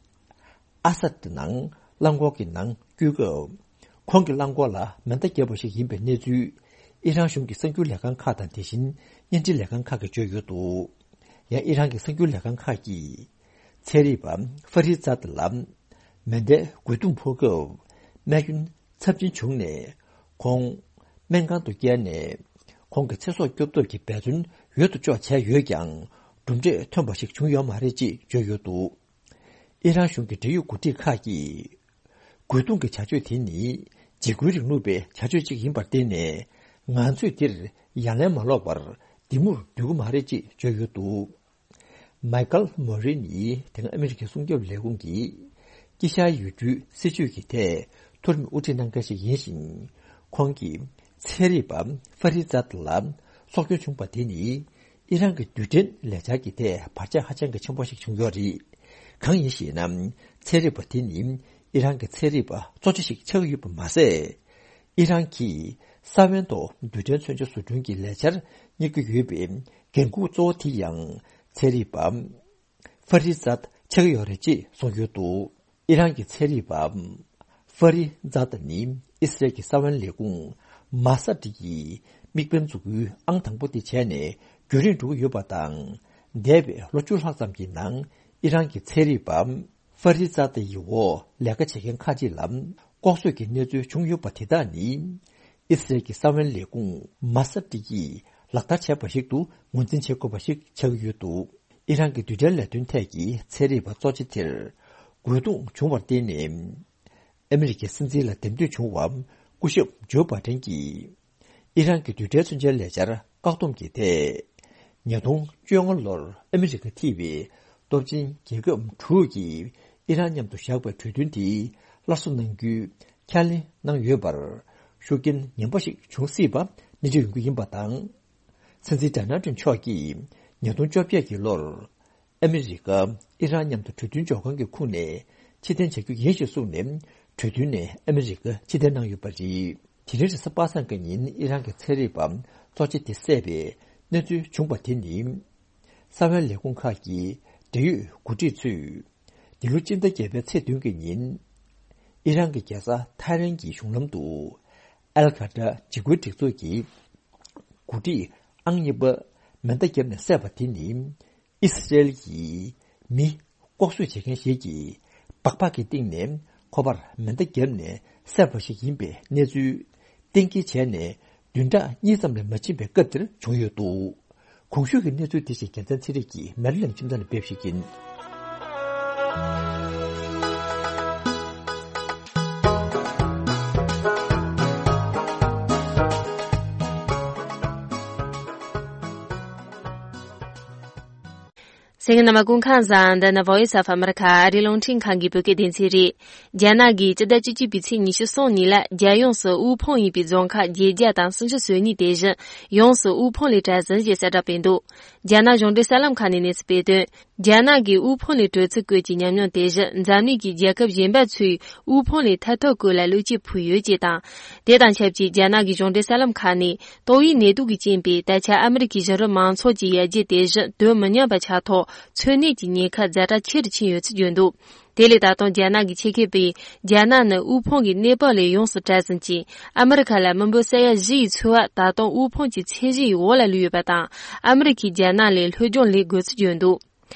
ཨ་སད་ནང་རླངས་འཁོར་གྱི་ནང་སྐྱོད་སྐབས། ཁོང་གི་རླངས་འཁོར་ལ་མེ་མདའ་བརྒྱབ་པ་ཞིག་ཡིན་པའི་གནས་ཚུལ་ཨི་རན་གཞུང་གི་གསར་འགྱུར་ལས་ཁང་ཁག་དང་དེ་བཞིན་བརྙན་འཕྲིན་ལས་ཁང་ཁག་གིས་བརྗོད་ཡོད་འདུག་ཡང་ཨི་རན་གྱི་གསར་འགྱུར་ལས་ཁང་ཁག་གིས། ཚན་རིག་པ་ཧྥ་རི་ཛ་ལ་མེ་མདའི་རྒོལ་རྡུང་ཕོག་སྐབས་རྨས་སྐྱོན་ཚབས་ཆེན་བྱུང་ནས་ཁོང་སྨན་ཁང་དུ་བསྐྱལ་ནས་ཁོང་གི་ཚེ་སྲོག་སྐྱོབ་ཐབས་ཀྱི་འབད་བརྩོན་ཡོད་དོ་ཅོག་བྱས་ཡོད་ཀྱང་གྲུབ་འབྲས་ཐོན་པ་ཞིག་བྱུང་ཡོད་མ་རེད་ཅེས་བརྗོད་ཡོད་འདུག་ཨི་རན་གཞུང་གི་འབྲེལ་ཡོད་འགོ་ཁྲིད་ཁག་གིས། རྒོལ་རྡུང་གི་བྱ་སྤྱོད་དེ་ནི་འཇིགས་སྐུལ་རིང་ལུགས་པའི་བྱ་སྤྱོད་ཅིག་ཡིན་པར་བརྟེན་ནས་ང་ཚོས་འདིར་ཡ་ལན་མ་སློག་པར་འདི་མུར་སྡོད་ཀྱི་མ་རེད་ཅེས་བརྗོད་ཡོད་འདུག་མའི་ཀལ་མོ་རི་ནི་དེ་སྔ་ཨ་མི་རི་ཀའི་སྲུང་སྐྱོབ་ལས་ཁུངས་ཀྱི་དཀྱིལ་ཤར་ཡུལ་གྲུའི་སྲིད་བྱུས་ཀྱི་ཐད་མཐོ་རིམ་དབུ་ཁྲིད་གནང་མཁན་ཞིག་ཡིན་ཞིང་། ཁོང་གིས་ཚན་རིག་པ་ཧྥ་རི་ཛ་ལ་སྲོག་སྐྱོན་བྱུང་བ་དེ་ནི་ཨི་རན་གྱི་རྡུལ་ཕྲན་ལས་འཆར་གྱི་ཐད་བར་ཆད་ཧ་ཅང་གི་ཆེན་པོ་ཞིག་བྱུང་ཡོད་རེད། གང་ཡིན་ཞེ་ན། ཚན་རིག་པ་དེ་ནི་ཨི་རན་གྱི་ཚན་རིག་པ་གཙོ་ཆེ་ཞིག་ཆགས་ཀྱི་ཡོད་པ་མ་ཟད། ཨི་རན་གྱིས་ས་བོན་ཐོག་རྡུལ་ཕྲན་མཚོན་ཆ་བཟོ་སྐྲུན་གྱི་ལས་འཆར་གཉེར་གྱི་ཡོད་པའི་འགན་འཁུར་གཙོ་བོ་དེ་ཡང་ཚན་རིག་པ་ཧྥ་རི་ཛ་ཆགས་ཀྱི་ཡོད་རེད་ཅེས་གསུངས་ཡོད་འདུག་ཨི་རན་གྱི་ཚན་རིག་པ་ཧྥ་རི་ཛ་ད་ནི་ཨི་སི་རལ་གྱི་ས་བོན་ལས་ཁུངས་མ་ས་ཏི་ཡི་དམིགས་འབེན་འཛུགས་སྐྲུན་ཨང་དང་པོ་དེ་བྱས་ནས་རྒྱུན་རིང་འགྲོ་གི་ཡོད་པ་དང་། འདས་པའི་ལོ་བཅུ་ལྷག་ཙམ་གྱི་ནང་ཨི་རན་གྱི་ཚན་རིག་པ་ཧྥ་རི་ཛ་ད་ཡི་འོག་ལས་ཀ་བྱེད་མཁན་ཁག་ཅིག་ལ་ལྐོག་གསོད་ཀྱི་གནས་ཚུལ་བྱུང་ཡོད་པ་དེ་དག་ནི། ཨི་སི་རལ་གྱི་ས་བོན་ལས་ཁུངས་མ་ས་ཏི་ཡིས་ལག་བསྟར་བྱས་པ་ཞིག་ཏུ་ངོས་འཛིན་བྱེད་དགོས་པ་ཞིག་ཆགས་ཀྱི་ཡོད་འདུག་ཨི་རན་གྱི་རྡུལ་ཕྲན་ལས་དོན་ཐད་ཀྱི་ཚན་རིག་པ་གཙོ་ཆེ་དེར་རྒོལ་རྡུང་བྱུང་བར་བརྟེན་ནས། ཨ་མི་རི་ཀའི་སྲིད་འཛིན་ལ་འདེམས་ཐོན་བྱུང་བ་སྐུ་ཞབས་ཇོ་བྷ་ཏན་གྱིས། ཨི་རན་གྱི་རྡུལ་ཕྲན་མཚོན་ཆའི་ལས་འཆར་བཀག་སྡོམ་གྱི་ཐད། ཉིས་སྟོང་བཅོ་ལྔ་ལོར་ཨ་མི་རི་ཀ་ཐེ་བའི་སྟོབས་ཆེན་རྒྱལ་ཁབ་དྲུག་གིས་ཨི་རན་མཉམ་དུ་བཞག་པའི་གྲོས་མཐུན་དེ་སླར་གསོ་གནང་རྒྱུའི་ཁས་ལེན་གནང་ཡོད་པར་ཤུགས་རྐྱེན་ངན་པ་ཞིག་འབྱུང་སྲིད་པ་གནས་ཚུལ་ཡོང་རྒྱུ་ཡིན་པ་དང་། སྲིད་འཛིན་ཌོ་ནལ་ཊམ་མཆོག་གིས་ཉིས་སྟོང་བཅོ་བརྒྱད་ཀྱི་ལོར། ཨ་མི་རི་ཀ་ཨི་རན་མཉམ་དུ་གྲོས་མཐུན་འཇོག་ཁང་གི་ཁོངས་ནས་ཕྱིར་འཐེན་བྱ་རྒྱུ་ཡིན་ཞེས་གསུངས་ནས་གྲོས་མཐུན་ནས་ཨ་མི་རི་ཀ་ཕྱིར་འཐེན་གནང་ཡོད་པ་རེད། དེ་རིང་རེས་གཟའ་པ་སངས་ཀྱི་ཉིན་ཨི་རན་གྱི་ཚན་རིག་པ་གཙོ་ཆེ་དེ་བསད་པའི་གནས་ཚུལ་བྱུང་བ་དེ་ནི། གསང་བའི་ལས་ཁུངས་ཁག་གི་འབྲེལ་ཡོད་འགོ་ཁྲིད་ཚོས་འདི་ལོ་སྤྱི་ཟླ་བརྒྱད་པའི་ཚེས་བདུན་གྱི་ཉིན་ཨི་རན་གྱི་རྒྱལ་ས་ཐ་རན་གྱི་གཞུང་ལམ་དུ་ཨལ་ཁ་ཏྲ་འཇིགས་སྐུལ་སྒྲིག་འཛུགས་ཀྱི་འགོ་ཁྲིད་ཨང་གཉིས་པ་མེ་མདའ་བརྒྱབ་ནས་བསད་པ་དེ་ནི། ཨི་སི་རེལ་གྱི་མི་ལྐོག་གསོད་བྱེད་མཁན་ཞིག་གིས་སྦག་སྦག་གི་སྟེང་ནས་ཁོ་པར་མེ་མདའ་བརྒྱབ་ནས་བསད་པ་ཞིག་ཡིན་པའི་གནས་ཚུལ་གཏན་འཁེལ་བྱས་ནས་བདུན་ཕྲག་གཉིས་ཙམ་ལས་མ་ཕྱིན་པའི་སྐབས་དེར་བྱུང་ཡོད་འདུག་གོང་ཞུས་ཀྱི་གནས་ཚུལ་དེ་བཞིན་རྒྱལ་མཚན་ཚེ་རིང་གིས་མེ་རི་ལེགས་ཁྱིམ་ཚང་ནས་སྤེལ་ཞིག་ཡིན། གསན་མཁན་རྣམ་པ་སྐུ་ཁམས་བཟང་། འདི་ནི་Voice of America ཨ་རིའི་རླུང་འཕྲིན་ཁང་གི་བོད་སྐད་སྡེ་ཚན་རེད། རྒྱ་ནག་གིས་སྤྱི་ཟླ་བཅུ་གཅིག་པའི་ཚེས་ཉི་ཤུ་གསུམ་ཉིན་ལ་རྒྱལ་ཡོངས་སུ་དབུལ་ཕོངས་ཡིན་པའི་རྫོང་ཁག་བརྒྱད་བརྒྱ་དང་སུམ་ཅུ་སོ་གཉིས་དེ་བཞིན་ཡོངས་སུ་དབུལ་ཕོངས་ལས་གྲལ་ཟིན་ཞེས་གསལ་བསྒྲགས་སྤེལ་འདུག་རྒྱ་ནག་གཞུང་འབྲེལ་གསར་ལམ་ཁག་ནས་གནས་ཚུལ་སྤེལ་དོན། རྒྱ་ནག་གིས་དབུལ་ཕོངས་ལས་གྲོལ་ཚུལ་བཀོད་ཀྱི་ཉམས་མྱོང་དེ་བཞིན་འཛམ་གླིང་གི་རྒྱལ་ཁབ་གཞན་པ་ཚོས་དབུལ་ཕོངས་ལས་ཐར་ཐབས་སྐོར་ལ་བློ་སྐྱེད་ཕུལ་ཡོད་ཅེས་དང་། དེ་དང་ཆབས་ཅིག་རྒྱ་ནག་གི་གཞུང་འབྲེལ་གསར་ལམ་ཁག་ནས་ཏོག་དབྱིབས་ནད་དུག་གི་རྐྱེན་པས་ད་ཆ་ཨ་མི་རི་ཀའི་གཞི་རིམ་མང་ཚོགས་ཀྱི་ཡར་རྒྱས་དེ་བཞིན་དོན་མི་མཉམ་པ་ཆགས་ཐོག་འཚོ་གནས་ཀྱི་ཉེན་ཁ་ཛ་དྲག་ཆེ་རུ་ཕྱིན་ཡོད་ཚུལ་བརྗོད་འདུག་དེ་ལས་ད་དུང་རྒྱ་ནག་གི་ཆེད་མཁས་པས། རྒྱ་ནག་ནི་དབུལ་ཕོངས་ཀྱི་གནས་བབ་ལས་ཡོངས་སུ་གྲལ་ཟིན་ཅིང་། ཨ་མི་རི་ཁ་ལ་མི་འབོར་ས་ཡ་བཞི་ཡི་ཚོད་དབར་ད་དུང་དབུལ་ཕོངས་ཀྱི་ཚད་གཞི་ཡི་འོག་ལ་ལུས་ཡོད་པ་དང་། ཨ་མི་རི་ཁས་རྒྱ་ནག་ལས་ལྷོད་སྦྱོང་ལེན་དགོས་ཚུལ་བརྗོད་འདུག་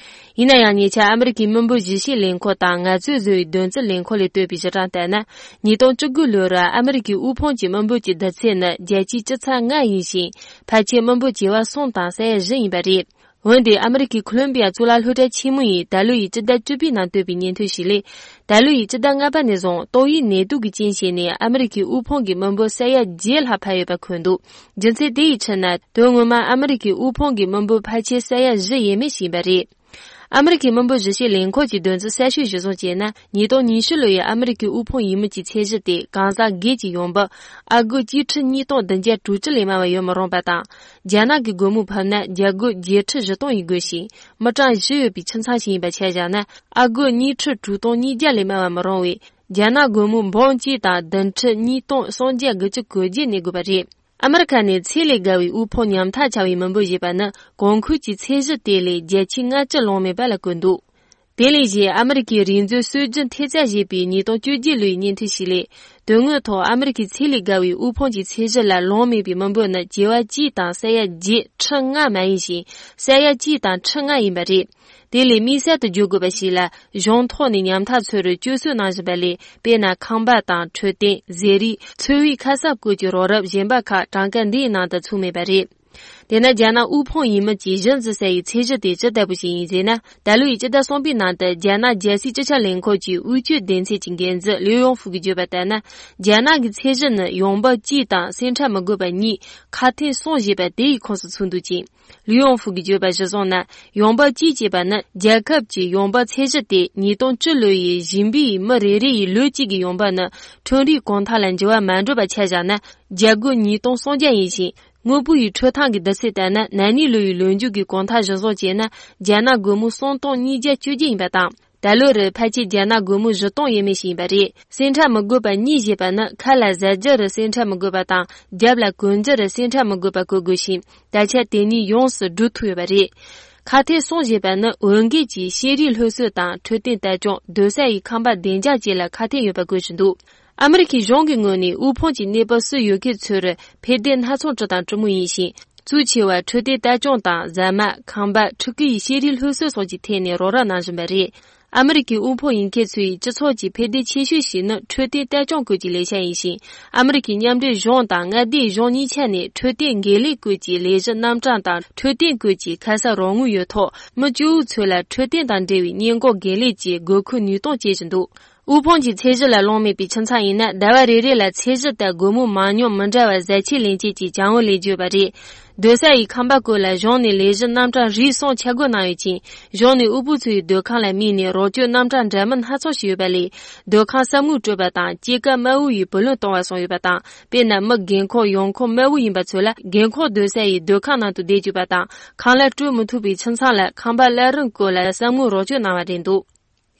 ཡིན་ན་ཡང་། ཉེ་ཆར་ཨ་མི་རི་ཀའི་མི་འབོར་གཞི་བྱེས་ལས་ཁུངས་དང་ངལ་རྩོལ་བཟོ་བའི་དོན་རྩིས་ལས་ཁུངས་ལས་བཏོན་པའི་གཞི་གྲངས་ལྟར་ན། ཉིས་སྟོང་བཅུ་དགུ་ལོར་ཨ་མི་རི་ཀའི་དབུལ་ཕོངས་ཀྱི་མི་འབོར་གྱི་བསྡུར་ཚད་ནི་བརྒྱ་ཆའི་བཅུ་ཚེག་ལྔ་ཡིན་ཞིང་། ཕལ་ཆེར་མི་འབོར་བྱེ་བ་གསུམ་དང་ས་ཡ་བཞི་ཡིན་པ་རེད། འོན་ཏེ་ཨ་མི་རི་ཀའི་ཁོ་ལོམ་བི་ཡ་གཙུག་ལག་སློབ་གྲྭ་ཆེན་མོ་ཡིས་ད་ལོ་ཡི་སྤྱི་ཟླ་བཅུ་པའི་ནང་བཏོན་པའི་སྙན་ཐོ་ཞིག་ལས། ད་ལོ་ཡི་སྤྱི་ཟླ་ལྔ་པ་ནས་བཟུང་ཏོག་དབྱིབས་ནད་དུག་གི་རྐྱེན་བྱས་ནས་ཨ་མི་རི་ཀའི་དབུལ་ཕོངས་ཀྱི་མི་འབོར་ས་ཡ་བརྒྱད་ལྷག་འཕར་ཡོད་པ་འཁོད་འདུག་རྒྱུ་མཚན་དེ་ཡི་ཕྱིར་ན། དོན་ངོ་མ་ཨ་མི་རི་ཀའི་དབུལ་ཕོངས་ཀྱི་མི་འབོར་ཕལ་ཆེར་ས་ཡ་བཞི་ཡས་མས་ཤིག་ཡིན་པ་རེད། ཨ་མི་རི་ཀའི་མི་འབོར་གཞི་བྱེས་ལས་ཁུངས་ཀྱིས་དོན་ཚན་གསལ་ཤོས་གཞིར་བཟུང་བྱས་ན། ཉིས་སྟོང་ཉི་ཤུ་ལོ་ཡི་ཨ་མི་རི་ཀའི་དབུལ་ཕོངས་ཡིན་མིན་གྱི་ཚད་གཞི་དེ་གང་ཟག་སྒེར་གྱི་ཡོང་འབབ་ཨ་སྒོར་གཅིག་ཁྲི་གཉིས་སྟོང་བདུན་བརྒྱ་དྲུག་ཅུ་ལས་དམའ་བ་ཡོད་མི་རུང་བ་དང་། རྒྱ་ནག་གི་སྒོར་མོ་ཕབ་ན་རྒྱ་སྒོར་བརྒྱད་ཁྲི་བཞི་སྟོང་ཡིན་དགོས་ཤིང་། མི་གྲངས་བཞི་ཡོད་པའི་ཁྱིམ་ཚང་ཞིག་ཡིན་པ་ཆ་བཞག་ན། ཨ་སྒོར་གཉིས་ཁྲི་དྲུག་སྟོང་ཉིས་བརྒྱ་ལས་དམའ་བ་མི་རུང་བས། རྒྱ་ནག་སྒོར་མོ་འབུམ་གཅིག་དང་བདུན་ཁྲི་གཉིས་སྟོང་སུམ་བརྒྱ་དགུ་བཅུ་གོ་བརྒྱད་གནས་དགོས་པ་རེད། ཨ་མི་རི་ཁ་ནས་ཚད་ལས་བརྒལ་བའི་དབུལ་ཕོངས་ཉམ་ཐག་ཆགས་པའི་མི་འབོར་ཞེས་པ་ནི་གོང་འཁོད་ཀྱི་ཚད་གཞི་དེ་ལས་བརྒྱ་ཆའི་ལྔ་བཅུ་ལོངས་མེད་པ་ལ་བཀོད་འདུག་དེ་ལས་གཞན་ཨ་མི་རི་ཀའི་རིག་མཛོད་སྲོལ་རྒྱུན་ཐེབས་རྩ་ཞེས་པས་ཉིས་སྟོང་བཅོ་བརྒྱད་ལོའི་སྙན་ཐོའི་ཞིག་ལས། དོན་དངོས་ཐོག་ཨ་མི་རི་ཀའི་ཚད་ལས་བརྒལ་བའི་དབུལ་ཕོངས་ཀྱི་ཚད་གཞི་ལ་ལོངས་མེད་པའི་མི་འབོར་ནི་བྱེ་བ་གཅིག་དང་ས་ཡ་བརྒྱད་ཁྲི་ལྔ་མ་ཡིན་ཞིང་། ས་ཡ་གཅིག་དང་ཁྲི་ལྔ་ཡིན་པ་རེད། དེ་ལས་དམིགས་བསལ་དུ་བརྗོད་དགོས་པ་ཞིག་ལ། གཞུང་ཐོག་ནས་ཉམ་ཐག་ཚོར་སྐྱོ་གསོད་གནང་བཞིན་པ་ལས། དཔེར་ན་ཁང་པ་དང་འཕྲོད་བསྟེན། ཟས་རིགས། འཚོ་བའི་ཁ་གསབ་སྐོར་གྱི་རོགས་རམ་གཞན་པ་ཁག་གྲངས་ཀ་འདིའི་ནང་དུ་ཚུད་མེད་པ་རེད། དེས་ན་རྒྱ་ནག་དབུལ་ཕོངས་ཡིན་མིན་གྱི་གཞི་འཛིན་ས་ཡི་ཚད་གཞི་དེ་ཇི་ལྟ་བུ་ཞིག་ཡིན་ཟེར་ན། ད་ལོའི་སྤྱི་ཟླ་གསུམ་པའི་ནང་དུ་རྒྱ་ནག་རྒྱལ་སའི་སྤྱི་ཁྱབ་ལས་ཁུངས་ཀྱི་དབུལ་སྐྱོད་སྡེ་ཚན་གྱི་འགན་འཛིན་ལིའུ་ཡོང་ཧྥུ་གིས་བརྗོད་པ་ལྟར་ན། རྒྱ་ནག་གི་ཚད་གཞི་ནི་ཡོང་འབབ་གཅིག་དང་སེམས་ཁྲལ་མི་དགོས་པ་གཉིས། ཁ་ཐེངས་གསུམ་ཞེས་པ་དེ་ཡི་ཁོངས་སུ་ཚུད་འདུག་ཅིང་། ལིའུ་ཡོང་ཧྥུ་གིས་བརྗོད་པ་གཞིར་བཟུང་ན། ཡོང་འབབ་གཅིག་ཅེས་པ་ནི་རྒྱལ་ཁབ་ཀྱི་ཡོང་འབབ་ཚད་གཞི་སྟེ། ཉིས་སྟོང་བཅུ་ལོ་ཡི་ཞིང་པའི་མི་རེ་རེ་ཡི་ལོ་གཅིག་གི་ཡོང་འབབ་ནི་ཁྲོམ་རའི་གོང་ཐང་ལ་འགྱུར་བ་མ་འགྲོ་བ་ཆ་བཞག་ན། རྒྱ་སྒོར་ཉིས་སྟོང་སུམ་བརྒྱ་ཡིན་ཞིང་། དངོས་པོ་ཡི་འཕྲོད་བཏང་གི་བསྡུར་ཚད་ལྟར་ན། ན་ནིང་ལོ་ཡི་ལོ་མཇུག་གི་གོང་ཐང་གཞིར་བཟུང་བྱས་ན། རྒྱ་ནག་སྒོར་མོ་སུམ་སྟོང་ཉིས་བརྒྱ་བཅོ་བརྒྱད་ཡིན་པ་དང་། ད་ལོ་རུ་ཕལ་ཆེར་རྒྱ་ནག་སྒོར་མོ་བཞི་སྟོང་ཡས་མས་ཤིག་ཡིན་པ་རེད། སེམས་ཁྲལ་མི་དགོས་པ་གཉིས་ཞེས་པ་ནི། ཁ་ལ་ཟ་རྒྱུ་རུ་སེམས་ཁྲལ་མི་དགོས་པ་དང་། རྒྱབ་ལ་གོན་རྒྱུ་རུ་སེམས་ཁྲལ་མི་དགོས་པ་བཀོད་དགོས་ཤིང་། ད་ཆ་དེ་གཉིས་ཡོངས་སུ་འགྲུབ་ཐུབ་ཡོད་པ་རེད། ཁ་ཐེངས་གསུམ་ཞེས་པ་ནི། འོས་འགན་གྱིས་ཤེས་རིག་སློབ་གསོ་དང་འཕྲོད་བསྟེན་ལྟ་སྐྱོང་། སྡོད་ས་ཡི་ཁང་པ་བདེ་འཇགས་བཅས་ལ་ཁ་གཏད་ཡོད་པ་བཀོད་བཞིན་འདུག་ཨ་མི་རི་ཁའི་གཞུང་གི་ངོས་ནས་དབུལ་ཕོངས་ཀྱི་གནས་བབ་སུ་ཡོད་མཁན་ཚོར་ཕན་བདེ་སྣ་ཚོགས་སྤྲོད་དང་སྤྲོད་མུས་ཡིན་ཞིང་། གཙོ་ཆེ་བ་འཕྲོད་བསྟེན་ལྟ་སྐྱོང་དང་། ཟ་མ། ཁང་པ། ཕྲུ་གུ་ཡི་ཤེས་རིག་སློབ་གསོ་སོགས་ཀྱི་ཐད་ནས་རོགས་རམ་གནང་བཞིན་པ་རེད། ཨ་མི་རི་ཀའི་དབུལ་ཕོངས་ཡིན་མཁན་ཚོའི་སྤྱི་ཚོགས་ཀྱི་ཕན་བདེ་ཆེ་ཤོས་ཤིག་ནི་འཕྲོད་བསྟེན་ལྟ་སྐྱོང་སྐོར་གྱི་ལས་འཆར་ཡིན་ཞིང་། ཨ་མི་རི་ཀའི་མཉམ་འབྲེལ་གཞུང་དང་མངའ་སྡེའི་གཞུང་གཉིས་ཆ་ནས་འཕྲོད་བསྟེན་དགེ་ལས་སྐོར་གྱི་ལས་གཞི་རྣམ་གྲངས་དང་། འཕྲོད་བསྟེན་སྐོར་གྱི་ཁ་གསབ་རོགས་དངུལ་ཡོད་ཐོག་མི་སྐྱོ་བོ་ཚོ་ལ་འཕྲོད་བསྟེན་དང་འབྲེལ་བའི་སྔོན་འགོག་དགེ་ལས་ཀྱི་དགོས་མཁོའི་ནུས་སྟོབས་སྐྱེད་བཞིན་འདུག་དབུལ་ཕོངས་ཀྱི་ཚད་གཞི་ལ་ལོངས་མེད་པའི་ཁྱིམ་ཚང་ཡིན་ན། ཟླ་བ་རེ་རེ་ལ་ཚད་གཞི་ལྟར་སྒོར་མོ་མང་ཉུང་མི་འདྲ་བར་ཟད་ཆད་ལེན་བྱེད་ཀྱི་བྱ་བ་ལས་བརྗོད་པ་རེད། སྡོད་ས་ཡི་ཁང་པ་སྐོར་ལ་གཞུང་ནས་ལས་གཞི་རྣམ་གྲངས་རིགས་གསུམ་ཆ་བགོས་གནང་ཡོད་ཅིང་། གཞུང་ནས་དབུལ་པོ་ཚོའི་སྡོད་ཁང་ལ་དམིགས་ནས་རོགས་སྐྱོར་རྣམ་གྲངས་འདྲ་མིན་སྣ་ཚོགས་ཤིག་ཡོད་པ་ལས། སྡོད་ཁང་གསབ་དངུལ་སྤྲོད་པ་དང་། སྐྱེད་ཀ་དམའ་བོ་ཡི་བུ་ལོན་གཏོང་བ་སོགས་ཡོད་པ་དང་། དཔེར་ན། མི་རྒན་འཁོགས་ཡོང་ཁུངས་དམའ་བོ་ཡིན་པ་ཚོ་ལ་རྒན་འཁོགས་སྡོད་ས་ཡི་སྡོད་ཁང་ནང་དུ་བསྡད་བཅུག་པ་དང་། ཁང་གླ་སྤྲོད་མི་ཐུབ་པའི་ཁྱིམ་ཚང་ལ་ཁང་པ་གླ་རིན་སྐོར་ལ་གསབ་དངུལ་རོགས་སྐྱོར་གནང་བ་རེད་འདུག་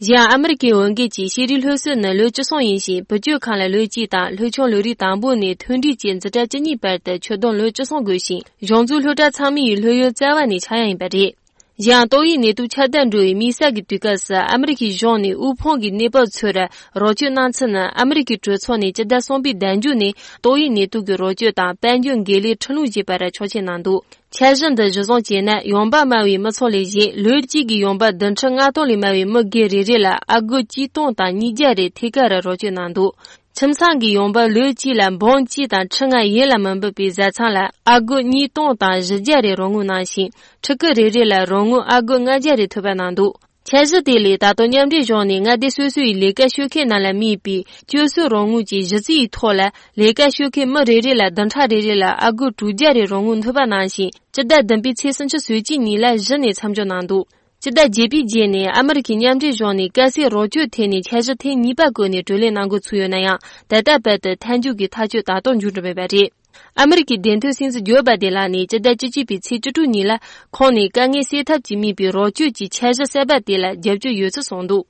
གཞན་ཡང་ཨ་མི་རི་ཀའི་འོས་འགན་གྱིས་ཤེས་རིག་སློབ་གསོ་ནི་ལོ་བཅུ་གསུམ་ཡིན་ཞིང་། བུ་བཅོལ་ཁང་ལ་ལོ་གཅིག་དང་། སློབ་ཆུང་ལོ་རིམ་དང་པོ་ནས་མཐོ་འབྲིང་བཅས་འཛིན་གྲྭ་བཅུ་གཉིས་བར་དུ་ཆུ་དུམ་ལོ་བཅུ་གསུམ་དགོས་ཤིང་། གཞུང་བཙུགས་སློབ་གྲྭ་ཚང་མའི་སློབ་ཡོན་རྩ་བ་ནས་ཆག་ཡང་ཡིན་པ་རེད། གཞན་ཡང་ཏོག་དབྱིབས་ནད་དུག་ཁྱབ་གདལ་འགྲོ་བའི་དམིགས་བསལ་གྱི་དུས་སྐབས་སུ་ཨ་མི་རི་ཀའི་གཞུང་ནས་དབུལ་ཕོངས་ཀྱི་གནས་བབ་ཚོར་རོགས་སྐྱོར་གནང་ཚུལ་ནི། ཨ་མི་རི་ཀའི་གྲོས་ཚོགས་ནས་སྤྱི་ཟླ་གསུམ་པའི་ཟླ་མཇུག་ནས་ཏོག་དབྱིབས་ནད་དུག་གི་རོགས་སྐྱོར་དང་དཔལ་འབྱོར་འགན་ལེན་ཁྲིམས་ལུགས་ཞེས་པར་ཆོག་མཆན་གནང་འདུག་འཆར་གཞི་འདི་གཞིར་བཟུང་བྱས་ན། ཡོང་འབབ་དམའ་བའི་མི་ཚོགས་ལས་གཞན་ལོ་གཅིག་གི་ཡོང་འབབ་བདུན་ཁྲི་ལྔ་སྟོང་ལས་དམའ་བའི་མི་སྒེར་རེ་རེ་ལ་ཨ་སྒོར་གཅིག་སྟོང་དང་ཉིས་བརྒྱ་རེ་ཐད་ཀར་རོགས་སྐྱོར་གནང་འདུག་ཁྱིམ་ཚང་གི་ཡོང་འབབ་ལོ་གཅིག་ལ་འབུམ་གཅིག་དང་ཁྲི་ལྔ་ཡན་ལ་མི་འབབ་པའི་བཟའ་ཚང་ལ་ཨ་སྒོར་ཉིས་སྟོང་དང་བཞི་བརྒྱ་རེ་རོགས་དངུལ་གནང་ཞིང་། ཕྲུ་གུ་རེ་རེ་ལ་རོགས་དངུལ་ཨ་སྒོར་ལྔ་བརྒྱ་རེ་ཐོབ་པ་གནང་འདུག་འཆར་གཞི་དེ་ལས་ད་དུང་མཉམ་འབྲེལ་གཞུང་ནས་མངའ་སྡེ་སོ་སོའི་ལས་ཀ་ཞུ་མཁན་རྣམས་ལ་དམིགས་པའི་སྤྱོད་གསོའི་རོགས་དངུལ་གྱི་གཞི་རྩའི་ཐོག་ལ། ལས་ཀ་ཞུ་མཁན་མི་རེ་རེ་ལ་བདུན་ཕྲག་རེ་རེ་ལ་ཨ་སྒོར་དྲུག་བརྒྱ་རེ་རོགས་དངུལ་ཐོབ་པ་གནང་ཞིང་། སྤྱི་ཟླ་བདུན་པའི་ཚེས་སུམ་ཅུ་སོ་གཅིག་ཉིན་ལ་གཞི་ནས་མཚམས་འཇོག་གནང་འདུག་སྤྱི་ཟླ་བརྒྱད་པའི་རྗེས་ནས་ཨ་མི་རི་ཀའི་མཉམ་འབྲེལ་གཞུང་ནས་དཀའ་སེལ་རོགས་སྐྱོར་ཐད་ནས་འཆར་གཞི་ཐེངས་གཉིས་པ་བཀོད་ནས་གྲོས་གླེང་གནང་འགོ་ཚུགས་ཡོད་ན་ཡང་། ད་ལྟ་བར་དུ་མཐའ་མཇུག་གི་ཐག་གཅོད་ད་དུང་འབྱུང་གྲབས་མེད་པ་རེད། ཨ་མི་རི་ཀའི་བདེན་དོན་སྲིད་འཛིན་ཇོ་བྷ་དེ་ལགས་ནས་སྤྱི་ཟླ་བཅུ་གཅིག་པའི་ཚེས་བཅུ་དྲུག་ཉིན་ལ་ཁོང་ནས་དཀའ་ངལ་སེལ་ཐབས་ཀྱི་དམིགས་པའི་རོགས་སྐྱོར་གྱི་འཆར་གཞི་གསར་པ་དེ་ལ་རྒྱབ་སྐྱོར་ཡོད་ཚུལ་གསུངས་འདུག།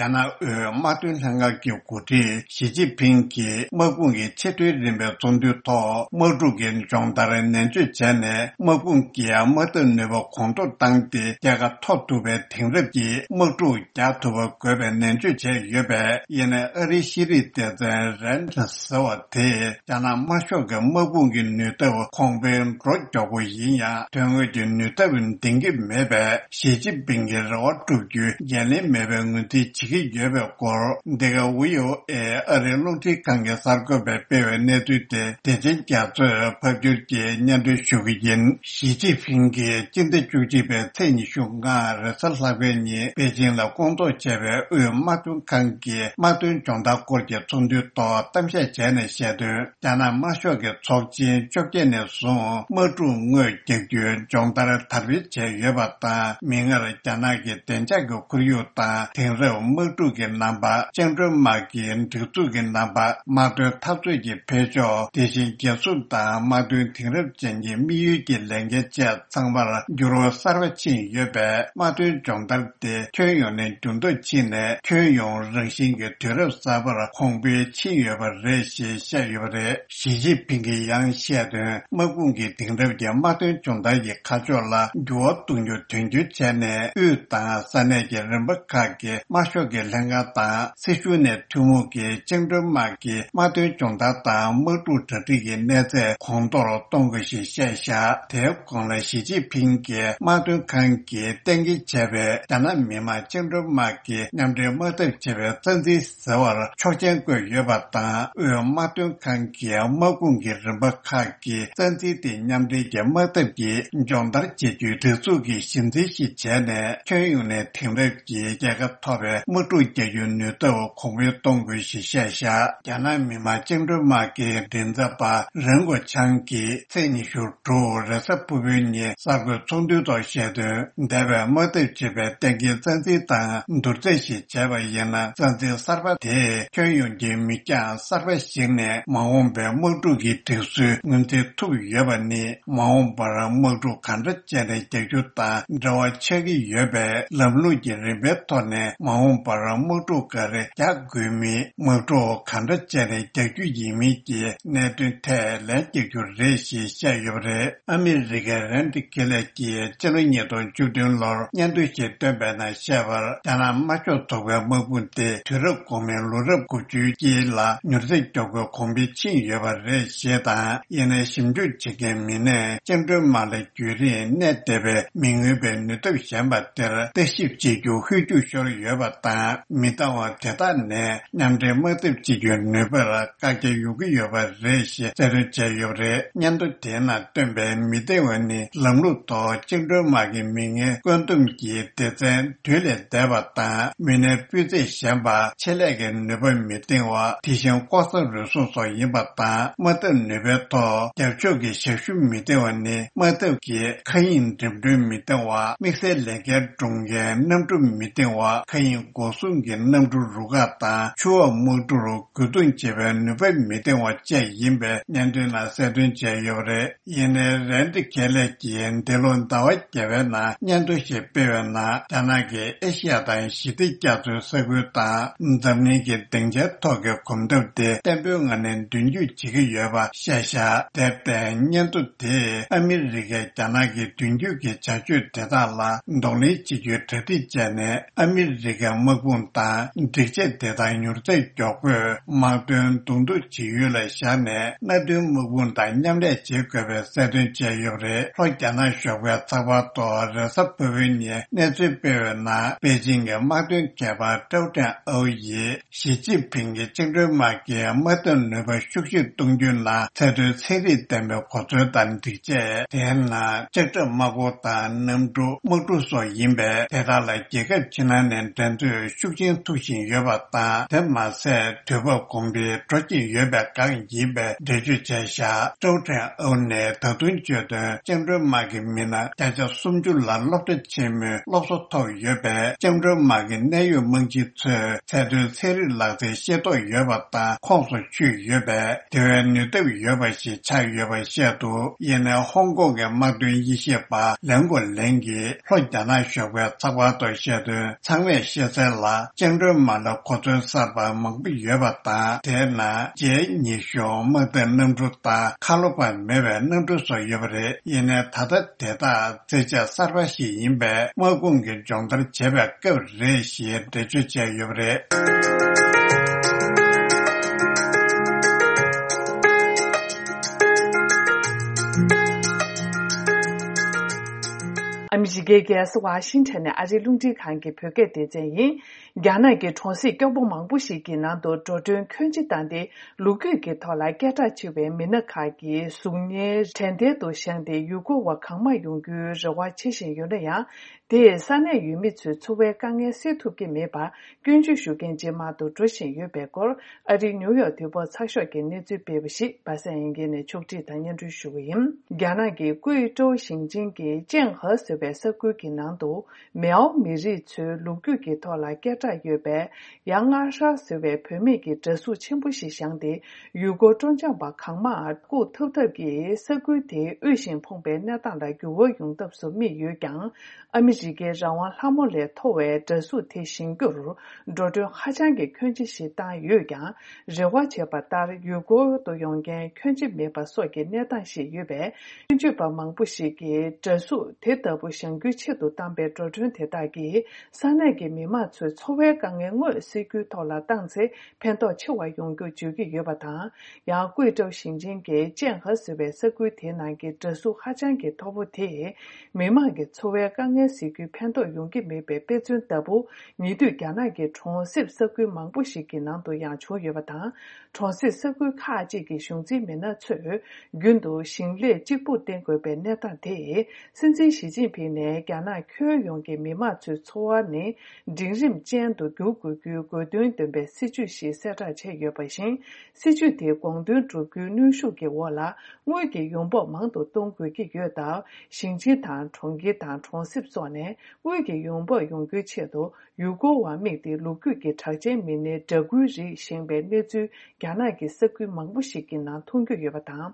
རྒྱ་ནག་དབུས་དམག་དོན་ལྷན་ཁང་གི་འགོ་ཁྲིད་ཞི་ཅིན་ཕིང་གིས་དམག་དཔུང་གི་ཆེས་མཐོའི་རིམ་པའི་ཚོགས་འདུའི་ཐོག་དམག་འཁྲུག་གི་སྦྱོང་བརྡར་ནན་བརྗོད་བྱས་ནས། དམག་དཔུང་གིས་དམག་འཐབ་ནུས་པ་གོང་མཐོར་བཏང་སྟེ། རྒྱལ་ཁ་ཐོབ་ཐུབ་པའི་དེང་རབས་ཀྱི་དམག་འཁྲུག་རྒྱག་ཐུབ་པ་དགོས་པའི་ནན་བརྗོད་བྱས་ཡོད་པས། ཡིན་ནའི་ཨ་རིའི་ཤེས་རིག་སྡེ་ཚན་རན་ཟེར་བ་དེས། རྒྱ་ནག་དམར་ཤོག་གི་དམག་དཔུང་གི་ནུས་སྟོབས་གོང་འཕེལ་འགྲོ་མགྱོགས་པོ་ཡིན་ཡང་། དོན་དངོས་ཀྱི་ནུས་སྟོབས་ལྡན་གྱི་མེད་པས། ཞི་ཅིན་ཕིང་གི་རེ་བ་བསྒྲུབ་རྒྱུ་འགན་ལེན་མེད་པའི་ངོས་འཛིན་བྱེད་ཀྱི་ཡོད་པའི་སྐོར། འདི་ག་ཝི་ཨོ་ཨེ་ཨ་རིའི་རླུང་འཕྲིན་ཁང་གི་གསར་འགོད་པས་སྤེལ་བའི་གནས་ཚུལ་དེ། བདེ་ཆེན་རྒྱ་མཚོས་ཕབ་སྒྱུར་གྱིས་སྙན་སྒྲོན་ཞུ་གི་ཡིན། ཞི་ཅིན་ཕིང་གིས་སྤྱི་ཟླ་བཅུ་གཅིག་པའི་ཚེས་ཉི་ཤུ་ལྔ་རེས་གཟའ་ལྷག་པའི་ཉིན་པེ་ཅིང་ལ་སྐོང་ཚོགས་བྱས་པའི་དབུས་དམག་དོན་ཁང་གི་དམག་དོན་སྦྱོང་བརྡར་སྐོར་གྱི་ཚོགས་འདུའི་ཐོག་གཏམ་བཤད་བྱས་ནས་བཤད་དོན། རྒྱ་ནག་དམར་ཤོག་གི་ཚོགས་ཆེན་བཅོ་བརྒྱད་ནས་བཟུང་དམག་འཁྲུག་དངོས་རྒྱག་རྒྱུའི་སྦྱོང་བརྡར་དར་སྤེལ་བྱས་ཡོད་པ་དང་། མིག་སྔར་རྒྱ་ནག་གི་བདེ་འཇགས་ཀྱི་ཁོར་ཡུག་དང་། དེང་རབས་དམག་འཁྲུག་གི་རྣམ་པ། བཅིངས་འགྲོལ་དམག་གི་སྒྲིག་འཛུགས་ཀྱི་རྣམ་པ། དམག་དོན་འཐབ་རྩོད་ཀྱི་འཕེལ་ཕྱོགས། དེ་བཞིན་རྒྱལ་སྲུང་དང་དམག་དོན་དེང་རབས་ཅན་གྱི་དམིགས་ཡུལ་གྱི་ལས་འགན་བཅས་ཚང་མར་འགྱུར་བ་གསར་པ་ཕྱིན་ཡོད་པས། དམག་དོན་སྦྱོང་བརྡར་དེ་ཁྱོན་ཡོངས་ནས་འགྱུར་ལྡོག་ཕྱིན་ནས། ཁྱོན་ཡོངས་རང་བཞིན་གྱི་དུས་རབས་གསར་པར་གོང་འཕེལ་ཕྱིན་ཡོད་པ་རེད་ཞེས་བཤད་ཡོད་པ་རེད། ཞི་ཅིན་ཕིང་གིས་ཡང་བཤད་དོན། དམག་དཔུང་གི་དེང་རབས་ཀྱི་དམག་དོན་སྦྱོང་བརྡར་གྱི་ཁ་ཕྱོགས་ལ་འགྱུར་བ་གཏོང་རྒྱུ་དོན་འཁྱོལ་བྱས་ནས། དབུས་དང་ས་གནས་ཀྱི་རིམ་པ་ཁག་གི་དམར་ཤོག་གི་ལྷན་ཁང་དང་། སྲིད་གཞུང་ནས་ཐུན་མོང་གི་བཅིངས་འགྲོལ་དམག་གི་དམག་དོན་སྦྱོང་བརྡར་དང་། དམག་འཁྲུག་གྲ་སྒྲིག་གི་གནས་ཚད་གོང་མཐོར་གཏོང་དགོས་ཞེས་བཤད་བཞག། དེའི་གོང་ལ་ཞི་ཅིན་ཕིང་གིས་དམག་དོན་ཁང་གིས་གཏན་འཁེལ་བྱས་པའི་རྒྱ་ནག་མི་དམངས་བཅིངས་འགྲོལ་དམག་གི་མཉམ་འབྲེལ་དམག་འཐབ་བྱེད་པའི་རྩ་འཛིན་ཟེར་བར་ཆོག་མཆན་བཀོད་ཡོད་པ་དང་། དབུས་དམག་དོན་ཁང་གིས་དམག་དཔུང་གི་རིམ་པ་ཁག་གི་རྩ་འཛིན་དེ་མཉམ་འབྲེལ་གྱི་དམག་འཐབ་ཀྱི་སྦྱོང་བརྡར་བྱེད་རྒྱུའི་སྒྲིག་འཛུགས་ཀྱི་གཞི་འཛིན་ཞིག་བྱས་ནས། ཁྱོན་ཡོངས་ནས་དེང་རབས་ཀྱི་རྒྱལ་ཁ་ཐོབ་པའི་དམག་འཁྲུག་རྒྱག་རྒྱུའི་ནུས་སྟོབས་གོང་འཕེལ་གཏོང་དགོས་ཞེས་བཤད་བཞག། རྒྱ་ནག་མི་དམངས་བཅིངས་འགྲོལ་དམག་གི་མགྲིན་ཚབ་པ་རེན་གོ་ཆང་གིས་ཚེས་ཉི་ཤུ་དྲུག་རེས་གཟའ་ཕུར་བུའི་ཉིན་གསར་འགོད་ཚོགས་འདུའི་ཐོག་བཤད་དོན། འདས་པའི་དམག་འཐབ་བྱེད་པའི་གཏན་འཁེལ་རྩ་འཛིན་དང་བསྡུར་ཚད་ཞིག་བྱས་པ་ཡིན་ན། རྩ་འཛིན་གསར་པ་དེས་ཁྱོན་ཡོངས་ཀྱི་མིག་རྒྱང་གསར་པ་གཞིགས་ནས། མ་འོངས་པའི་དམག་འཁྲུག་གི་སྒྲིག་སྲོལ་ངོས་འཛིན་ཐུབ་ཡོད་པ་ནི། མ་འོངས་པར་དམག་འཁྲུག་གང་འདྲ་བྱས་ནས་རྒྱག་རྒྱུ་དང་འབྲེལ་བ་ཆགས་ཀྱི་ཡོད་པས། ལམ་ལུགས་ཀྱི་རིམ་པའི་ཐོག་ནས་མ་འོངས་པར་དམག་འཁྲུག་ག་རེ་རྒྱག་དགོས་མིན། དམག་འཁྲུག་གང་འདྲ་བྱས་ནས་རྒྱག་རྒྱུ་ཡིན་མིན་གྱི་གནད་དོན་ཐད་ལན་རྒྱག་རྒྱུ་རེད་ཞེས་བཤད་ཡོད་པ་རེད། ཨ་མི་རི་ཀའི་རན་ཏི་ཁེ་ལེ་གྱིས་ཕྱི་ལོ་ཉིས་སྟོང་བཅུ་བདུན་ལོར་སྙན་ཐོ་ཞིག་བཏོན་པའི་ནང་བཤད་པར། རྒྱ་ནག་དམར་ཤོག་ཚོགས་པའི་དམག་དཔུང་དེ་དུས་རབས་གོང་མའི་ལོ་རབས་དགུ་བཅུའི་དཀྱིལ་ལ་མྱུར་ཚད་མགྱོགས་པོས་གོང་འཕེལ་ཕྱིན་ཡོད་པ་རེད་ཞེས་དང་། ཡིན་ནའི་ཞིབ་འཇུག་བྱེད་མཁན་མི་སྣས་བཅིངས་འགྲོལ་དམག་ལ་རྒྱུན་རིང་གནས་བསྡད་པའི་མི་མངོན་པའི་ནུས་སྟོབས་ཞན་པ་དེར་བརྟག་ཞིབ་བྱེད་རྒྱུ་ཧུར་ཐག་ཤོར་ཡོད་པ་དང་། མི་འདང་བ་དེ་དག་ནས་མཉམ་འབྲེལ་དམག་འཐབ་བྱེད་རྒྱུའི་ནུས་པར་བཀག་རྒྱ་ཡོང་གི་ཡོད་པ་རེད་ཞེས་གསལ་སྟོན་བྱས་ཡོད་པ་རེད། སྙན་ཐོ་དེའི་ནང་བཏོན་པའི་མི་འདང་བ་ནི། ལམ་ལུགས་ཐོག་བཅིངས་འགྲོལ་དམག་གི་མི་ངན་བཀོད་འདོམས་ཀྱི་སྡེ་ཚན་དུས་ལས་འདས་པ་དང་། མི་སྣའི་སྤུས་ཚད་ཞན་པ། ཆེད་ལས་ཀྱི་ནུས་པ་མི་འདང་བ། དེ་བཞིན་ལྐོག་ཟ་རུལ་སུངས་སོགས་ཡིན་པ་དང་། དམག་འཐབ་ནུས་པའི་ཐོག་རྒྱབ་ཕྱོགས་ཀྱི་ཞབས་ཞུ་མི་འདང་བ་ནི། དམག་འཐབ་ཀྱི་མཁའ་དབྱིངས་འགྲིམ་འགྲུལ་མི་འདང་བ། དམིགས་བསལ་ལས་འགན་སྒྲུབ་མཁན་གནམ་གྲུ་མི་འདང་བ། མཁའ་དབྱིངས་འགོག་སྲུང་གི་གནམ་གྲུ་རུ་ཁག་དང་། ཆུ་འོག་དམག་གྲུར་རྒོལ་རྡུང་བྱེད་པའི་ནུས་པ་མི་འདང་བ་བཅས་ཡིན་པའི་སྙན་ཐོའི་ནང་གསལ་སྟོན་བྱས་ཡོད་པ་རེད། ཡིན་ནའི་རན་ཏི་ཁེ་ལེ་གྱིས་འདི་ལོ་ཟླ་བ་བརྒྱད་པའི་ནང་སྙན་ཐོ་ཞིག་སྤེལ་བའི་ནང་། རྒྱ་ནག་གིས་ཨེ་ཤི་ཡ་དང་ཞི་བདེ་རྒྱ་མཚོའི་ས་ཁུལ་དང་། འཛམ་གླིང་གི་སྡིངས་ཆའི་ཐོག་གི་གོམ་སྟབས་དེ་བརྟན་པོའི་ངང་ནས་མདུན་སྐྱོད་བྱེད་ཀྱི་ཡོད་པ་བཤད་བཞག། དེར་བརྟེན། སྙན་ཐོ་དེས་ཨ་མི་རི་ཀས་རྒྱ་ནག་གི་མདུན་སྐྱོད་ཀྱི་བྱ་སྤྱོད་དེ་དག་ལ་གདོང་ལེན་བྱེད་རྒྱུའི་གྲ་སྒྲིག་བྱས་ནས། ཨ་མི་རི་ཀའི་དམག་ དཔུང་དང་སྒྲིག་ཆས་དེ་དག་མྱུར་ཚད་མགྱོགས་པོས་དམག་དོན་གདོང་ཐུག་བྱེད་ཡུལ་ལ་བཞག་ནས། མནའ་མཐུན་དམག་དཔུང་དང་མཉམ་ལས་བྱེད་དགོས་པའི་གསལ་སྟོན་བྱས་ཡོད་པ་རེད། ལྷོ་རྒྱ་ནག་གཞུང་གིས་ཚགས་པར་ཐོག་རེས་གཟའ་ཕུར་བུའི་ཉིན་གནས་ཚུལ་སྤེལ་བའི་ནང་། པེ་ཅིང་གི་དམག་དོན་མཁས་པ་ཀྲའོ་ཀྲེང་ཨའོ་ཡིས། ཞི་ཅིན་ཕིང་གིས་བཅིངས་འགྲོལ་དམག་གི་དམག་འཐབ་ནུས་པ་ཤུགས་ཆེར་གཏོང་རྒྱུའི་ནང་། ཚད་མཐོའི་ཚན་རིག་ལྡན་པའི་གོ་མཚོན་དང་སྒྲིག་ཆས། དེའི་ནང་ལྕགས་ཁྲབ་དམག་འཁོར་དང་གནམ་གྲུ། དམག་གྲུ་སོགས་ཡིན་པས། དེ་དག་ལ་རྒྱལ་ཁབ་ཕྱི་ནང་ནས་འགྲན་རྩོད་ཤུགས་ཆེན་ཐུག་བཞིན་ཡོད་པ་དང་། དེ་མ་ཟད། དུས་བབ་གོང་འཕེལ་འགྲོ་བཞིན་ཡོད་པའི་སྒང་ཡིན་པའི་འགྲེལ་བརྗོད་བྱས་བཞག་ཀྲའོ་ཀྲེང་ཨའོ་ནས་ད་དུང་བརྗོད་དོན། བཅིངས་འགྲོལ་དམག་གི་མི་སྣ་བརྒྱ་ཆ་སུམ་ཅུ་ལ་སློབ་གྲྭ་ཆེན་མོའི་སློབ་གསོ་ཐོབ་ཡོད་པས། བཅིངས་འགྲོལ་དམག་གི་གནད་ཡོད་དམག་སྤྱིའི་ཚོས་ཚད་མཐོའི་ཚན་རིག་ལག་རྩལ་ཤེས་རྟོགས་ཡོད་པ་དང་ཁོངས་སུ་ཆུད་ཡོད་པས། དེ་བས་ནུས་སྟོབས་ཡོད་པ་ཞིག་ཆགས་ཡོད་པ་བཤད་འདུག་ཡིན་ནའི་ཧོང་ཀོང་གི་དམག་དོན་དབྱེ་ཞིབ་པ་ལན་གོ་ལེང་གིས་ལྷོ་རྒྱ་ནག་གཞུང་གི་ཚགས་པར་ཐོག་བཤད་དོན། ཚང་མས་ཤེས་གསལ་ལ། བཅིངས་འགྲོལ་དམག་ལ་གོ་མཚོན་གསར་པ་མང་པོ་ཡོད་པ་དང་། དེའི་ནང་ཇེ་ཉི་ཤུ་དམག་འཐབ་གནམ་གྲུ་དང་། ཁ་ལོ་བ་མེད་པའི་གནམ་གྲུ་སོགས་ཡོད་པ་རེད། ཡིན་ནའི་ད་ལྟ་དེ་དག་རྩེད་ཆས་གསར་པ་ཞིག་ཡིན་པས། དམག་དཔུང་གི་སྦྱོང་བརྡར་བྱེད་པའི་སྐབས་རེད་ཞེས་འགྲེལ་བརྗོད་བྱས་ཡོད་པ་རེད། ཨ་མི་རི་ཀའི་རྒྱལ་ས་ཝ་ཤིང་ཊོན་ནས་ཨ་རིའི་རླུང་འཕྲིན་ཁང་གི་བོད་སྐད་སྡེ་ཚན་ཡིན། རྒྱ་ནག་གི་གྲོང་གསེབ་སྐྱོ་པོ་མང་པོ་ཞིག་གི་ནང་དུ་འགྲོ་གྲོན་ཁྱོན་ཆེ་བཏང་སྟེ། ལོ་རྒྱུས་ཀྱི་ཐོག་ལ་སྐད་གྲགས་ཆེ་བའི་མི་སྣ་ཁག་གི་གཟུགས་བརྙན་དྲན་རྟེན་དུ་བཞེངས་ཏེ། ཡུལ་སྐོར་བ་གང་མང་ཡོང་རྒྱུའི་རེ་བ་བྱེད་བཞིན་ཡོད་ན་ཡང་། དེས་ས་གནས་ཡུལ་མི་ཚོའི་འཚོ་བའི་དཀའ་ངལ་སེལ་ཐུབ་ཀྱི་མེད་པར། སྐྱོན་བརྗོད་ཞུ་མཁན་ཇེ་མང་དུ་འགྲོ་བཞིན་ཡོད་པའི་སྐོར། ཨ་རིའི་ནིའུ་ཡོག་དུས་བབ་ཚགས་ཤོག་གིས་གནས་ཚུལ་སྤེལ་བ་ཞིག་པ་སངས་དབྱངས་སྐྱིད་ནས་ཕྱོགས་སྒྲིག་དང་སྙན་སྒྲོན་ཞུ་གི་ཡིན། རྒྱ་ནག་གི་ཀུའེ་ཀྲོའུ་ཞིང་ཆེན་གྱི་ཅན་ཧེ་ཟེར་བའི་ས་ཁུལ་གྱི་ནང་དུ། མེའོ་མི་རིགས་ཚོའི་ལོ་རྒྱུས་ཀྱི་ཐོག་ལ་སྐད་གྲགས་ཡོད་པའི་ཡ་ང་ཧྲ་ཟེར་བའི་བུད་མེད་ཀྱི་འདྲ་གཟུགས་ཆེན་པོ་ཞིག་བཞེངས་ཏེ། ཡུལ་སྐོར་སྤྲོ་འཆམ་པ་གང་མང་བཀུག་ཐབས་ཐབས་ཀྱིས་ས་ཁུལ་དེའི་དབུལ་ཞིང་ཕོངས་པའི་གནས་སྟངས་ལ་འགྱུར་བ་ཡོང་ཐབས་སུ་དམིགས་ཡོད་ཀྱང་། ཨ་མི་རི་ཀའི་རང་དབང་ལྷ་མོ་ལས་མཐོ་བའི་འདྲ་གཟུགས་དེ་བཞེངས་རྒྱུར་འགྲོ་གྲོན་ཧ་ཅང་གི་ཁྱོན་ཆེ་ཞིག་བཏང་ཡོད་ཀྱང་། རེ་བ་བྱས་པ་ལྟར་ཡུལ་སྐོར་དུ་ཡོང་མཁན་ཁྱོན་ཆེ་མེད་པ་སོགས་ཀྱི་གནས་སྟངས་ཤིག་ཡོད་པས། སྐྱོན་བརྗོད་པ་མང་པོ་ཞིག་གིས་འདྲ་གཟུགས་དེ་ལྟ་བུ་བཞེངས་རྒྱུའི་ཆེད་དུ་བཏང་པའི་འགྲོ་གྲོན་དེ་དག་གིས་ས་གནས་ཀྱི་མི་མང་ཚོའི་འཚོ་བའི་དཀའ་ངལ་དངོས་སེལ་རྒྱུའི་ཐོག་ལ་བཏང་ཚེ་ཕན་ཐོགས་ཆེ་བ་ཡོང་རྒྱུ་བརྗོད་ཀྱི་ཡོད་པ་དང་། ཡང་ཀུའེ་ཀྲོའུ་ཞིང་ཆེན་གྱི་ཅན་ཧེ་ཟེར་བའི་ས་ཁུལ་དེའི་ནང་གི་འདྲ་གཟུགས་ཧ་ཅང་གི་མཐོ་པོ་དེས་མི་མང་གི་འཚོ་བའི་དཀའ་ངལ་སེལ་རྒྱུའི་ཕན་ཐོགས་ཡོང་གི་མེད་པའི་དཔེ་མཚོན་ལྟ་བུ། ཉེ་དུས་རྒྱ་ནག་གི་གྲོང་གསེབ་ས་ཁུལ་མང་པོ་ཞིག་གི་ནང་དུ་ཡང་བྱུང་ཡོད་པ་དང་། གྲོང་གསེབ་ས་ཁུལ་ཁག་ཅིག་གི་གཞུང་འཛིན་མི་སྣ་ཚོས་རྒྱུན་དུ་ཞིང་ལས་གཅིག་པུར་བརྟེན་དགོས་པའི་གནས་སྟངས་དེས། སྲིད་འཛིན་ཞི་ཅིན་ཕིང་ནས་རྒྱ་ནག་ཁྱོན་ཡོངས་ཀྱི་མི་མང་ཚོའི་འཚོ་བ་ནི་འབྲིང་རིམ་ཅན་དུ་འགྱུར་དགོས་རྒྱུའི་དགོས་འདུན་འདོན་པའི་སྲིད་ཇུས་ཤིག་གསལ་བསྒྲགས་བྱས་ཡོད་པ་བཞིན། སྲིད་ཇུས་དེ་དགོངས་དོན་བསྒྲུབ་རྒྱུའི་གནོན་ཤུགས་ཀྱི་འོག་ལ། དངུལ་གྱི་ཡོང་འབབ་མང་དུ་གཏོང་དགོས་ཀྱི་ཡོད་སྟབས། ཞིང་ཆེན་དང་གྲོང་ཁྱེར་དང་གྲོང་གསེབ་སོགས་ནས་དངུལ་གྱི་ཡོང་འབབ་ཡོང་རྒྱུའི་ཆེད་དུ། ཡུལ་སྐོར་བར་དམིགས་ཏེ་ལོ་རྒྱུས་ཀྱི་གྲགས་ཅན་མི་སྣའི་འདྲ་སྐུའི་རིགས་བཞེངས་པའི་གནས་ཚུལ། རྒྱ་ནག་གི་ས་ཁུལ་མང་པོ་ཞིག་གི་ནང་མཐོང་རྒྱུ་ཡོད་པ་དང་།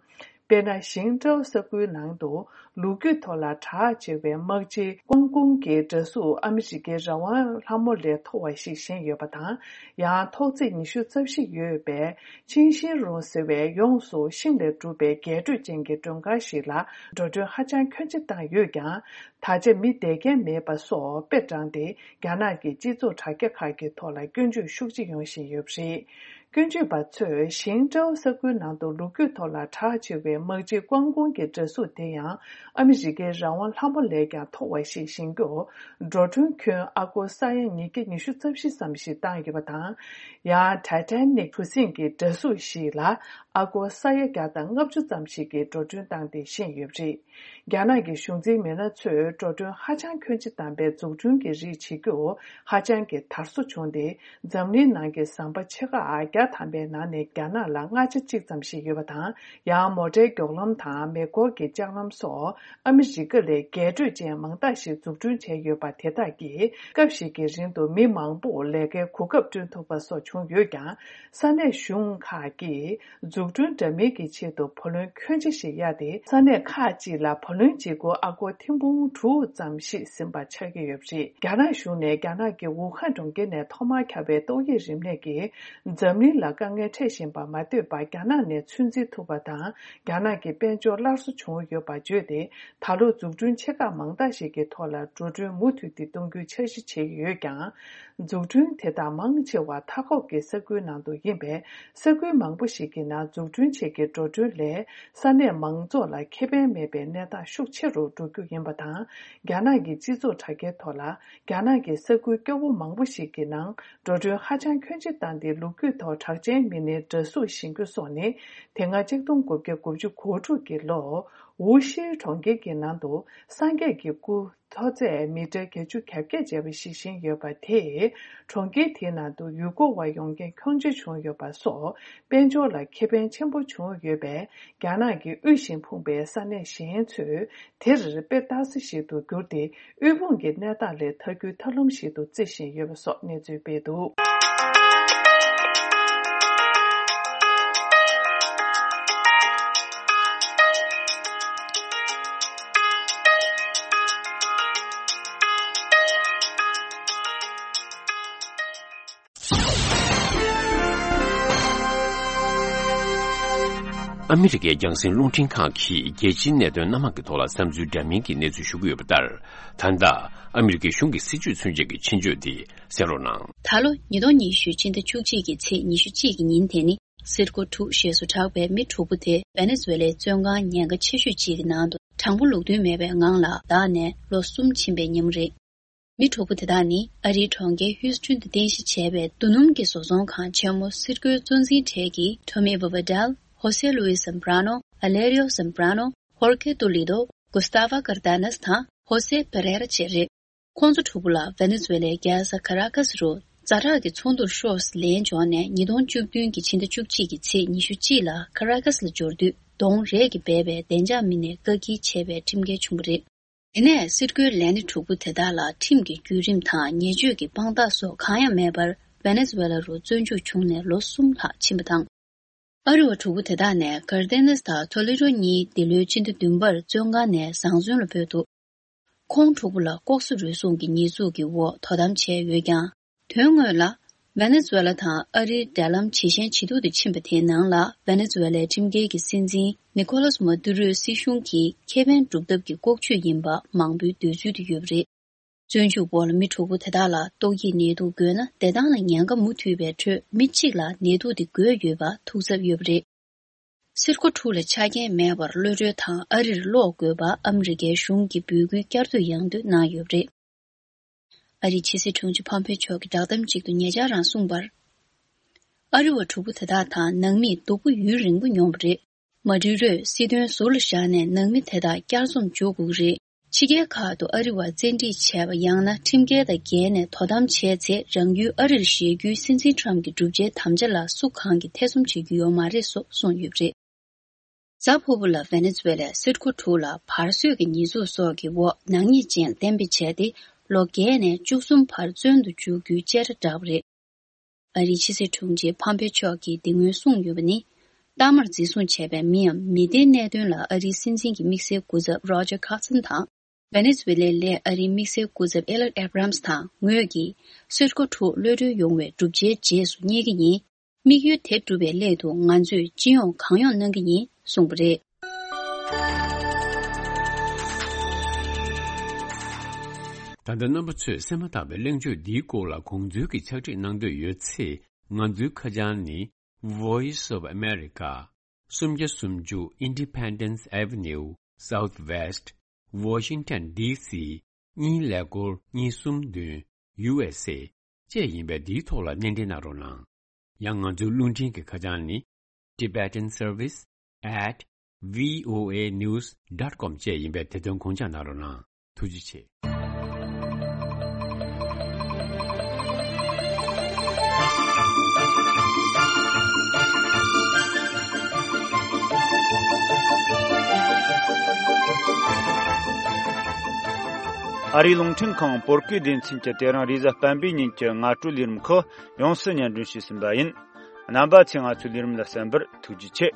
དཔེར་ན། ཞིང་ཀྲོའུ་ས་ཁུལ་ནང་དུ་ལོ་རྒྱུས་ཐོག་ལ་གྲགས་ཆེ་བའི་དམག་སྤྱི་ཀོང་ཀུང་གི་འདྲ་གཟུགས་ཨ་མི་རི་ཀའི་རང་དབང་ལྷ་མོ་ལས་མཐོ་བ་ཞིག་བཞེངས་ཡོད་པ་དང་། ཡང་ཐོག་བརྩེགས་ཉི་ཤུ་རྩ་བཞི་ཡོད་པའི་ཆིང་ཤིན་རུང་ཟེར་བའི་ཡོངས་སུ་ཤིང་ལས་གྲུབ་པའི་རྒྱས་སྤྲོས་ཅན་གྱི་མགྲོན་ཁང་ཞིག་ལ་འགྲོ་གྲོན་ཧ་ཅང་ཁྱོན་ཆེ་བཏང་ཡོད་ཀྱང་། ད་ཆ་མི་བསྡད་མཁན་མེད་པ་སོགས་དཔེ་དྲངས་ཏེ། རྒྱ་ནག་གི་སྤྱི་ཚོགས་དྲ་རྒྱ་ཁག་གི་ཐོག་ལ་སྐྱོན་བརྗོད་ཤུགས་ཆེ་ཡོང་བཞིན་ཡོད་པ་རེད། སྐྱོན་བརྗོད་པ་ཚོས་ཞིང་ཀྲོའུ་ས་ཁུལ་ནང་དུ་ལོ་རྒྱུས་ཐོག་ལ་གྲགས་ཆེ་བའི་དམག་སྤྱི་ཀོང་ཀུང་གི་འདྲ་གཟུགས་དེ་ཡང་ཨ་མི་རི་ཀའི་རང་དབང་ལྷ་མོ་ལས་ཀྱང་མཐོ་བ་ཞིག་བཞེངས་རྒྱུར། འགྲོ་གྲོན་ཁྱོན་ཨ་སྒོར་ས་ཡ་ཉིས་བརྒྱ་ཉི་ཤུ་རྩ་བཞི་ཙམ་ཞིག་བཏང་ཡོད་པ་དང་། ཡང་ཊའི་ཊ་ནིག་གྲུ་གཟིངས་ཀྱི་འདྲ་གཟུགས་ཤིག་ལ་ཨ་སྒོར་ས་ཡ་བརྒྱ་དང་ལྔ་བཅུ་ཙམ་ཞིག་གི་འགྲོ་གྲོན་བཏང་སྟེ་བཞེངས་ཡོད་པ་རེད། རྒྱ་ནག་གི་གཞུང་འཛིན་མི་སྣ་ཚོས་འགྲོ་གྲོན་ཧ་ཅང་ཁྱོན་ཆེ་བཏང་པའི་འཛུགས་སྐྲུན་གྱི་རིགས་བྱེད་རྒྱུ་ཧ་ཅང་གི་དར་སོ་བྱུང་སྟེ། འཛམ་གླིང་ནང་གི་ཟམ་པ་ཆེ་ཁག་བརྒྱ་ཐམ་པའི་ནང་ནས་རྒྱ་ནག་ལ་ལྔ་ཆ་གཅིག་ཙམ་ཞིག་ཡོད་པ་དང་། ཡང་མོ་ཊའི་མགྱོགས་ལམ་དང་མེ་འཁོར་གྱི་ལྕགས་ལམ་སོགས་ཨ་མི་རི་ཀ་ལས་རྒྱས་སྤྲོས་ཅན་མང་དག་ཞིག་འཛུགས་སྐྲུན་བྱས་ཡོད་པ་དེ་དག་གིས་སྐབས་ཤིག་གི་རིང་དུ་མི་མང་པོར་ལས་ཀའི་གོ་སྐབས་བསྐྲུན་ཐུབ་པ་སོགས་བྱུང་ཡོད་ཀྱང་། ས་གནས་གཞུང་ཁག་གིས། འཛུགས་སྐྲུན་འདྲ་མིན་གྱི་ཆེད་དུ་བུ་ལོན་ཁྱོན་ཆེ་ཞིག་གཡར་ཏེ། ས་གནས་ཁག་ཅིག་ལ་བུ་ལོན་གཅིག་སྒོར་ཨ་སྒོར་ཐེར་འབུམ་དྲུག་ཙམ་ཞིག་ཟིན་པ་ཆགས་ཀྱི་ཡོད་པ་རེད། རྒྱ་ནག་གཞུང་ནས་རྒྱ་ནག་གི་ཝུ་ཧན་གྲོང་ཁྱེར་ནས་ཐོག་མར་ཁྱབ་པའི་ཏོག་དབྱིབས་རིམས་ནད་ཀྱིས་འཛམ་གླིང་ལ་དཀའ་ངལ་འཕྲད་བཞིན་པ་མ་ལྟོས་པར། རྒྱ་ནག་ནས་ཚོད་འཛིན་ཐུབ་པ་དང་། རྒྱ་ནག་གི་དཔལ་འབྱོར་སླར་གསོ་བྱུང་ཡོད་པ་བརྗོད་དེ། ད་ལོ་འཛུགས་སྐྲུན་ཆེ་ཁག་མང་དག་ཞིག་གི་ཐོག་ལ་འགྲོ་གྲོན་མུ་མཐུད་དེ་གཏོང་རྒྱུའི་འཆར་གཞི་བྱས་ཡོད་ཀྱང་། འཛུགས་སྐྲུན་དེ་དག་མང་ཆེ་བ་མཐའ་འཁོབ་ཀྱི་ས་ཁུལ་ནང་དུ་ཡིན་པས། ས་ཁུལ་མང་པོ་ཞིག་གི་ནང་འཛུགས་སྐྲུན་བྱེད་ཀྱི་འགྲོ་གྲོན་ལས་ས་གནས་མང་ཚོགས་ལ་ཁེ་ཕན་མེད་པའི་གནས་སྟངས་ཤུགས་ཆེ་རུ་འགྲོ་རྒྱུ་ཡིན་པ་དང་། རྒྱ་ནག་གི་སྤྱི་ཚོགས་དྲ་རྒྱའི་ཐོག་ལ། རྒྱ་ནག་གི་ས་ཁུལ་སྐྱོ་བོ་མང་པོ་ཞིག་གི་ནང་འགྲོ་གྲོན་ཧ་ཅང་ཁྱོན་ཆེ་བཏང་སྟེ། ལོ་རྒྱུས་ཐོག་གྲགས་ཅན་མི་སྣའི་འདྲ་གཟུགས་བཞེངས་རྒྱུ་སོགས་ནི། དེ་སྔ་གཅིག་སྟོང་དགུ་བརྒྱ་དགུ་བཅུ་གོ་དྲུག་གི་ལོ། ཝུ་ཤི་གྲོང་ཁྱེར་གྱི་ནང་དུ་སངས་རྒྱས་ཀྱི་སྐུ་མཐོ་ཚད་མི་ཊར་བརྒྱད་ཅུ་གྱ་བརྒྱད་བྱས་པ་ཞིག་བཞེངས་ཡོད་པ་དེས། གྲོང་ཁྱེར་དེའི་ནང་དུ་ཡུལ་སྐོར་བ་ཡོང་མཁན་ཁྱོན་ཆེ་བྱུང་ཡོད་པ་སོགས། དཔལ་འབྱོར་ལ་ཁེ་ཕན་ཆེན་པོ་བྱུང་ཡོད་པས། རྒྱ་ནག་གི་དབུལ་ཞིང་ཕོངས་པའི་ས་གནས་གཞན་ཚོས། དེར་དཔེ་ལྟ་ས་ཞིག་ཏུ་གྱུར་ཏེ། དབུལ་ཕོངས་ཀྱི་གནས་སྟངས་ལས་ཐར་རྒྱུའི་ཐབས་ལམ་ཞིག་ཏུ་བརྩི་བཞིན་ཡོད་པ་སོགས་གནས་ཚུལ་སྤེལ་འདུག། ཨ་མི་རི་ཀའི་རྒྱང་སྲིང་རླུང་འཕྲིན་ཁང་གིས་རྒྱལ་སྤྱིའི་གནད་དོན་སྣ་མང་གི་ཐོག་ལ་བསམ་ཚུལ་འདྲ་མིན་གྱི་གནས་ཚུལ་ཞུ་གི་ཡོད་པ་ལྟར། ད་ལྟ་ཨ་མི་རི་ཀའི་གཞུང་གི་སྲིད་ཇུས་མཚོན་བྱེད་ཀྱི་ཆེད་བརྗོད་འདི་གསན་རོགས་གནང་། ད་ལོ་ཉིས་སྟོང་ཉི་ཤུ་ཕྱི་ཟླ་བཅུ་གཅིག་གི་ཚེས་ཉི་ཤུ་གཅིག་གི་ཉིན་དེ་ནི་སིར་ཀོ་དྲུག་ཞེས་སུ་གྲགས་པའི་མི་དྲུག་པོ་དེ་ཝེ་ནེ་ཛུ་ཝེ་ལའི་བཙོན་ཁང་ཉེན་ཁ་ཆེ་ཤོས་གཅིག་གི་ནང་དུ་དྲང་པོ་ལུགས་མཐུན་མེད་པའི་ངང་ལ་བདག་ནས་ལོ་གསུམ་ཕྱིན་པའི་ཉིན་མོ་རེད། མི་དྲུག་པོ་དེ་དག་ནི་ཨ་རིའི་གྲོང་ཁྱེར་ཧིའུ་སི་ཐན་དུ་རྟེན་གཞི་བྱས་པའི་རྡོ་སྣུམ་གྱི་བཟོ་ཚོང་ཁང་ཆེན་མོ་སིར་ཀོའི་གཙོ་འཛིན་གྲས་ཀྱི་ཐོ་མི་བྷ་བྷ་ཌལ། ཧོ་སེ་ལུའི་སམ་བྷ་ར་ནོ། ཨ་ལེ་རིའོ་སམ་བྷ་ར་ནོ། ཧོར་ཁེ་ཏུ་ལི་ཏོ། གུ་སྟ་ཝ་ཀར་ཏ་ནེས་དང་ཧོ་སེ་པེ་རེ་ར་བཅས་རེད། ཁོང་ཚོ་དྲུག་པོ་ལ་ཝེ་ནེ་ཛུ་ཝེ་ལའི་རྒྱལ་ས་ཁ་ར་ཀ་སི་རུ་ཛ་དྲག་གི་ཚོགས་འདུར་ཤོག་ལན་འབྱོར་ནས་ཉིས་སྟོང་བཅུ་བདུན་གྱི་ཕྱི་ཟླ་བཅུ་གཅིག་གི་ཚེས་ཉི་ཤུ་གཅིག་ལ་ཁ་ར་ཀ་སི་ལ་འབྱོར་དུས་གདོང་རས་ཀྱིས་སྦས་པའི་བདེ་འཇགས་མི་སྣས་བཀག་སྐྱིལ་བྱས་པའི་ཁྲིམས་འགལ་བྱུང་བ་རེད། དེ་ནས་སིར་ཀོའི་ལས་སྣེ་དྲུག་པོ་དེ་དག་ལ་ཁྲིམས་ཀྱི་བརྒྱུད་རིམ་དང་ཉེས་སྤྱོད་ཀྱི་དཔང་རྟགས་སོགས་གང་ཡང་མེད་པར་ཝེ་ནེ་ཛུ་ཝེ་ལ་རུ་བཙོན་འཇུག་བྱུང་ནས་ལོ་གསུམ་ལྷག་ཕྱིན་པ་དང་། ཨ་རི་བ་དྲུག་པོ་དེ་དག་ནས་ཀར་ཏེ་ནེས་དང་ཐོ་ལི་རོ་གཉིས་འདི་ལོའི་ཕྱི་ཟླ་བདུན་པར་བཙོན་ཁང་ནས་བཟང་བཙོན་ལ་སྤོས་འདུག། ཁོང་དྲུག་པོ་ལ་ལྐོག་ཟ་རུལ་སུངས་ཀྱི་ཉེས་འཛུགས་ཀྱི་འོག་དོ་དམ་བྱས་ཡོད་ཀྱང་། དོན་དངོས་ལ། ཝེ་ནེ་ཛུ་ཝེ་ལ་དང་ཨ་རིའི་འབྲེལ་ལམ་ཇེ་ཞན་ཇེ་སྡུག་ཏུ་ཕྱིན་པ་དེའི་ནང་ལ། ཝེ་ནེ་ཛུ་ཝེ་ལའི་ཁྲིམས་འགལ་གྱི་སྲིད་འཛིན་ནི་ཀོ་ལཱས་མ་ཏུ་རོའི་སྲིད་གཞུང་གིས་ཁེ་ཕན་སྒྲུབ་ཐབས་ཀྱི་ལྐོག་ཇུས་ཡིན་པ་མང་པོའི་འདོད་ཚུལ་དུ་ཡོད་པ་རེད། བཙོན་འཇུག་འོག་ལ་མི་དྲུག་པོ་དེ་དག་ལ་ཏོག་དབྱིབས་ནད་དུག་འགོས་ན་བདེ་ཐང་ལ་ཉེན་ཁ་མུ་མཐུད་པའི་ཁྲོད་མི་གཅིག་ལ་ནད་དུག་དེ་འགོས་ཡོད་པ་ཐུག་ཚབས་ཡོད་པ་རེད། སིར་ཀོ་དྲུག་ལ་ཆ་རྐྱེན་མེད་པར་གློད་གྲོལ་དང་ཨ་རིར་སློག་དགོས་པ་ཨ་མི་རི་ཀའི་གཞུང་གིས་འབོད་སྐུལ་བསྐྱར་ཟློས་ཡང་ཟློས་གནང་ཡོད་པ་རེད། ཨ་རིའི་ཕྱི་སྲིད་དྲུང་ཆེ་ཕོམ་པེ་ཆོ་གིས་བསྒྲགས་གཏམ་ཅིག་ཏུ་ཉེ་ཆར་རང་གསུངས་པར། ཨ་རི་བ་དྲུག་པོ་དེ་དག་དང་ནང་མིས་སྡུག་པོ་ཡུན་རིང་པོ་མྱོང་བ་རེད། མ་ཏུ་རོས་སྲིད་དོན་ཟུར་ལ་བཞག་ནས་ནང་མི་དེ་དག་བསྐྱར་འཛོམས་འཇུག་དགོས་ཀྱི་རེད། ཕྱི་རྒྱལ་ཁག་ཏུ་ཨ་རི་བ་བཙན་ཁྲིད་བྱས་པ་ཡང་ན་ཁྲིམས་འགལ་དང་འགལ་ནས་དོ་དམ་བྱས་ཚེ་རང་ཡུལ་ཨ་རིར་བཞེས་རྒྱུའི་སྲིད་འཛིན་ཊམ་གྱི་བསྒྲུབ་བྱའི་དམ་བཅའ་ལ་སུ་གང་གིས་ཐེ་ཚོམ་བྱེད་རྒྱུ་ཡོད་མ་རེད་སོགས་གསུངས་ཡོད་པ་རེད། གཟའ་ཕུར་བུ་ལ་ཝེ་ནེ་ཛུ་ཝེ་ལའི་སིར་ཀོ་དྲུག་ལ་བར་གསོད་ཀྱི་ཉེས་འཛུགས་སོགས་ཀྱི་འོག་ནག་ཉེས་ཅན་གཏན་འབེབས་བྱས་ཏེ་ལོ་བརྒྱད་ནས་བཅུ་གསུམ་བར་བཙོན་དུ་འཇུག་རྒྱུའི་བཅད་ཁྲ་བསྒྲགས་པ་རེད། ཨ་རིའི་ཕྱི་སྲིད་དྲུང་ཆེ་ཕམ་པེ་མཆོག་གིས་འདི་སྔོན་གསུངས་ཡོད་པ་ནི། གཏའ་མར་འཛིན་བཟུང་བྱས་པའི་མིའམ་མི་སྡེའི་གནད་དོན་ལ་ཨ་རིའི་སྲིད་འཛིན་གྱི་དམིགས་བསལ་སྐུ་ཚབ་རོ་ཇར་ཁ་སན་དང་། ཝེ་ནེ་ཛུ་ཝེ་ལའི་ལས་ཨ་རིའི་དམིགས་བསལ་སྐུ་ཚབ་ཨེ་ལར་ཨེ་བྷ་རམ་སི་དང་ངོས་ཀྱིས་སིར་ཀོ་དྲུག་གློད་གྲོལ་ཡོང་བའི་བསྒྲུབ་བྱའི་རྗེས་སུ་སྙེག་གི་ཡིན། དམིགས་ཡུལ་དེ་བསྒྲུབ་པའི་སླད་དུ་ང་ཚོས་སྤྱི་ཡོངས་གང་ཡོང་གནང་གི་ཡིན་གསུངས་པ་རེད། ད་ལྟ་རྣམ་པ་ཚོས་གསན་མ་ཐག་པའི་གླེང་བརྗོད་འདིའི་སྐོར་ལ་དགོངས་ཚུལ་གྱི་ཕྱག་བྲིས་གནང་འདོད་ཡོད་ཚེ། ང་ཚོའི་ཁ་བྱང་ནི། Voice of America། སུམ་བརྒྱ་སུམ་ཅུ་Independence Avenue Southwest Washington D C གཉིས་ཀླད་ཀོར་གཉིས་གསུམ་བདུན། U S A བཅས་ཡིན་པས་འདིའི་ཐོག་ལ་སྣེ་འདྲེན་གནང་རོགས་གནང་། ཡང་ང་ཚོའི་རླུང་འཕྲིན་གྱི་ཁ་བྱང་ནི། Tibetan Service at V O A news dot com བཅས་ཡིན་པས་དེ་དོན་དགོངས་འཇགས་གནང་རོགས་གནང་། ཐུགས་རྗེ་ཆེ། ཨ་རིའི་རླུང་འཕྲིན་ཁང་བོད་སྐད་སྡེ་ཚན་གྱིས་དེ་རིང་རེས་གཟའ་སྤེན་པའི་ཉིན་གྱི་སྔ་དྲོའི་ལས་རིམ་ཁག་ཡོངས་སུ་སྙན་སྒྲོན་ཞུས་ཟིན་པ་ཡིན། རྣམ་པ་ཚོས་ང་ཚོའི་ལས་རིམ་ལ་གསན་པར་ཐུགས་རྗེ་ཆེ།